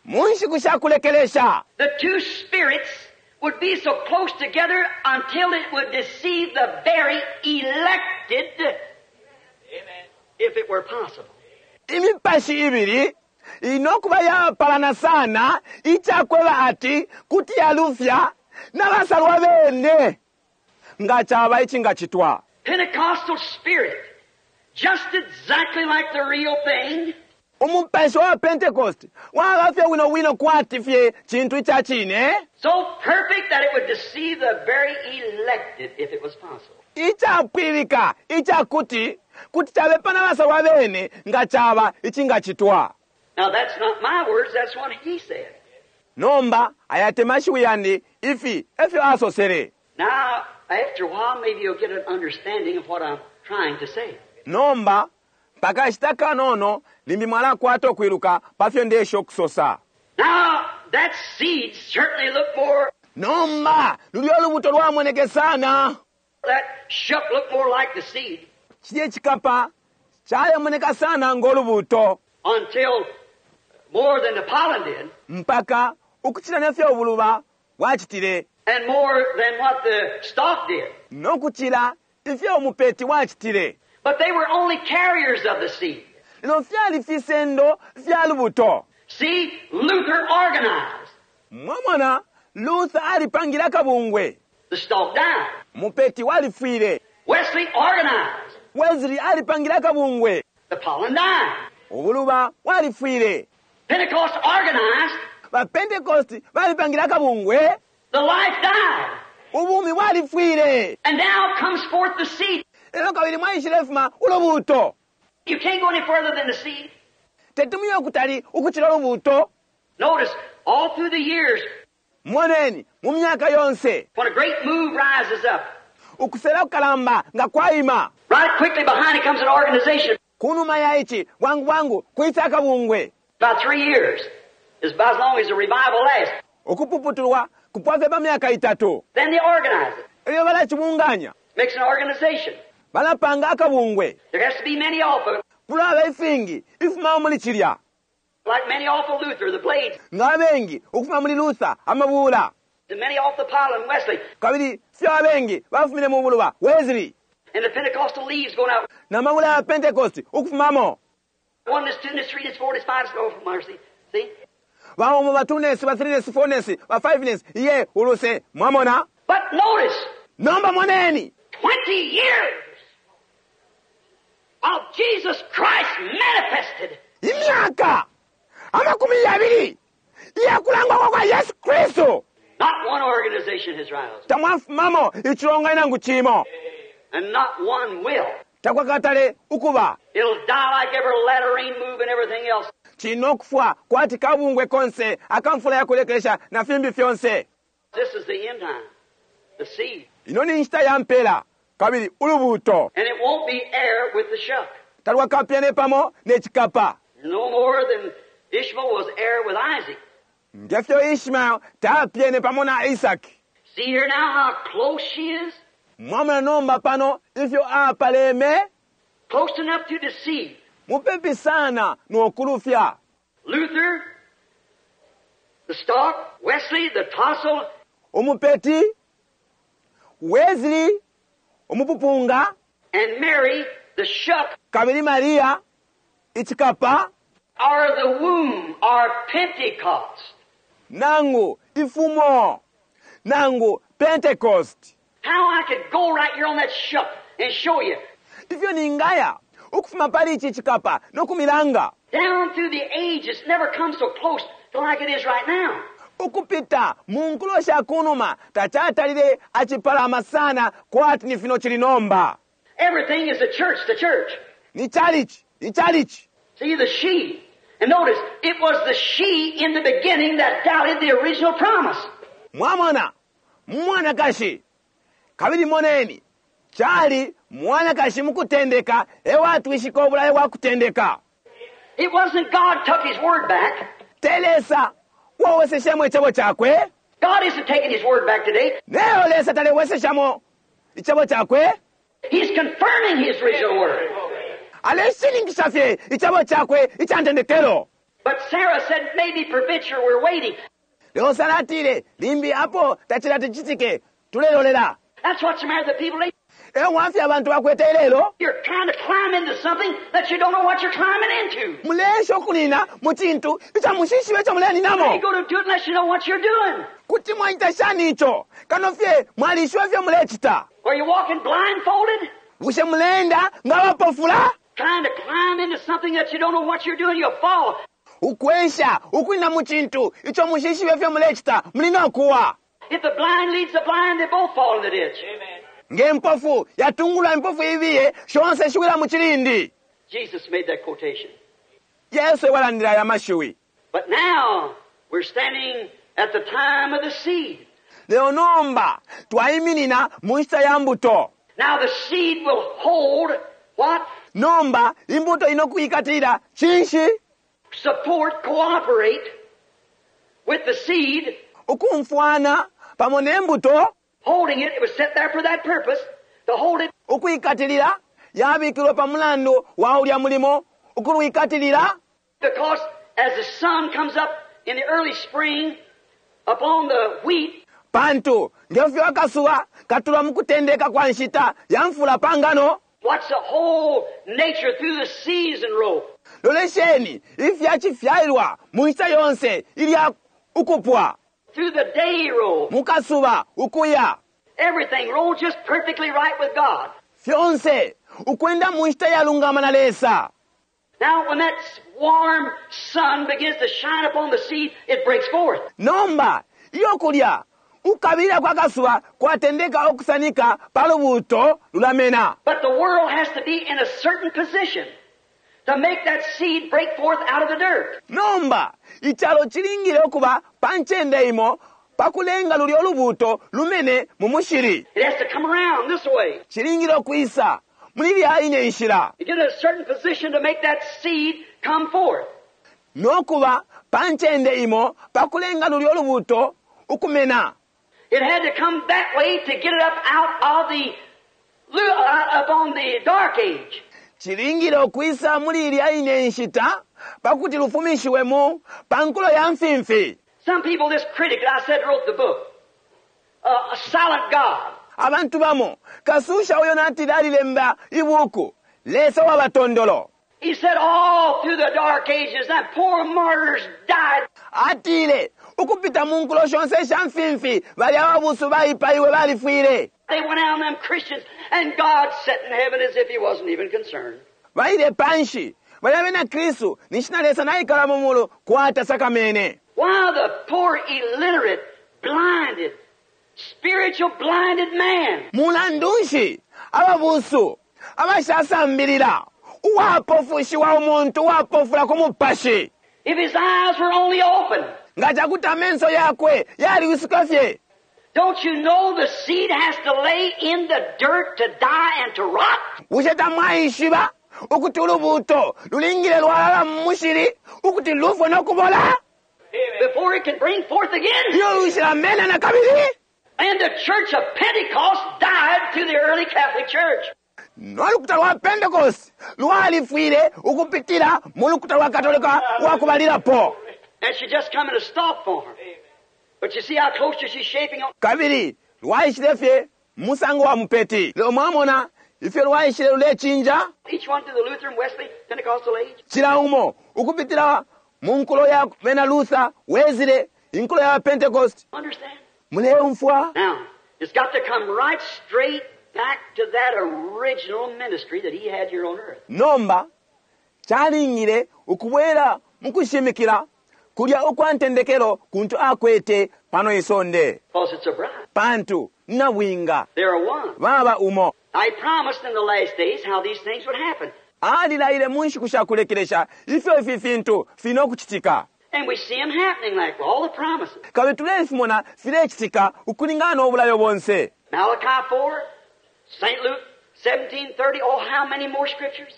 mu nshiku sha kulekelesha the two spirits would be so close together until it would deceive the very elected if it were possible. imipashi ibili inokuba yapalana sana icakweba ati kuti yalufya n'abasalwa bene nga caba icingacitwa Pentecostal spirit, just exactly like the real thing, umupashi wa pentecost waba fye wino wino kwati fye cintu ica cine so perfect that it would deceive the very elected if it was possible. icapwilika icakuti kuti cabepa n'abasalwa bene nga caba icingacitwa Now that's not my words, that's what he said. nomba aya te mashiwi yandi ifi efyo asosele Now, after a while, maybe you'll get an understanding of what I'm trying to say. nomba pakashita kanono limbi mwalakwata okwiluka pafyo ndesha okusosa Now, that seed certainly looked more, nomba lulyo olubuto lwamoneke sana that shuck looked more like the seed chilye chikapa chalemoneka sana ng'olubuto until more than the pollen did, mpaka ukuchila nefyo obuluba bwachitile and more than what the stalk did. n'okuchila ifyo omupeti wachitile But they were only carriers of the seed. lino fyali fisendo fya lubuto See, Luther organized. mwamona luther alipangile akabungwe The stalk died. mupeti walifwile Wesley organized. wesley alipangile akabungwe The pollen died. obuluba walifwile Pentecost organized. bapentekosti balipangile akabungwe The life died. ubumi bwalifwile And now comes forth the seed. lelo kabili mwaishile fuma ulubuto You can't go any further than the seed. tetumuye okutali ukuchila ulubuto Notice, all through the years, moneni mu myaka yonse when a great move rises up, ukusela kukalamba nga kwayima right quickly behind it comes an organization. kunuma ya ichi bwangu bwangu kwisa akabungwe About three years is about as long as the revival lasts. okupuputulwa kupwafye pa myaka itatu Then they organize it. elyo balachibunganya Makes an organization. balapanga akabungwe There has to be many off of it, kulaba ifingi ifumawo muli chilya like many off of Luther, the blades, nga abengi ukufuma muli luther amabuula and many off the pollen, Wesley, kabili fyo abengi bafumine mu buluba wesley and the Pentecostal leaves going out. n'amabula ya pentecost ukufumamo One, this two, this three, this four, this five, this oh, for mercy. See? baomo ba two ness ba three ness four ness ba five ness iye uluse mwamona But notice, nomba moneni twenty years of Jesus Christ manifested. imyaka amakumi yabili iyakulangwa kwa yesu kristu Not one organization has risen, tamwafumamo ichilonga nangu chimo and not one will. takwakatale ukuba It'll die like every latter rain move and everything else. chino okufwa kwati kabungwe konse akamfula yakulekesha na fimbi fyonse This is the end time, the seed. ino ni nshita ya mpela kabili ulubuto And it won't be heir with the shuck. talwakapyane pamo n'ekikapa No more than Ishmael was heir with Isaac. ngefyo ishmael tapyene pamo na isaki See here now how close she is? mwamona nomba pano ifyo apaleme Close enough to deceive. mupepi sana n'okulufya Luther, the stalk, Wesley, the tassel, umupeti wesley umupupunga and Mary, the shuck, kabili mariya ichikapa are the womb, are Pentecost. nangu ifumo nangu pentecost How I could go right here on that shuck and show you ifyo ningaya ukufuma pali ichi chikapa nokumilanga down through the ages, never come so close to like it is right now. ukupita mu nkulo sha kunuma tachatalile achipalama sana kwati ni fino chili nomba Everything is the church, the church. ni chalichi ni chalichi See, the she. And notice, it was the she in the beginning that doubted the original promise. mwamona mwanakashi kabili moneni chali mwanakashi mukutendeka ewatwishika obulayo bwa kutendeka It wasn't God took his word back. telesa wawoseshemo echebo chakwe God isn't taking His word back today. Lelo Lesa taleweseshamo icebo cakwe. He's confirming His original word. Aleshininkisha fye icebo cakwe ica ntendekelo. But Sarah said, maybe peradventure we're waiting. Lelo Sara atile, limbi apo tacilati cicitike, tulelolela. That's what's the matter with the people today. E wafya abantu bakwete ilelo. You're trying to climb into something that you don't know what you're climbing into. Mulesha ukunina mu cintu ica mushishibe ico How you muleninamo. going to do it unless you know what you're doing? Kuti mwaita shani ico kano fye mwalishiba fye mulecita. Are you walking blindfolded? Bushe muleenda nga bapofula? Trying to climb into something that you don't know what you're doing, you'll fall. Ukwesha ukunina mu cintu ico mushishibe fye mulecita, muli no kuwa. If the blind leads the blind, they both fall in the ditch. Nge mpofu yatungulula impofu ibiye, shonse shiwila mu cilindi. Jesus made that quotation. Yesu ewalandila aya mashiwi. But now we're standing at the time of the seed. Lelo nomba twaiminina mu nshita ya mbuto. Now the seed will hold what? Nomba imbuto ino kuikatilila cinshi? Support, cooperate with the seed. Ukumfwana pamo ne mbuto. Holding it, it was set there for that purpose, to hold it. Ukuikatilila yabikilwe pa mulandu wa ulya mulimo ukulwikatilila. Because as the sun comes up in the early spring upon the wheat, Pantu ngefyo akasuba katula mu kutendeka kwa nshita ya mfula pangano. Watch the whole nature through the season roll. Lolesheni ifya chifyailwa mu nshita yonse ilya ukupwa. Through the day roll. Mukasuba ukuya. Everything rolls just perfectly right with God. Fyonse ukwenda mu nshita yalungama na Lesa. Now when that warm sun begins to shine upon the seed, it breaks forth. Nomba iyo kulya ukabila kwa kasuba kwatendeka okusanika palubuto lulamena. But the world has to be in a certain position to make that seed break forth out of the dirt. Nomba ichalo chilingile okuba panchende imo pakulenga luli olubuto lumene mu mushiri. It has to come around this way. Chilingile okuisa muli lya ine nshila. You get in a certain position to make that seed come forth. Nokuba panchende imo pakulenga luli olubuto ukumena. It had to come that way to get it up out of the, uh, up on the dark age. Chilingile okuisa muli ilya ine nshita pakuti lufumishiwe mu pankulo ya mfimfi. Some people, this critic that I said wrote the book, uh, a silent God. Abantu bamo kasusha uyo natile alilemba ibuku Lesa wa batondolo. He said all through the dark ages that poor martyrs died. Atile ukupita mu nkulo shonse sha mfimfi bali ababusu baipaiwe balifwile. They went out on them Christians, and God sat in heaven as if he wasn't even concerned. Baile panshi bali abena Kristu nishina Lesa naikala mu mulu kwata sakamene. Why the poor illiterate, blinded, spiritual blinded man? Mulandunshi ababusu abashasambilila uwapofushiwa umuntu uwapofula ku mupashi. If his eyes were only open. Nga chakuti amenso yakwe yaliwisuka fye. Don't you know the seed has to lay in the dirt to die and to rot? Bushe tamwaishiba ukuti ulubuto lulingile lwalala mu mushili ukuti lufwe nokubola? Before it can bring forth again. Iyo lushila mena na kabili. And the church of Pentecost died to the early Catholic Church. Nolukuta lwa Pentecost lwalifwile ukupitila mu lukuta lwa Katolika lwakubalilapo. And she just come in a stalk form. But you see how close she's shaping on. Kabili lwaishile fye musango wa mupeti. Lelo mwamona ifyo lwaishile lulechinja. Each one to the Lutheran, Wesley, Pentecostal age. Chila umo ukupitila mu nkulo ya bena Luther, Wesley, inkulo ya Pentecost. Understand? Muleumfwa? Now, it's got to come right straight back to that original ministry that he had here on earth. Nomba chalingile ukubwera mukushimikila kulya ukwa ntendekelo kuntu akwete pano isonde. Because it's a bride. Pantu nabwinga. They are one. Baba umo. I promised in the last days how these things would happen. Alilaile mu nshiku sha kulekelesha ifyo ifi fintu fino kuchitika. And we see 'em happening like all the promises. Kabili tulefimona filechitika ukulingana n'obulayo bonse. Malachi four, Saint Luke seventeen thirty, oh how many more scriptures?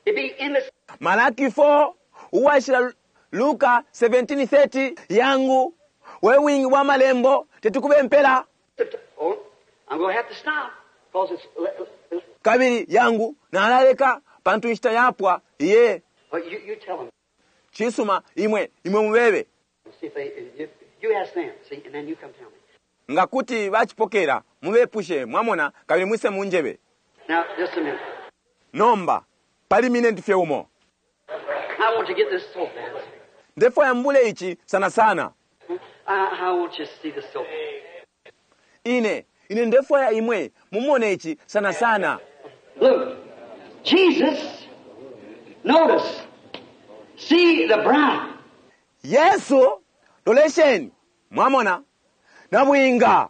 It'd be endless. Malaki four, uwashila Luka seventeen thirty, yangu We bwingi bwa malembo tetukube mpela. Oh, I'm going to have to stop because it's. Kabili yangu nalaleka pantu inshita yapwa iye. But you, you tell them. Chisuma imwe imwe mubebe. See if they, you, you ask them, see, and then you come tell me. Nga kuti bachipokera mubepushe mwamona kabili mwise munjebe. Now, just a minute. Nomba pali minute fye umo. I want to get this so bad. Ndefwaya mbule ichi sana sana. I, I want you to see this so bad. Ine ine ndefwaya imwe mumone ichi sana sana. Look, Jesus, notice, see the bride. Yesu lolesheni mwamona nabwinga.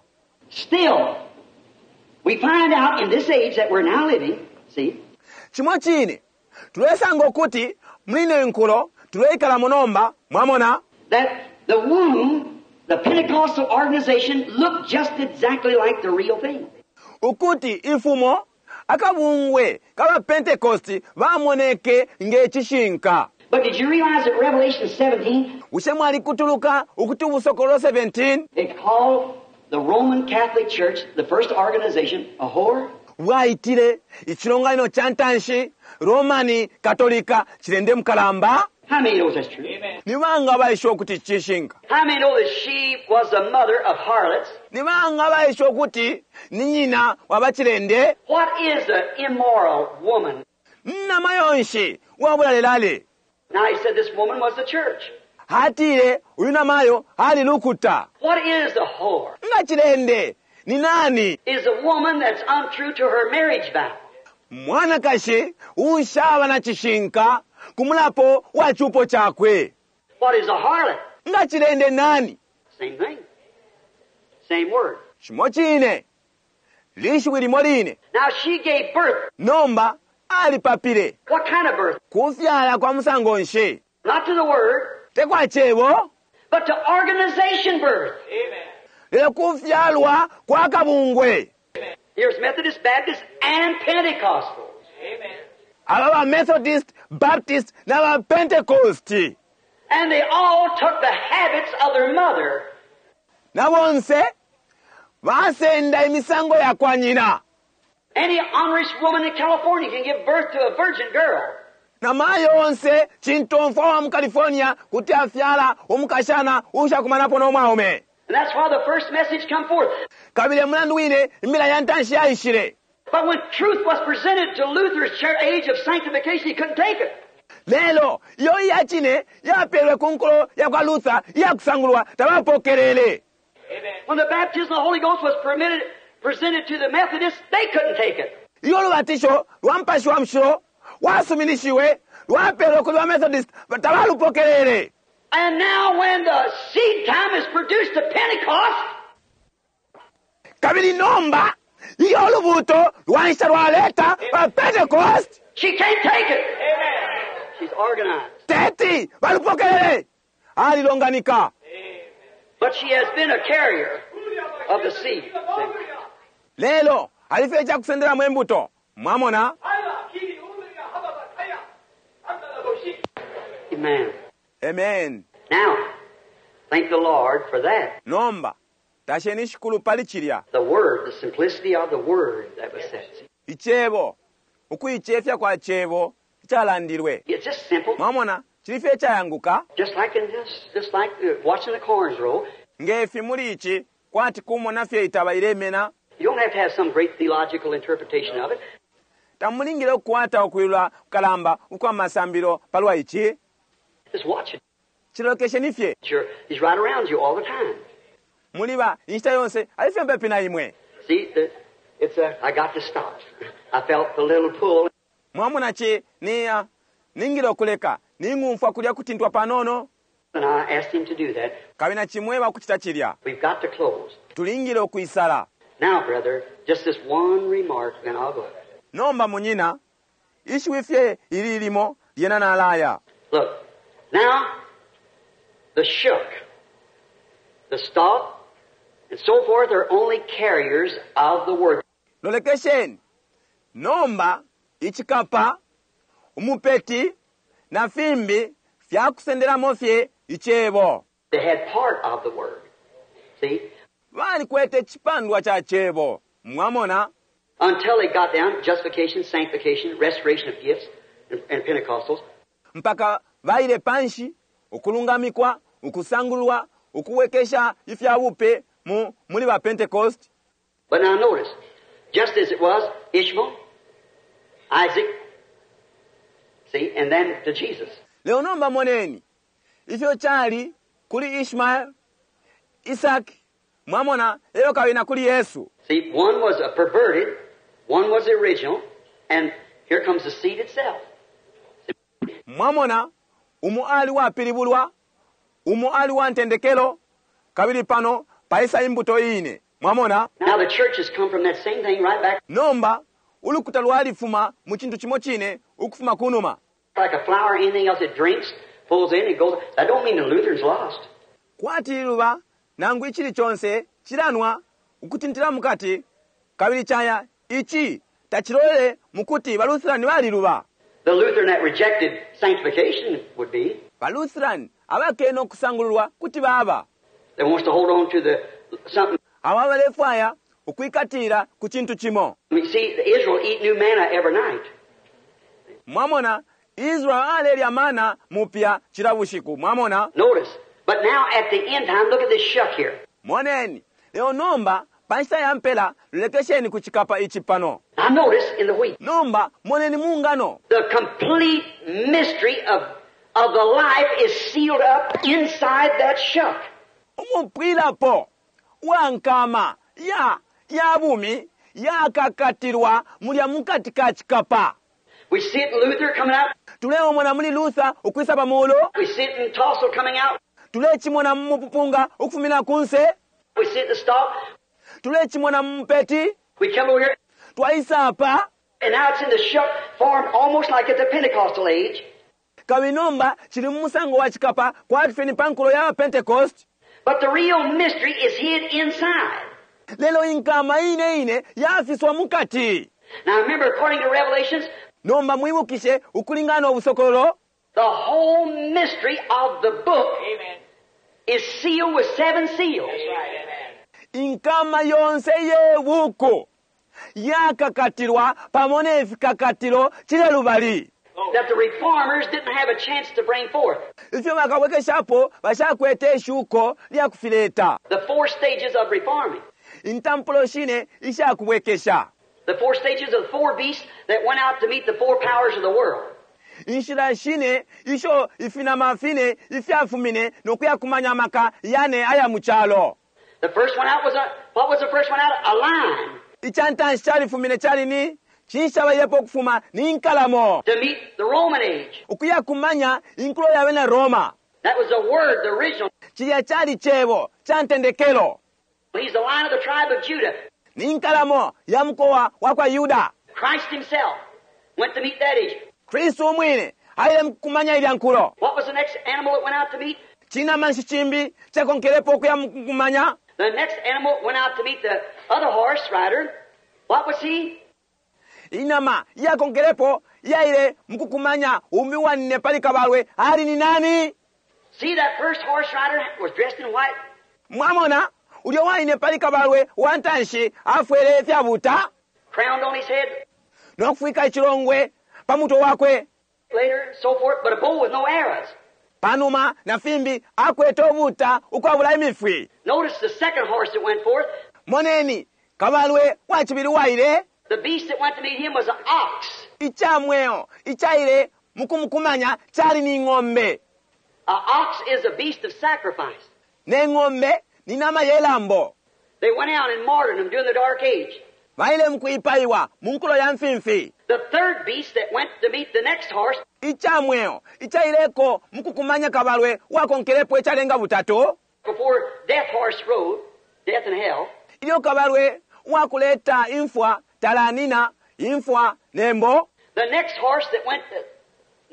Still, we find out in this age that we're now living, see, Chimwe chine tulesanga okuti mline nkulo tuleikala munomba mwamona that the womb, the Pentecostal organization, looked just exactly like the real thing. Ukuti ifumo akabungwe kaba Pentecost bamoneke ngechishinka. But did you realize that Revelation seventeen, Bushe mwali kutuluka ukuti ubusokolo seventeen it called the Roman Catholic Church, the first organization, a whore? Bwaitile ichilonganiro cha ntanshi Romani Katolika chilende mukalamba. How many knows that's true? Ni banga baisha okuti chishinka. How many know that she was the mother of harlots? Ni banga baisha okuti ni nyina wabachilende. What is an immoral woman? Nama yonshi wabulalelale. Now he said this woman was the church. Hatile uyu namayo hali lukuta. What is a whore? Nga chilende ni nani? Is a woman that's untrue to her marriage vow. Mwanakashi ushaba na chishinka kumulapo wa chupo chakwe. What is a harlot? Nga chilende nani? Same thing. Same word. Chimochine. Lishwi limoline. Now she gave birth. Nomba alipapile. What kind of birth? Kufyala kwa musango nshi. Not to the word. Tekwa chebo. But to organization birth. Amen. Lelo kufyalwa kwa kabungwe. Here's Methodist, Baptist, and Pentecostals. Amen. Aba Methodist, Baptist, na ba Pentecost. And they all took the habits of their mother. Na bonse basenda imisango ya kwa nyina. Any honest woman in California can give birth to a virgin girl. Na mayo onse chintomfwa wa mu California kuti afyala umukashana ushakumanapo n'omwaume. And that's why the first message come forth. Kabile mulandu wine imila ya ntanshi yaishile. But when truth was presented to Luther's age of sanctification, he couldn't take it. Lelo iyo iyachine yapelwe ku nkulo ya kwa Luther iyakusangulwa tabapokelele. Amen. When the baptism of the Holy Ghost was permitted, presented to the Methodists, they couldn't take it. Iyo lubatisho lwa mpashi wa mshilo wasuminishiwe lwapelwe kuli ba Methodist tabalupokelele. And now when the seed time is produced to Pentecost, Kabili nomba iyo lubuto lwansha lwaleta ba Pentecost, she can't take it. Amen. She's organized. Teti balupokelele alilonganika. But she has been a carrier of the seed. Lelo alifecha kusendera mwembuto mwamona. Amen. Amen. Now, thank the Lord for that. Nomba tasheni shikulu pali chilya. The word, the simplicity of the word that was said. Ichebo ukuichefya kwa chebo chalandilwe. It's just simple. Mwamona chilife chayanguka. Just like in this, just like watching the corn grow. Ngefi muri ichi kwati kumona fye itaba ilemena. You don't have to have some great theological interpretation of it. Tamulingire okukwata okwilula kukalamba ukwa masambiro palwa ichi. Just watch it. Chilokesheni fye. Sure, he's right around you all the time. Muliba inshita yonse alifye mpepi na imwe. See, the, it's a, I got to stop. I felt the little pull. Mwamona chi niya ningire okuleka ningumfwa kulya kutintwa panono. And I asked him to do that. Kabina chimweba kuchita chilya. We've got to close. Tulingire okuisala. Now, brother, just this one remark, then I'll go. Nomba munyina ishiwi fye ili ilimo lyena nalaya. Look, now, the shook, the stalk, and so forth are only carriers of the word. Lolekesheni, nomba ichikapa, umupeti, na fimbi fyakusenderamo fye ichebo. They had part of the word. See? Balikwete icipandwa ca cebo, mwamona. Until they got down, justification, sanctification, restoration of gifts, and, and Pentecostals. Mpaka baile panshi, ukulungamikwa, ukusangulwa, ukuwekesha ifya bupe mu muli ba Pentecost. But now notice, just as it was Ishmael, Isaac, see, and then to Jesus. Leo nomba moneni ifyo cali kuli Ishmael, Isaac, mwamona, elyo kabili na kuli Yesu. See, one was a perverted, one was the original, and here comes the seed itself. Mwamona, umo ali wapilibulwa, umo ali wa ntendekelo, kabili pano paisa imbuto ine. Mwamona? Now the church has come from that same thing right back Nomba ulukuta lwalifuma mu cintu cimo cine ukufuma kunuma. like a flower or anything else it drinks, pulls in, it goes. That don't mean the Lutherans lost. Kwati liluba nangu icili conse cilanwa ukutintila mukati kabili caya ici tacilolele mukuti baLutheran baliluba. The Lutheran that rejected sanctification would be. BaLutheran abakene ukusangululwa kuti baba. That wants to hold on to the something. Abo abalefwaya ukwikatila ku cintu cimo. I mean, see, Israel eat new manna every night. Mwamona, Israel alelya mana mupya cila bushiku. Mwamona? Notice. But now at the end time, look at this shuck here. Moneni, leo nomba pa nshita ya mpela lolekesheni ku cikapa ici pano. Now notice in the wheat. Nomba moneni mu ngano. The complete mystery of, of the life is sealed up inside that shuck. Umupwilapo wa nkama ya ya bumi yakakatilwa mulya mukati ka cikapa. We see it in Luther coming out. Tuleomona muli Luther ukwisa pa mulu. We see it in Tassel coming out. Tulecimona mu mupupunga ukufumina kunse. We see it in the stalk. Tulecimona mu mupeti. We come over here. Twaisa apa. And now it's in the shuck form almost like at the Pentecostal age. Kabili nomba cili mu musango wa cikapa kwati fye ni pa nkulo ya Pentecost. But the real mystery is hid inside. Lelo inkama ine ine yafiswa mukati. Now remember, according to Revelations, Nomba mwibukishe ukulingana no busokololo, the whole mystery of the book Amen. is sealed with seven seals. That's right. Amen. inkama yonse ye buku yakakatilwa pamo ne fikakatilo cile lubali. That the reformers didn't have a chance to bring forth. Ifyo bakabwekeshapo bashakwete ishuko lya kufileta. The four stages of reforming. Intampulo shine ishakubwekesha. The four stages of the four beasts that went out to meet the four powers of the world. Inshila shine isho ifinama fine ifyafumine nokuyakumanya amaka yane aya mu calo. The first one out was a, what was the first one out? A lion. Icantanshi califumine cali ni cinshi cabalilepo ukufuma ni nkalamo. To meet the Roman age. Ukuyakumanya inkulo ya bena Roma. That was the word, the original. Cilya cali cebo ca ntendekelo. He's the lion of the tribe of Judah. Ni nkalamo ya mukowa wa kwa Yuda. Christ himself went to meet that age. Kristu umwine aile mukumanya ilya nkulo. What was the next animal that went out to meet? Cinama nshi cimbi cakonkelepo ukuya mukumanya? The next animal went out to meet the other horse rider. What was he? Inama iyakonkelepo iyaile mukukumanya umbi wanine pali kabalwe ali ni nani? See, that first horse rider was dressed in white. Mwamona, ulyo waine pali kabalwe wa ntanshi afwele ifyabuta Crowned on his head nokufwika icilongwe pa mutwe wakwe. later, so forth, but a bow with no arrows. Panuma na fimbi akwete obuta ukwabula imifwi. Notice the second horse that went forth. Moneni, kabalwe wa cibili waile. The beast that went to meet him was an ox. Icamweo icaile mukumukumanya cali ni ng'ombe. An ox is a beast of sacrifice. Ne ng'ombe ni nama ye lambo. They went out and martyred him during the dark age. Baile mukuipaiwa mu nkulo ya mfimfi. The third beast that went to meet the next horse Icamweo icaileko mukukumanya kabalwe wakonkelepo icalenga butatu. before death horse rode, death and hell, Ilyo kabalwe wakuleta imfwa talanina imfwa nembo. the next horse that went to,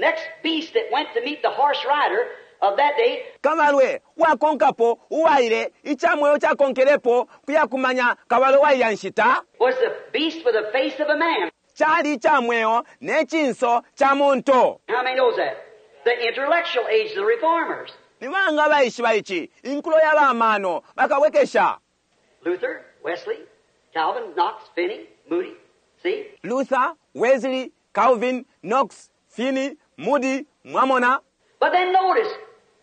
next beast that went to meet the horse rider of that day Kabalwe wakonkapo uwaile icamweo cakonkelepo kuyakumanya kabalwe wailya nshita. was the beast with the face of a man. Cali icamweo ne cinso ca muntu. How many knows that? The intellectual age of the reformers. Ni banga abaishiba ici? Inkulo ya bamano bakabwekesha. Luther, Wesley, Calvin, Knox, Finney, Moody. See? Luther, Wesley, Calvin, Knox, Finney, Moody, mwamona. But then notice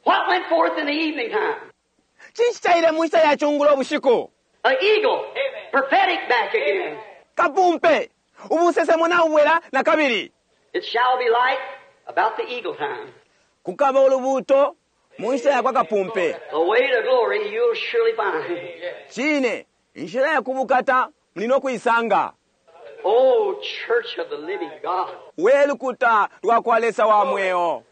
what went forth in the evening time. Cinshi caile mu nshita ya cungulo ubushiku? An eagle, prophetic back again. Kapumpe ubusesemo nabubwela na kabili. It shall be light about the eagle time. Kukaba ulubuuto mu nshita ya kwa kapumpe. The way to glory you'll surely find. Cine inshila ya kubukata muli no kuisanga. Oh, church of the living God. We lukuta lwa kwa Lesa wa mweo.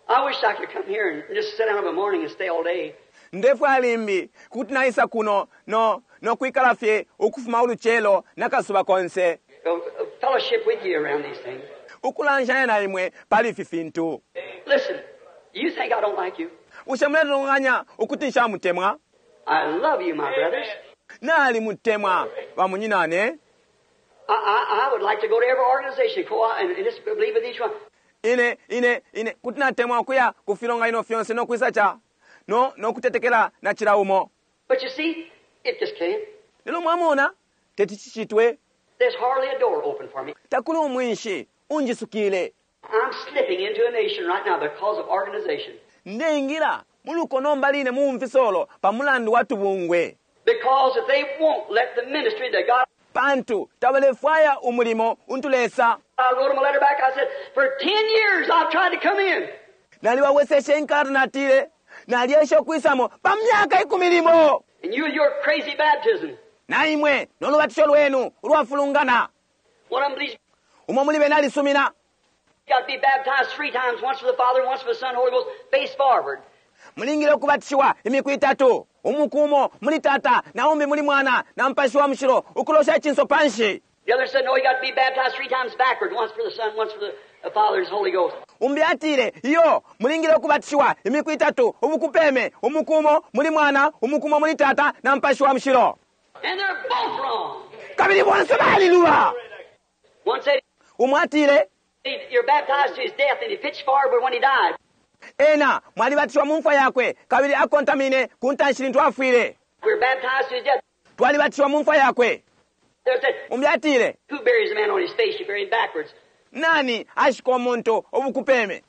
I wish I could come here and just sit down in the morning and stay all day. Ndefwaya limbi kuti naisa kuno no no kwikala fye ukufuma ulucelo nakasuba konse, Uh, uh, Fellowship with you around these things. ukulanshanya na imwe pali ifi fintu. Listen, you think I don't like you? Bushe muletontonkanya ukuti nshamutemwa? I love you, my brothers. Nalimutemwa bamunyinane. I, I, I would like to go to every organization co and, and just believe with each one. Ine ine ine kuti natemwa ukuya ku filonganino fyonse no kwisa cha no no kutetekela na cila umo. But you see, it just can't. Lelo mwamona teti cicitwe. There's hardly a door open for me. Takuli umwinshi unjisukile. I'm slipping into a nation right now because of organization. Ndeingira muluko nomba line mu mfisolo pa mulandu wa tubungwe. Because if they won't let the ministry that God Pantu tabalefwaya umulimo untu Lesa. I wrote them a letter back. I said, for ten years I've tried to come in. Nalibaweseshe inkalata natile nalyesha ukwisamo pa myaka ikumi limo. And you with your crazy baptism. Na imwe n'olubatisho lwenu ulwafulungana. One of them believes Umo muli bena alisumina. you got to be baptized three times, once for the Father, once for the Son, Holy Ghost, face forward. Mulingile ukubatishiwa imiku itatu, umuku umo muli Tata, na umbi muli Mwana, na Mupashi wa Mushilo, ukulosha icinso panshi. The other said, no, you got to be baptized three times backward, once for the Son, once for the, the Father, and the Holy Ghost. Umbi atile iyo mulingile ukubatishiwa imiku itatu, ubukupeme, umuku umo muli Mwana, umuku umo muli Tata, na Mupashi wa Mushilo. And they're both wrong. Kabili bonse baliluba. One said, Umo atile you're baptized to his death, and he pitched forward when he died. ena mwalibatishiwa mu mfwa yakwe, kabili akontamine ku ntanshi lintu afwile. We're baptized to his death. Twalibatishiwa mu mfwa yakwe. There said, Umbi atile who buries a man on his face? You bury him backwards. nani ashika umuntu ubukupeme?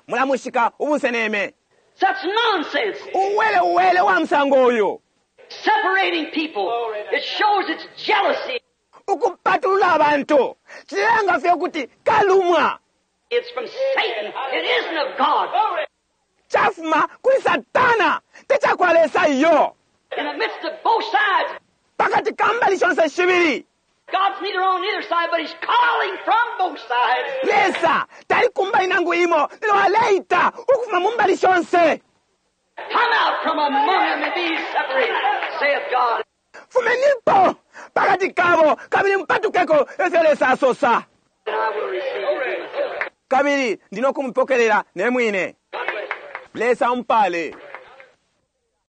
Mulamushika ubuseneme. Such nonsense. Uwele uwele wa musango uyu. Separating people. It shows it's jealousy. Ukupatulula abantu cilanga fye ukuti kalumwa. It's from Satan. It isn't of God. Chafuma kuli Satana, techakwa Lesa iyo. In the midst of both sides, Pakati kambali shonse shibili. God's neither on either side, but He's calling from both sides. Lesa tali kumbali nangu imo, lelo aleita ukufuma mumbali shonse. Come out from among them and be separated, saith God. Fumenipo pakati kabo, kabili mpatukeko efyo Lesa asosa. And I will receive you to myself. Kabili ndino kumupokelela ne mwine. God bless you. Lesa umpale.